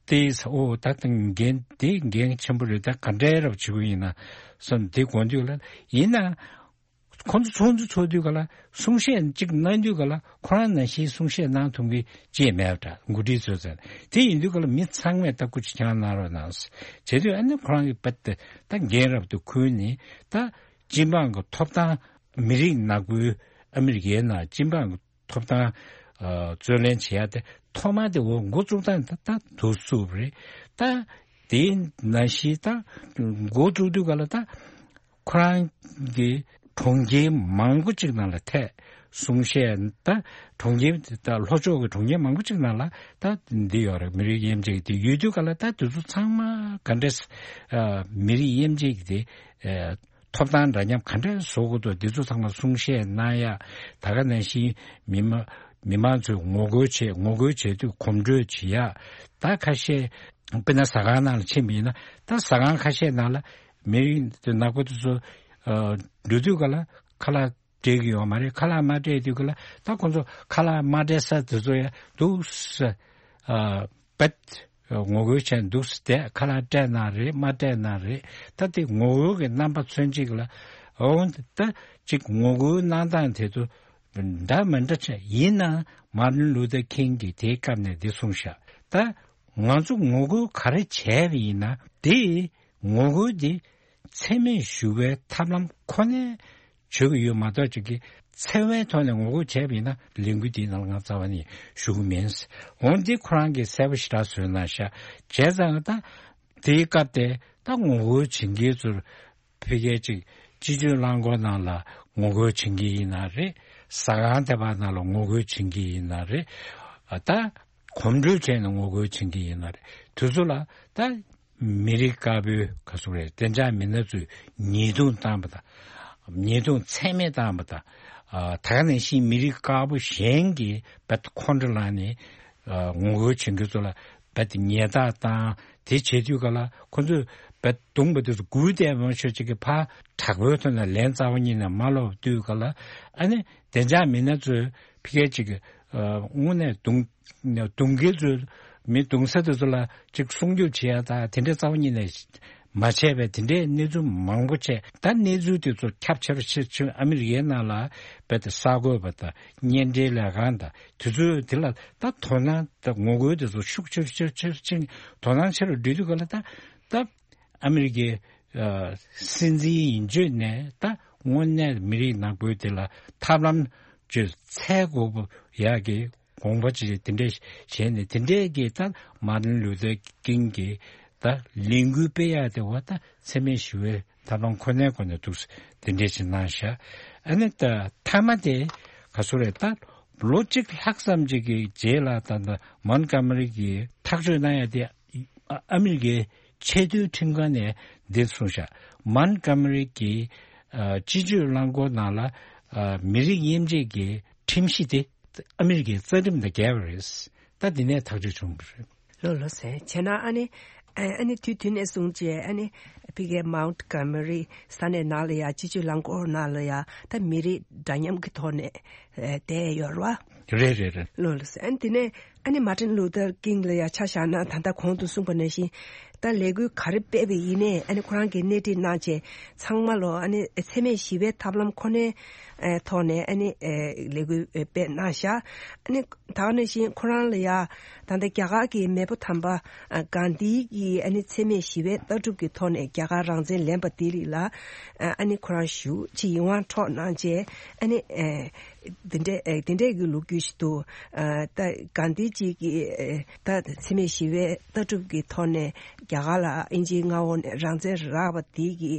དེས་ཨོ་ད་ལྟ་འགན་དེ་འགན་ཆེན་པོ་རེད། ད་ག་འདྲའི་རབ་བྱེད་དགོས་ཡིན་ན་བསམ་དེ་དགོངས་དུས་ལ་ཡིན་ན། ཁོང་ཚོ་ཚོགས་འདུ་ཚོགས་དུས་ག་ལ་གསུང་བཤད་གཅིག་གནང་དུས་ག་ལ་ཁོ་རང་ནང་བཞིན་གསུང་བཤད་གནང་ཐུབ་མཁན་ཅིག་མེད་པ་འདྲ། འགོ་ཁྲིད་ཚོས་ཟེར། དེ་ཡིན་དུས་ག་ལ་མི་ཚང་མས་ད་སྐུ་མཁྱེན་གནང་རོགས་གནང་ཟེར། བྱེད་དུས་ཨ་ནི་ཁོ་རང་གི་པད་ད་འགན་རབ་ཏུ་ཁུར་ནས་ད་སྤྱི་འབངས་ཀྱི་ཐོབ་ཐང་། མི་རིགས་ནག་པོའི་ཨ་མི་རི་ཀའི་ནང་སྤྱི་འབངས་ཀྱི་ཐོབ་ཐང་རྩོད་ལེན་བྱེད་ཡ་དེ་ཐོག་མ་དེ་འོ་འགོ་བཙུགས་སྟངས་ད་ད་དུ་སུབ་རེད། ད་དེའི་ནང་བཞིན་ད་འགོ་བཙུགས་དུས་ག་ལ་ད་ཁོ་རང་གི་གྲོང་ཁྱེར་མང་པོ་ཅིག་ནང་ལ་ཐད་གསུང་བཤད། ད་གྲོང་ཁྱེར་ད་ལྷོ་ཕྱོགས་ཀྱི་གྲོང་ཁྱེར་མང་པོ་ཅིག་ནང་ལ་ད་འདི་ཡོད་རེད། མི་རིགས་དབྱེ་འབྱེད་དེ་ཡོད་དུས་ག་ལ་ད་དེ་ཚོ་ཚང་མ་ག་འདྲས་མི་རིགས་དབྱེ་འབྱེད་དེ་ཐོབ་ཐང་འདྲ་མཉམ་ག་འདྲས་བཟོ་དགོས་འདུག་འདི་ཚོ་ཚང་མ་གསུང་བཤད་གནང་ཡ། ད་ག་ནང་བཞིན་མི་མ་མི་མང་ཚོས་ངོ་རྒོལ་བྱེད་ངོ་རྒོལ་བྱེད་དུས་གོམ་བགྲོད་བྱེད་ཡ། ད་ཁ་ཤས་དཔེར་ན་ཟ་ཁང་ནང་ལ་ཕྱིན་པ་ཡིན་ན་ད་ཟ་ཁང་ཁ་ཤས་ནང་ལ་མི་རིགས་དེ་ནག་པོ་དེ་ཚོ་འགྲོ་དུས་ག་ལ་ཁ་ལག་སྤྲད་ཀྱི་ཡོད་མ་རེད། ཁ་ལག་མ་སྤྲད་དུས་ག་ལ་ད་ཁོང་ཚོ་ཁ་ལག་མ་སྤྲད་ས་དེ་ཚོ་ཡ་འདུག་ས། པད། ངོ་རྒོལ་བྱས་འདུག་སྟེ་ཁ་ལག་སྤྲད་ན་རེད་མ་སྤྲད་ན་རེད། ད་དེ་ངོ་རྒོལ་གྱི་རྣམ་པ་མཚོན་ཅིག་ལ་འོང་ད་ཅིག་ངོ་རྒོལ་གནང་སྟངས་དེ་ཚོ་འདྲ་མི་འདྲ་ཆགས་ཡིན་ན་མར་ཏིན་ལུ་ཐར་ཁིང་གིས་དེའི་སྐབས་ནས་འདི་གསུངས་ཤག་ད་ང་ཚོ་ངོ་རྒོལ་ག་རེ་བྱས་པ་ཡིན་ན་དེ་ངོ་རྒོལ་འདི་འཚེ་མེད་ཞི་བའི་ཐབས་ལམ་ཁོ་ནའི་བྱེད་ཀྱི་ཡོད་མ་གཏོགས་ཅིག་གིས་འཚེ་བའི་ཐོག་ནས་ངོ་རྒོལ་བྱས་པ་ཡིན་ན་ལས་འགུལ་འདིའི་ནང་ལ་ང་རྩ་བ་ནས་ཞུགས་ཀྱི་མིན། འོན་ཏེ་ཁོ་རང་གིས་གསལ་པོ་ཞེ་དྲག་བཟོས་གནང་ཤག་བྱས་ཙང་ད་དེའི་སྐབས་དེ་ད་ངོ་རྒོལ་བྱེད་མཁན་ཚོར་ཕ་གིའི་ཅིག་སྤྱི་སྤྱོད་རླངས་འཁོར་ནང་ལ་ངོ་རྒོལ་བྱེད་མཁན་ཡིན་ན་རེད། ཟ་ཁང་དེ་པ་ནང་ལ་ངོ་རྒོལ་བྱེད་མཁན་ཡིན་ན་རེད། ད་གོམ་བགྲོད་བྱས་ནས་ངོ་རྒོལ་བྱེད་མཁན་ཡིན་ན་རེད། དེ་ཚོ་ལ་ད་མི་རིགས་དཀར་པོའི་ག་ཚོད་རེད་བདེ་འཇགས་མི་སྣ་ཚོས་ཉེས་རྡུང་བཏང་བ་དང་། ཉེས་རྡུང་ཚད་མེད་བཏང་བ་དང་། ཨ་ད་ག་ནང་བཞིན་མི་རིགས་དཀར་པོ་གཞན་གྱིས་རྦད་ཁོང་ཁྲོ་ལངས་ནས་ཨ་ངོ་རྒོལ་བྱེད་མཁན་ཚོ་ལ་རྦད་ཉེས་རྡུང་བཏང་། དེ་བྱེད་དུས་ག་ལ་ཁོ་ཚོས་རྦད་རྡུང་པ་དེ་ཚོ་སྒུག་བསྡད་མ་ཤོད་ཅིག་གི་ཕར་དྲག་པོའི་ཐོག་ནས་ལན་རྩ་བ་ཉིད་ནས་མ་སློག་དུས་ག་ལ་ཨ་ནི་བདེ་འཇགས་མི་སྣ་ཚོས་ཕ་གིའི་ཅིག་གི་ཨ་དངོས་གནས་རྡུང་རྡུང་མཁན་ཚོས་མི་རྡུང་ས་དེ་ཚོ་ལ་ཅིག་སྲུང་སྐྱོབ་བྱེད་ཡ་དང་དེ་འདྲའི་རྩ་བ་ཉིད་ནས་མ་བྱས་པའི་དེ་འདྲའི་གནས་ཚུལ་མང་པོ་བྱས། ད་གནས་ཚུལ་དེ་ཚོ་ཁྱབ་ཆེ་རུ་ཕྱིན་ཕྱིན་ཨ་མི་རི་ཀའི་ནང་ལ་རྦད་དེ་གསར་འགོད་པ་དང་གཉེན་འབྲེལ་ལས་ཁང་དང་དེ་ཚོས་དེ་ལ་ད་དོ་སྣང་དང་ངོ་རྒོལ་དེ་ཚོ་ཤུགས་ཆེ་རུ་ཆེ་རུ་ཆེ་རུ་ཕྱིན་དོ་སྣང་ཆེ་རུ་འགྲོ་དུས་ག་ལ་ད་ད་ཨ་མི་རི་ཀའི་ཨ་སྲིད་འཛིན་ཡིན་བརྗོད་ནས་ད་དངོས་གནས་མི་རིགས་ནག་པོའི་དེ་ལ་ཐབས་ལམ་བཅོས་འཚོལ་དགོས་པ་ཡག་གི་དགོངས་པ་ཅིག་དེ་འདྲས་བྱས་ནས་དེ་འདྲས་ཀྱི་ད་མར་ཏིན་ལུ་ཐར་ཀིང་གི་ད་ལས་འགུལ་སྤེལ་ཡག་དེ་བ་ད་འཚེ་མེད་ཞི་བའི་ཐབས་ལམ་ཁོ་ནའི་སྒོ་ནས་འདུག་དེ་འདྲས་ཅིག་གནང་ཤག་ཨ་ནི་ད་མཐའ་མ་དེ་ག་ཚོད་རེད། ད་ལོ་གཅིག་ལྷག་ཙམ་ཅིག་གི་རྗེས་ལ་ད་ད་མོན་གྷོ་མ་རི་གི་ཐག་གཅོད་གནང་ཡ་དེ་ཨ་ཨ་མི་རི་ཀའི་ཆེས་མཐོའི་ཁྲིམས་ཁང་ནས་འདི་གསུངས་ཤག་མོན་གྷོ་མ་རི་གི་ཨ་སྤྱི་སྤྱོད་རླངས་འཁོར་ནང་ལ་ཨ་མི་རིགས་དབྱེ་འབྱེད་ཀྱི་ཁྲིམས་གཞི་དེ་ཨ་མི་རི་ཀའི་རྩ་ཁྲིམས་དང་འགལ་བ་རེད། ད་འདི་ནས་ཐག་གཅོད་བྱུང་བ་རེད། ལོ་ལོ་ཟེར་བྱས་ན་ཨ་ནི་ཨ་ཨ་ནི་དུས་དུས་ནས་བཟུང་བྱས་ཨ་ནི་ཕ་གིའི་མོན་གྷོ་མ་རི་ས་གནས་ནང་ལ་ཡ་སྤྱི་སྤྱོད་རླངས་འཁོར་ནང་ལ་ཡ་ད་མི་རིགས་འདྲ་མཉམ་གྱི་ཐོག་ནས་ཨ་བསྡད་ཡོད་རེད་བ། རེད་རེད་རེད། ལོ་ལོ་ཟེར་ཨ་ནི་དེ་ནས་ཨ་ནི་མར་ཏིན་ལུ་ཐར་ཀིང་ལ་ཡ་ཆ་བཞག་ན་ད་ལྟ་གོང་དུ་གསུངས་པ་ནང་བཞིན་ད་ལས་འགུལ་ག་རེ་སྤེལ་བ་ཡིན་ནའི་ཨ་ནི་ཁོ་རང་གིས་སྣེ་ཁྲིད་གནང་བྱས་ཚང་མ་ལོ་ཨ་ནི་འཚེ་མེད་ཞི་བའི་ཐབས་ལམ་ཁོ་ནའི་ཨ་ཐོག་ནས་ཨ་ནི་ཨ་ལས་འགུལ་སྤེལ་གནང་ཤག་ཨ་ནི་ད་ག་ནང་བཞིན་ཁོ་རང་ལ་ཡ་ད་ལྟ་རྒྱ་གར་གྱི་མེས་པོ་དམ་པ་ཨ་གྷན་དྷི་གིས་ཨ་ནི་འཚེ་མེད་ཞི་བའི་ལྟ་གྲུབ་ཀྱི་ཐོག་ནས་རྒྱ་གར་རང་བཙན་ལེན་པ་དེ་རིགས་ལ་ཨ་ཨ་ནི་ཁོ་རང་ཞེ་པོ་ཅིག་ཡིད་དབང་འཕྲོག་གནང་བྱས་ཨ་ནི་ཨ་དེ་འདྲའི་ཨ་དེ་འདྲའི་གི་ལོ་རྒྱུས་ཤིག་འདུག་ཨ་ད་གྷན་དྷི་ཇི་གིས་ཨ་ད་འཚེ་མེད་ཞི་བའི་ལྟ་གྲུབ་ཀྱི་ཐོག་ནས་རྒྱ་གར་ལ་དབྱིན་ཇིའི་མངའ་འོག་ནས་རང་བཙན་རག་པ་དེ་གི་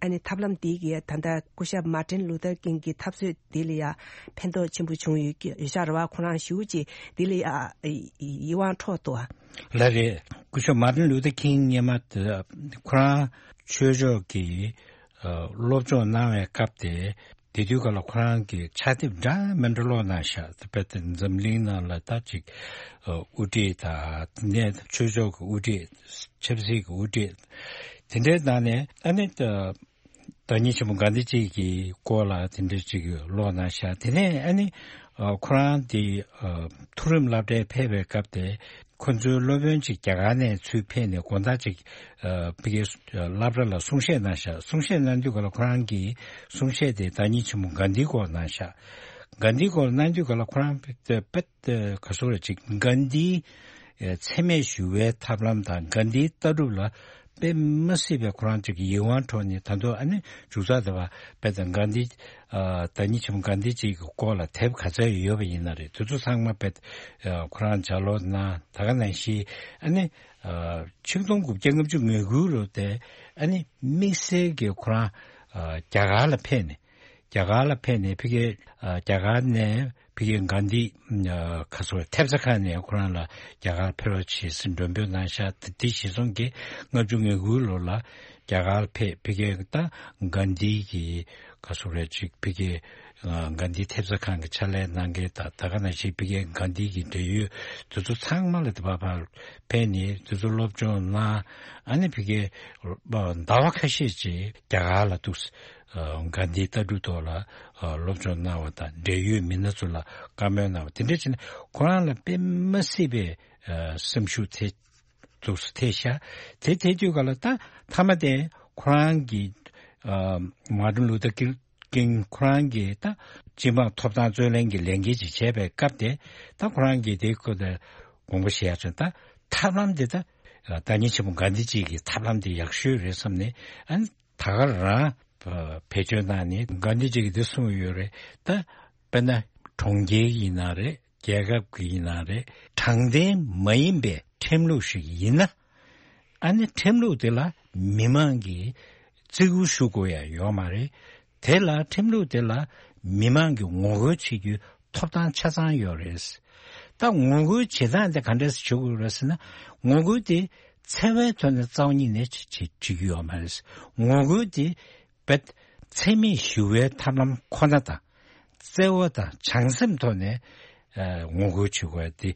ཨ་ནི་ཐབས་ལམ་དེ་གི་ད་ལྟ་སྐུ་ཞབས་མར་ཏིན་ལུ་ཐར་ཀིང་གི་འཐབ་རྩོད་དེ་ལ་ཡ་ཕན་ཐོགས་ཆེན་པོ་བྱུང་ཡོད་ཀྱི་ཡོད་ཤག་རེད་བ། ཁོ་རང་ཞེ་པོ་ཅིག་དེ་ལ་ཡ་ཡིད་དབང་འཕྲོག་འདུག་བ། ལགས་རེད། སྐུ་ཞབས་མར་ཏིན་ལུ་ཐར་ཀིང་སྔོན་མ་དེ་ཁོ་རང་ཆོས་ཕྱོགས་ཀྱི་ཨ་སློབ་སྦྱོང་གནང་བའི་སྐབས་དེ་དེ་དུས་སྐབས་ལ་ཁོ་རང་གིས་ཕྱག་དེབ་འདྲ་མི་འདྲ་ཀློག་གནང་ཤག་དཔེར་ན་འཛམ་གླིང་ནང་ལ་ད་ཅིག་ཨ་དབུ་ཁྲིད་དང་དེ་ནས་ཆོས་ཕྱོགས་ཀྱི་དབུ་ཁྲིད་ཆབ་སྲིད་ཀྱི་དབུ་ཁྲིད་དེ་འདྲའི་ནང་ནས་ཨ་ནི་ད། བདག་ཉིད་ཆེན་པོ་གྷན་དྷི་ཇི་གི་སྐོར་ལ་དེ་འདྲ་ཅིག་ཀློག་གནང་ཤག་དེ་ནས་ཨ་ནི་ཨ་ཁོ་རང་དེ་ཨ་མཐོ་རིམ་སློབ་གྲྭའི་ཕེབས་པའི་སྐབས་དེ་ ཁོ་ཚོའི་སློབ་དཔོན་ཅིག་རྒྱ་གར་ནས་ཚུར་ཕེབས་ནས་དགོང་དག་ཅིག་ཨ་ཕ་གིའི་སློབ་གྲྭ་ལ་གསུང་བཤད་གནང་ཤག་གསུང་བཤད་གནང་དུས་ག་ལ་ཁོ་རང་གིས་གསུང་བཤད་དེ་བདག་ཉིད་ཆེན་མོ་གྷན་དྷིའི་སྐོར་གནང་ཤག་གྷན་དྷིའི་སྐོར་གནང་དུས་ག་ལ་ཁོ་རང་དཔེ་དཔེ་ག་ཟེར་རེད། ཅིག་གྷན་དྷིའི་འཚེ་མེད་ཞི་བའི་ཐབས་ལམ་དང་གྷན་དྷིའི་ལྟ་གྲུབ་ལ་དཔེ་མ་སྲིད་པའི་ཁོ་རང་ཅིག་ཡིད་དབང་འཕྲོག་ནས། ད་དུང་ཨ་ནི་མཇུག་ཚགས་དེ་བ་དཔེ་དང་གྷན་དྷི་ཨ་བདག་ཉིད་ཆེན་མོ་གྷན་དྷི་ཅིག་གི་སྐོར་ལ་དེབ་ག་ཚད་ཡོད་པ་ཡིན་ན་རེད། དེ་ཚོ་ཚང་མ་དཔེ་ཨ་ཁོ་རང་ལྗགས་ཀློག་གནང་། ད་ག་ནང་བཞིན་ཨ་ནི་ཨ་ཆིག་སྟོང་དགུ་བརྒྱ་ལྔ་བཅུ་ང་དགུ་ལོ་དེ་ཨ་ནི་དམིགས་བསལ་གྱི་ཁོ་རང་ཨ་རྒྱ་གར་ལ་ཕེབས་ནས། རྒྱ་གར་ལ་ཕེབས་ནས་ཕ་གིའི་ཨ་རྒྱ་གར་ནས་ཕ་གིའི་གྷན་དྷི་ཨ་ག་ཟེར་ཐེབས་རྩ་ཁང་ནས་ཁོ་རང་ལ་རྒྱ་གར་ཕེབས་རོགས་བྱེད་ཟེར་མགྲོན་འབོད་གནང་ཤག་དེ་དེ་གཞིར་བཟུང་གིས་ལྔ་བཅུ་ང་དགུ་ལོ་ལ་རྒྱ་གར་ཕེབས། ཕ་གིའི་ད་གྷན་དྷི་གི་ག་ཟེར་རེད། ཅིག་ཕ་གིའི་ཨ་གྷན་དྷི་ཐེབས་རྩ་ཁང་གི་ཕྱག་ལས་གནང་མཁན་དང་། ད་ག་ནང་བཞིན་ཕ་གིའི་གྷན་དྷི་གི་འབྲེལ་ཡོད་དེ་ཚོ་ཚང་མ་ལ་དེ་བ་ཕར་ཕེབས་ནས་དེ་ཚོ་སློབ་སྦྱོང་གནང་། ཨ་ནི་ཕ་གིའི་ཟླ་བ་ཁ་ཤས་ཅིག་རྒྱ་གར་ལ་འདུག་གྷན་དྷིའི་ལྟ་གྲུབ་ཐོག་ལ་སློབ་སྦྱོང་གནང་བ་དང་། འབྲེལ་ཡོད་མི་སྣ་ཚོ་ལ་བཀའ་མོལ་གནང་བ་དེ་འདྲ་བྱས་ནས་ཁོ་རང་ལ་དཔེ་མ་སྲིད་པའི་སེམས་ཤུགས་ཐེབས་འདུག་ཐེབས་ཤག་དེ་ཐེབས་དུས་ག་ལ་ད་མཐའ་མ་དེ་ཁོ་རང་གིས་མར་ཏིན་ལུ་ཐར་ཀིང་ཁོ་རང་གིས་ད་སྤྱི་འབངས་ཐོབ་ཐང་རྩོད་ལེན་གྱི་ལས་འགན་ཅིག་བྱས་པའི་སྐབས་དེ། ད་ཁོ་རང་གིས་དེ་ཁོ་དེ་དགོངས་པ་བཞེས་ཡ་བྱུང་། ད་ཐབས་ལམ་དེ་ད་བདག་ཉིད་ཆེན་མོ་གྷན་དྷི་ཅིག་གི་ཐབས་ལམ་དེ་ཡག་ཤོས་རེད་བསམ་ནས། ཨ་ནི་ད་ག་རང་བེད་སྤྱོད་གནང་ནས་གྷན་དྷི་ཅིག་གིས་འདི་གསུངས་ཡོད་རེད། ད་དཔེར་ན་གྲོང་ཁྱེར་ཡིན་ན་རེད། རྒྱལ་ཁབ་ཀྱི་ཡིན་ན་རེད། དྲང་བདེན་མ་ཡིན་པའི་ཁྲིམས་ལུགས་ཤིག་ཡིན་ན། ཨ་ནི་ཁྲིམས་ལུགས་དེ་ལ་མི་མང་གིས་བརྩི་བཀུར་ཞུ་དགོས་ཡ་ཡོད་མ་རེད། དེ་ལ་ཁྲིམས་ལུགས་དེ་ལ་མི་མང་གིས་ངོ་རྒོལ་བྱེད་རྒྱུའི་ཐོབ་ཐང་ཆ་ཚང་ཡོད་རེད། ད་ངོ་རྒོལ་བྱེད་སྟངས་དེ་ག་འདྲས་བྱེད་དགོས་རེད་ཟེར་ན། ངོ་རྒོལ་དེ་འཚེ་བའི་ཐོག་ནས་རྩ་བ་ཉིད་ནས་བྱེད་བྱེད་བྱེད་རྒྱུ་ཡོད་མ་རེད། ངོ་རྒོལ་དེ་བེད་འཚེ་མེད་ཞི་བའི་ཐབས་ལམ་ཁོ་ན་དང་། བརྩེ་བ་དང་བྱང་སེམས་ཐོག་ནས་ཨ་ངོ་རྒོལ་བྱེད་དགོས་ཏེ།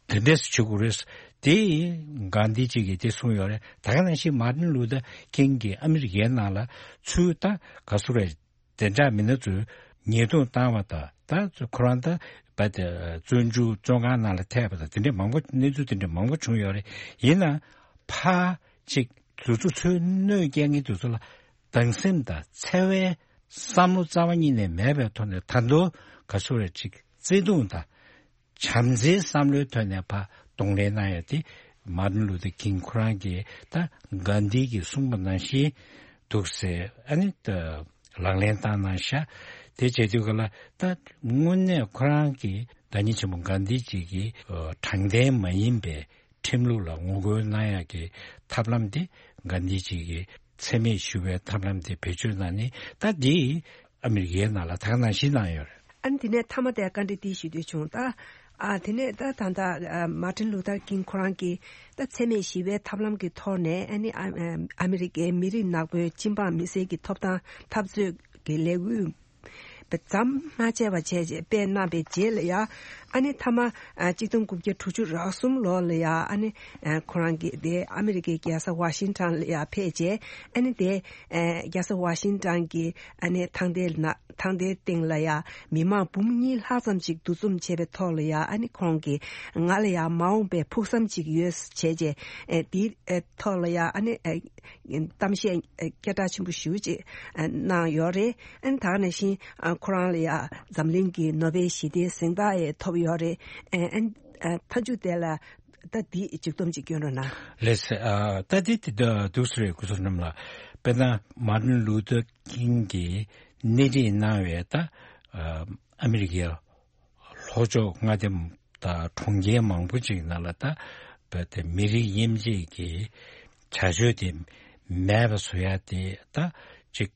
དེ་འདྲས་བྱེད་དགོས་རེད། དེ་གྷན་དྷི་ཅིག་གིས་དེ་གསུངས་ཡོད་རེད། ད་ག་ནང་བཞིན་མར་ཏིན་ལུ་ཐར་ཀིང་གིས་ཨ་མི་རི་ཀའི་ནང་ལ་ཚུར་ད་ག་ཟེར་རེད། བདེ་འཇགས་མི་སྣ་ཚོས་ཉེས་རྡུང་བཏང་བ་དང་། ད་ཁོ་རང་ད་བ་དེ་བཙོན་འཇུག་བཙོན་ཁང་ནང་ལ་ཐེབས་པ་དང་། དེ་འདྲས་མང་པོ་གནས་ཚུལ་དེ་འདྲས་མང་པོ་བྱུང་ཡོད་རེད། ཡིན་ནའང་ཕར་ཅིག་དེ་ཚོ་ཚུར་གནོད་སྐྱེལ་མཁན་དེ་ཚོ་ལ་སྡང་སེམས་དང་འཚེ་བའི་བསམ་བློ་རྩ་བ་ཉིད་ནས་མེད་པའི་ཐོག་ནས། ད་དུང་ག་ཟེར་རེད། ཅིག་བརྩེ་དུང་དང་བྱམས་བརྩེའི་བསམ་བློའི་ཐོག་ནས་ཕར་གདོང་ལེན་གནང་ཡ་དེ་མར་ཏིན་ལུ་ཐར་ཀིང་ཁོ་རང་གིས་ད་གྷན་དྷི་གིས་གསུངས་པ་ནང་བཞིན་འདུག་ཟེར། ཨ་ནི་ད་ལག་ལེན་བསྟར་གནང་ཤག་དེ་བྱེད་དུས་ག་ལ་ད་དངོས་གནས་ཁོ་རང་གིས་བདག་ཉིད་ཆེན་པོ་གྷན་དྷི་ཅིག་གིས་ཨ་དྲང་བདེན་མ་ཡིན་པའི་ཁྲིམས་ལུགས་ལ་ངོ་རྒོལ་གནང་ཡག་གི་ཐབས་ལམ་དེ། གྷན་དྷི་ཅིག་གིས་འཚེ་མེད་ཞི་བའི་ཐབས་ལམ་དེ་བེད་སྤྱོད་གནང་ནས། ད་འདི་ཨ་མི་རི་ཀའི་ནང་ལ་ད་ག་ནང་བཞིན་གནང་ཡོད་རེད། ཨ་ནི་དེ་ནས་མཐའ་མ་དེ་བཀའ་འདྲི་འདི་ཞུ་འདོད་བྱུང་། ད་ཨ་དེ་ནས་ད་ད་ད་ཨ་མར་ཏིན་ལུ་ཐར་ཀིང་ཁོ་རང་གིས་ད་འཚེ་མེད་ཞི་བའི་ཐབས་ལམ་གྱི་ཐོག་ནས། ཨ་ནི་ཨ་ཨ་མི་རི་ཀའི་མི་རིགས་ནག་པོའི་སྤྱི་འབངས་མི་སེར་གྱི་ཐོབ་ཐང་འཐབ་རྩོད་ཀྱི་ལས་འགུལ་ཟམ་མ་ཆད་པ་བྱས་རྗེས་སྤེལ་གནང་བའི་རྗེས་ལ་ཡ། ཨ་ནི་མཐའ་མ་ཨ་གཅིག་སྟོང་དགུ་བརྒྱ་དྲུག་ཅུ་རེ་གསུམ་ལོ་ལ་ཡ། ཨ་ནི་ཨ་ཁོ་རང་གིས་དེ་ཨ་མི་རི་ཀའི་རྒྱལ་ས་ཝ་ཤིང་ཊོན་ལ་ཡ་ཕེབས་རྗེས། ཨ་ནི་དེ་ཨ་རྒྱལ་ས་ཝ་ཤིང་ཊོན་གྱི་ཨ་ནི་ཐང་རྡལ་ན་ཐང་རྡལ་སྟེང་ལ་ཡ་མི་མང་འབུམ་གཉིས་ལྷག་ཙམ་ཅིག་འདུ་འཛོམས་བྱས་པའི་ཐོག་ལ་ཡ། ཨ་ནི་ཁོང་གིས་ང་ལ་ཡ་མ་འོངས་པའི་ཕུགས་བསམ་ཅིག་ཡོད་བྱས་རྗེས། ཨ་དེའི་ཨ་ཐོག་ལ་ཡ་ཨ་ནི་ཨ་གཏམ་བཤད་སྐད་གྲགས་ཆེན་པོ་ཞེ་པོ་ཅིག་གནང་ཡོད་རེད། ཨ་ནི་ད་ག་ནང་བཞིན་ཁོ་རང་ལ་ཡ་འཛམ་གླིང་གི་ནོ་བེལ་ཞི་བདེའི་གཟེངས་རྟགས་ཡང་ཐོབ་ཡོད་རེད། ཨ་ནི་མཐའ་མཇུག་དེ་ལ་ད་འདི་མཇུག་བསྡོམས་ཅིག་སྐྱོན་རོགས་གནང་། ལགས་སོ། ད་འདི་དེ་འདུག་སེ་རེད། སྐུ་ཞབས་རྣམ་ལགས། དཔེར་ན་མར་ཏིན་ལུ་ཐར་ཀིང་གིས་སྣེ་ཁྲིད་གནང་བའི་ད་ཨ་མི་རི་ཀའི་ལྷོ་ཕྱོགས་མངའ་སྡེ་དང་གྲོང་ཁྱེར་མང་པོ་ཅིག་ནང་ལ་ད་བོད་དེ་མི་རིགས་དབྱེ་འབྱེད་ཀྱི་བྱ་སྤྱོད་དེ་མེད་པ་བཟོ་ཡ་དེ་ད་ཅིག་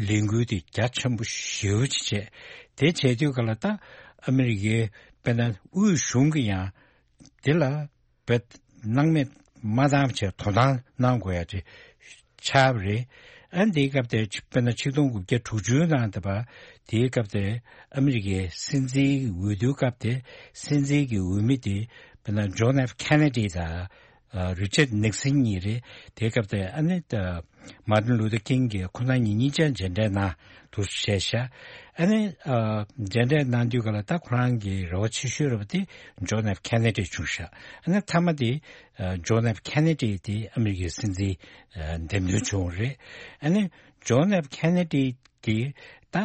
ལས་འགུལ་དེ་རྒྱ་ཆེན་པོ་ཞེ་པོ་ཅིག་བྱས། དེ་བྱས་དུས་ག་ལ་ད་ཨ་མི་རི་ཀའི་དཔེར་ན་དབུས་གཞུང་གི་ཡང་དེ་ལ་བོད་སྣང་མེད་མ་བཏང་བྱས་དོ་སྣང་གནང་དགོས་ཡ་དེ་ཆགས་པ་རེད། ཨ་ནི་དེའི་སྐབས་དེ་དཔེར་ན་ཆིག་སྟོང་དགུ་བརྒྱ་དྲུག་ཅུའི་ནང་དེ་བ་དེའི་སྐབས་དེ་ཨ་མི་རི་ཀའི་སྲིད་འཛིན་འོས་བསྡུའི་སྐབས་དེ་སྲིད་འཛིན་གྱི་འོས་མི་དེ་དཔེར་ན་ཇོན་ཨེཕ་ཁེ་ནེ་ཌི་དང་ རི་ཆར་ནིག་སན་གཉིས་རེད། དེའི་སྐབས་དེ་ཨ་ནི་མར་ཏིན་ལུ་ཐར་ཀིང་གིས་ཁོ་རང་གཉིས་གཉིས་ཆ་མཇལ་འཕྲད་གནང་འདུག་བཤད་ཤག་ཨ་ནི་མཇལ་འཕྲད་གནང་དུས་ག་ལ་ད་ཁོ་རང་གི་རེ་བ་ཆེ་ཤོས་རེད་པ་དེ་ཇོན་ཨེཕ་ཁེ་ནེ་ཌི་བྱུང་ཤག་ཨ་ནི་མཐའ་མ་དེ་ཇོན་ཨེཕ་ཁེ་ནེ་ཌི་དེ་ཨ་མི་རི་ཀའི་སྲིད་འཛིན་འདེམས་ཐོན་བྱུང་བ་རེད། ཨ་ནི་ཇོན་ཨེཕ་ཁེ་ནེ་ཌི་གིས་ད་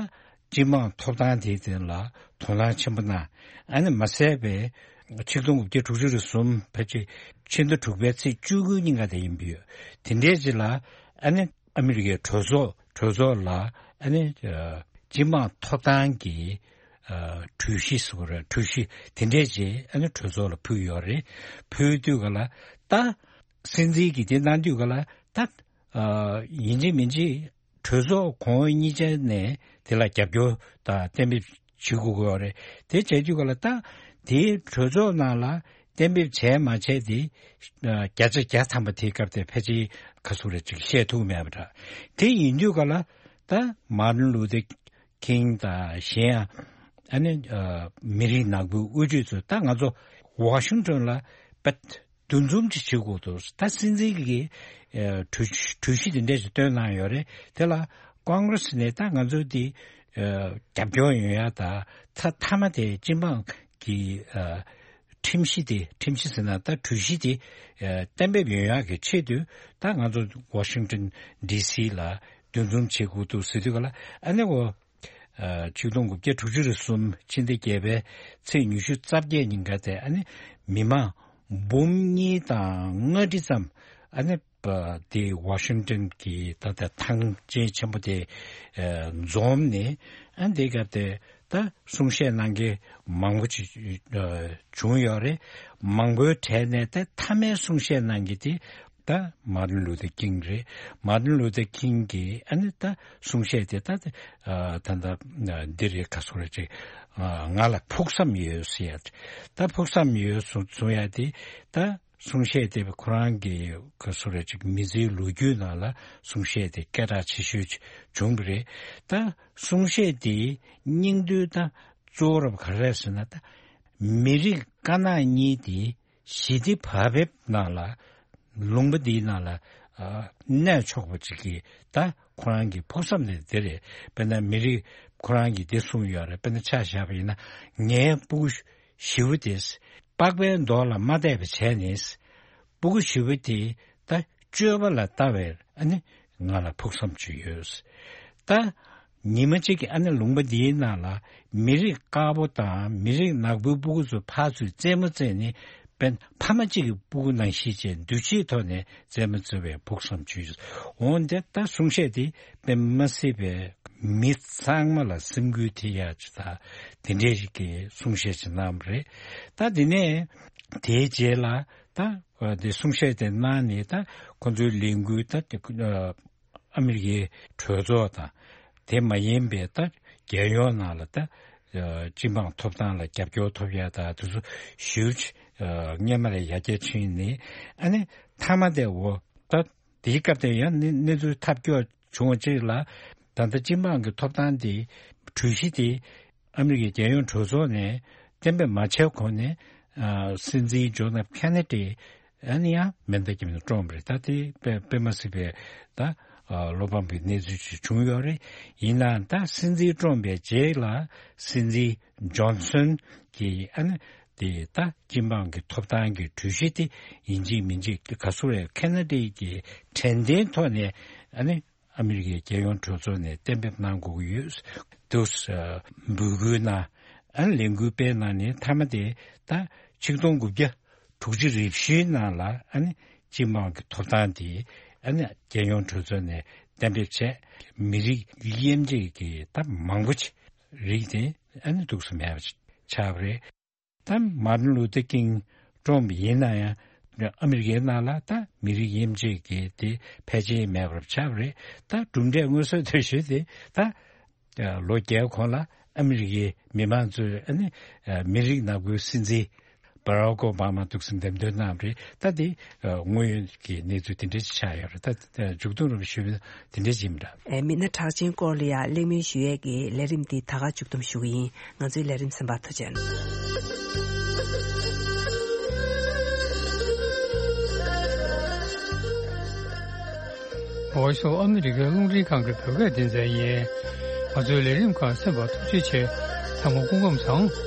སྤྱི་དམངས་ཐོབ་ཐང་དེའི་སྟེང་ལ་དོ་སྣང་ཆེན་པོ་གནང་། ཨ་ནི་མ་ཟད་པའི་ཆིག་སྟོང་དགུ་བརྒྱ་དྲུག་ཅུ་རེ་གསུམ་ཕལ་ཆེར་ཕྱི་ཟླ་དྲུག་པའི་ཚེས་བཅུ་དགུ་ཉིན་ཀ་དེ་ཡིན་པ་ཡོད། དེ་འདྲའི་རྗེས་ལ་ཨ་ནི་ཨ་མི་རི་ཀའི་གྲོས་ཚོགས་གྲོས་ཚོགས་ལ་ཨ་ནི་སྤྱི་དམངས་ཐོབ་ཐང་གི་གྲོས་གཞི་ཟེར་བ་རེད། གྲོས་གཞི་དེ་འདྲས་ཅིག་ཨ་ནི་གྲོས་ཚོགས་ལ་ཕུལ་ཡོད་རེད། ཕུལ་དུས་ག་ལ་ད་སྲིད་འཛིན་གྱིས་དེ་གནང་དུས་ག་ལ་ད་ཡིན་གཅིག་མིན་གཅིག་གྲོས་ཚོགས་གོང་འོག་གཉིས་ཆ་ནས་དེ་ལ་རྒྱབ་སྐྱོར་དང་གཏན་འབེབས་བྱེད་དགོས་ཀྱི་ཡོད་རེད། དེ་བྱས་དུས་ག་ལ་ད་དེའི་གྲོས་ཚོགས་ནང་ལ་གཏན་འབེབས་བྱས་མ་བྱས་དེ་བརྒྱ་ཆ་བརྒྱ་ཐམ་པ་དེའི་སྐབས་དེ་ཕལ་ཆེར་ག་ཚོད་རེད་ཅིག་བཤད་ཐུབ་མེད་པ་འདྲ། དེ་ཡིན་དུས་ག་ལ་ད་མར་ཏིན་ལུ་ཐར་ཀིང་དང་གཞན་ཡང་ཨ་ནི་མི་རིགས་ནག་པོའི་དབུ་ཁྲིད་ཚོས་ད་ང་ཚོ་ཝ་ཤིང་ཊོན་ལ་པད་འདུ་འཛོམས་ཅིག་བྱེད་དགོས་འདུག་ད་སྲིད་འཛིན་གྱིས་གྲོས་གྲོས་གཞི་དེ་འདྲས་ཅིག་བཏོན་གནང་ཡོད་རེད། དེ་ལ་ཀོང་གྷི་རེ་སི་ནས་ད་ང་ཚོ་འདི་རྒྱབ་སྐྱོར་ཡོང་ཡ་ད་ད་མཐའ་མ་དེ་སྤྱི་འབངས་ཀྱི་ཁྲིམས་གཞི་དེ་ཁྲིམས་གཞི་ཟེར་ན་ད་གྲོས་གཞི་དེ་གཏན་འབེབས་ཡོང་ཡག་གི་ཆེད་དུ་ད་ང་ཚོ་ཝ་ཤིང་ཊོན་ཌི་སི་ལ་འདུ་འཛོམས་བྱེད་དགོས་འདུག་ཟེར་དུས་ག་ལ་ཨ་ནི་འོ་ཆིག་སྟོང་དགུ་བརྒྱ་དྲུག་ཅུ་རེ་གསུམ་ཕྱི་ཟླ་བརྒྱད་པའི་ཚེས་ཉི་ཤུ་རྩ་བརྒྱད་ཉིན་ཀ་དེ་ཨ་ནི་མི་མང་འབུམ་གཉིས་དང་ལྔ་ཁྲི་ཙམ་ཨ་ནི་དེ་ཝ་ཤིང་ཊོན་གྱི་ད་ལྟ་ཐང་ཆེན་ཆེན་པོ་དེ་འཛོམས་ནས་ཨ་ནི་དེ་སྐབས་དེ། ད་གསུང་བཤད་གནང་མཁན་མང་པོ་ཅིག་བྱུང་ཡོད་རེད། མང་པོའི་གྲས་ནས་ད་མཐའ་མའི་གསུང་བཤད་གནང་མཁན་དེ་ད་མར་ཏིན་ལུ་ཐར་ཀིང་རེད། མར་ཏིན་ལུ་ཐར་ཀིང་གིས་ཨ་ནི་ད་གསུང་བཤད་དེ་ད་ད་ད་འདི་རེད་ག་སོ་རེད་ཅིག་ང་ལ་ཕུགས་བསམ་ཡོད་ཟེར་ཡ། ད་ཕུགས་བསམ་ཡོད་གསུང་གསུང་ཡ་དེ་ད། གསུང་བཤད་དེ་ཁོ་རང་གི་ག་སོ་རེད་ཅིག་མི་ཚེའི་ལོ་རྒྱུས་ནང་ལ་གསུང་བཤད་དེ་སྐད་གྲགས་ཆེ་ཤོས་ཅིག་བྱུང་བ་རེད། ད་གསུང་བཤད་དེའི་སྙིང་དོན་ད་གཙོ་བོ་རབ་ག་རེ་རེད་ཟེར་ན་ད་མི་རིགས་དཀར་ནག་གཉིས་དེ་ཞི་བདེ་བག་ཕེབས་ནང་ལ་ལུང་པ་འདིའི་ནང་ལ་གནས་ཆོག་པ་ཅིག་གི་ད་ཁོ་རང་གི་ཕུགས་བསམ་དེ་དེ་རེད། དཔེར་ན་མི་རིགས་ཁོ་རང་གིས་དེ་གསུངས་ཡོད་རེད། དཔེར་ན་ཆ་བཞག་པ་ཡིན་ན་ངའི་སྤུ་གུ་ཞི་བོ་དེས་པགས་པའི་མདོག་ལ་མ་བལྟས་པ་བྱས་ནས་སྤུ་གུ་ཞི་བོ་དེ་ད་སྤྱོད་པ་ལ་ལྟ་བས་ཨ་ནི་ང་ལ་ཕུགས་བསམ་ཅིག་ཡོད། ད་ཉི་མ་གཅིག་གི་ཨ་ནི་ལུང་པ་འདིའི་ནང་ལ་མི་རིགས་དཀར་པོ་དང་མི་རིགས་ནག་པོའི་སྤུ་གུ་ཚོ་ཕར་ཚུར་རྩེད་མོ་རྩེས་ནས་དཔེར་ན་ཕ་མ་གཅིག་གི་སྤུ་གུ་ནང་བཞིན་བྱས་འདུ་བྱེད་ཐོག་ནས་རྩེད་མོ་རྩེ་བའི་ཕུགས་བསམ་ཅིག་ཡོད། འོན་ཏེ་ད་གསུང་བཤད་དེ་དཔེ་མ་སྲིད་པའི་མི་ཚང་མ་ལ་སེམས་འགུལ་ཐེབས་ཡག་ཅིག་དང་དེ་འདྲའི་ཞིག་གི་གསུང་བཤད་ཅིག་གནང་བ་རེད། ད་དེ་ནས་དེའི་རྗེས་ལ་ད་དེ་གསུང་བཤད་དེ་གནང་ནས་ད་ཁོ་ཚོའི་ལས་འགུལ་ད་དེ་ཨ་མི་རི་ཀའི་གྲོས་ཚོགས་དང་དེ་མ་ཡིན་པའི་ད་རྒྱལ་ཡོངས་ནང་ལ་ད་སྤྱི་འབངས་ཐོབ་ཐང་ལ་རྒྱབ་སྐྱོར་ཐོབ་ཡག་ད་དེ་ཚོ་ཞེ་པོ་ཅིག་སྔོན་མ་ལས་ཡར་རྒྱས་ཕྱིན་ནས་ཨ་ནི་མཐའ་མ་དེ་འོ་ད། དེའི་སྐབས་དེར་ཡང་གནས་གནས་ཚུལ་ཐབས་སྐྱོ་བྱུང་བ་གཅིག་ལ། ད་ལྟ་སྤྱི་འབངས་ཀྱི་ཐོབ་ཐང་དེ་གྲོས་གཞི་དེ་ཨ་མི་རི་ཀའི་རྒྱལ་ཡོངས་གྲོས་ཚོགས་ནས་གཏན་འབེབས་མ་བྱས་གོང་ནས་ཨ་སྲིད་འཛིན་ཇོན་ཨེཕ་ཁེ་ནེ་ཌི་ཨ་ནི་ཡང་མེ་མདའ་བརྒྱབ་ནས་བཀྲོངས་པ་རེད། ད་དེ་དཔེ་དཔེ་མ་སྲིད་པའི་ད་ཨ་བློ་ཕམ་པའི་གནས་ཚུལ་ཅིག་བྱུང་ཡོད་རེད། ཡིན་ནའང་ད་སྲིད་འཛིན་བཀྲོངས་པའི་རྗེས་ལ་སྲིད་འཛིན་ཇོན་སོན་གྱིས་ཨ་ནི་དེ་ད་སྤྱི་འབངས་ཀྱི་ཐོབ་ཐང་གི་གྲོས་གཞི་དེ་ཡིན་གཅིག་མིན་གཅིག་ག་ཚོད་རེད། ཁེ་ན་ཌའི་གི་དྲན་རྟེན་ཐོག་ནས་ཨ་ནི་ཨ་མི་རི་ཀའི་རྒྱལ་ཡོངས་གྲོས་ཚོགས་ནས་གཏན་འབེབས་གནང་དགོས་ཀྱི་ཡོད་འདུག་འབོད་སྐུལ་གནང་། ཨ་ནི་ལས་འགུལ་སྤེལ་གནང་ནས་མཐའ་མ་དེ་ད་ཆིག་སྟོང་དགུ་བརྒྱ་དྲུག་ཅུ་རེ་བཞིའི་ནང་ལ་ཨ་ནི་སྤྱི་འབངས་ཀྱི་ཐོབ་ཐང་དེ་ཨ་ནི་རྒྱལ་ཡོངས་གྲོས་ཚོགས་ནས་གཏན་འབེབས་བྱས། མི་རིགས་དབྱེ་འབྱེད་ཀྱི་ད་མང་པོ་ཅིག་རིགས་དེ་ཨ་ནི་འདུག་སེ་མེད་པ་ཆགས་པ་རེད། ད་མར་ཏིན་ལུ་ཐར་ཀིང་བཀྲོངས་པ་ཡིན་ན་ཡང་ཨ་མི་རི་ཀའི་ནང་ལ་ད་མི་རིགས་དབྱེ་འབྱེད་ཀྱི་དེ་ཕལ་ཆེར་མེད་པར་ཆགས་པ་རེད། ད་གྲུབ་འབྲས་མངོན་གསལ་དོད་ཤོས་དེ་ད་ལོ་བརྒྱའི་གོང་ལ་ཨ་མི་རི་ཀའི་མི་མང་ཚོས་ཨ་ནི་མི་རིགས་ནག་པོའི་སྲིད་འཛིན་བྷ་རག་ཨོ་བྷ་མ་འདུག་སེ་འདེམས་ཐོན་གནང་བ་རེད། ད་དེ་དངོས་ཡོད་ཀྱི་གནས་ཚུལ་དེ་འདྲ་ཅིག་ཆགས་ཡོད་རེད། ད་མཇུག་སྡོམ་རིམ་པ་ཞུས་པ་དེ་འདྲ་ཅིག་ཡིན་པ་འདྲ། ཨེ་མི་སྣ་གྲགས་ཅན་སྐོར་ལ་ཡང་གླེང་མོལ་ཞུ་ཡས་ཀྱི་ལས་རིམ་འདི་ད་ག་མཇུག་སྡོམ་ཞུ་གི་ཡིན། ང་ཚོའི་ལས་རིམ་གསན་པར་ཐུགས་རྗེ་གནང་། Voice of America རླུང་འཕྲིན་ཁང་གི་བོད་སྐད་སྡེ་ཚན་ཡིན། ང་ཚོའི་ལས་རིམ་ཁག་གསན་པར་ཐུགས་རྗེ་ཆེ། ཚང་མ་སྐུ་ཁམས་བཟང་།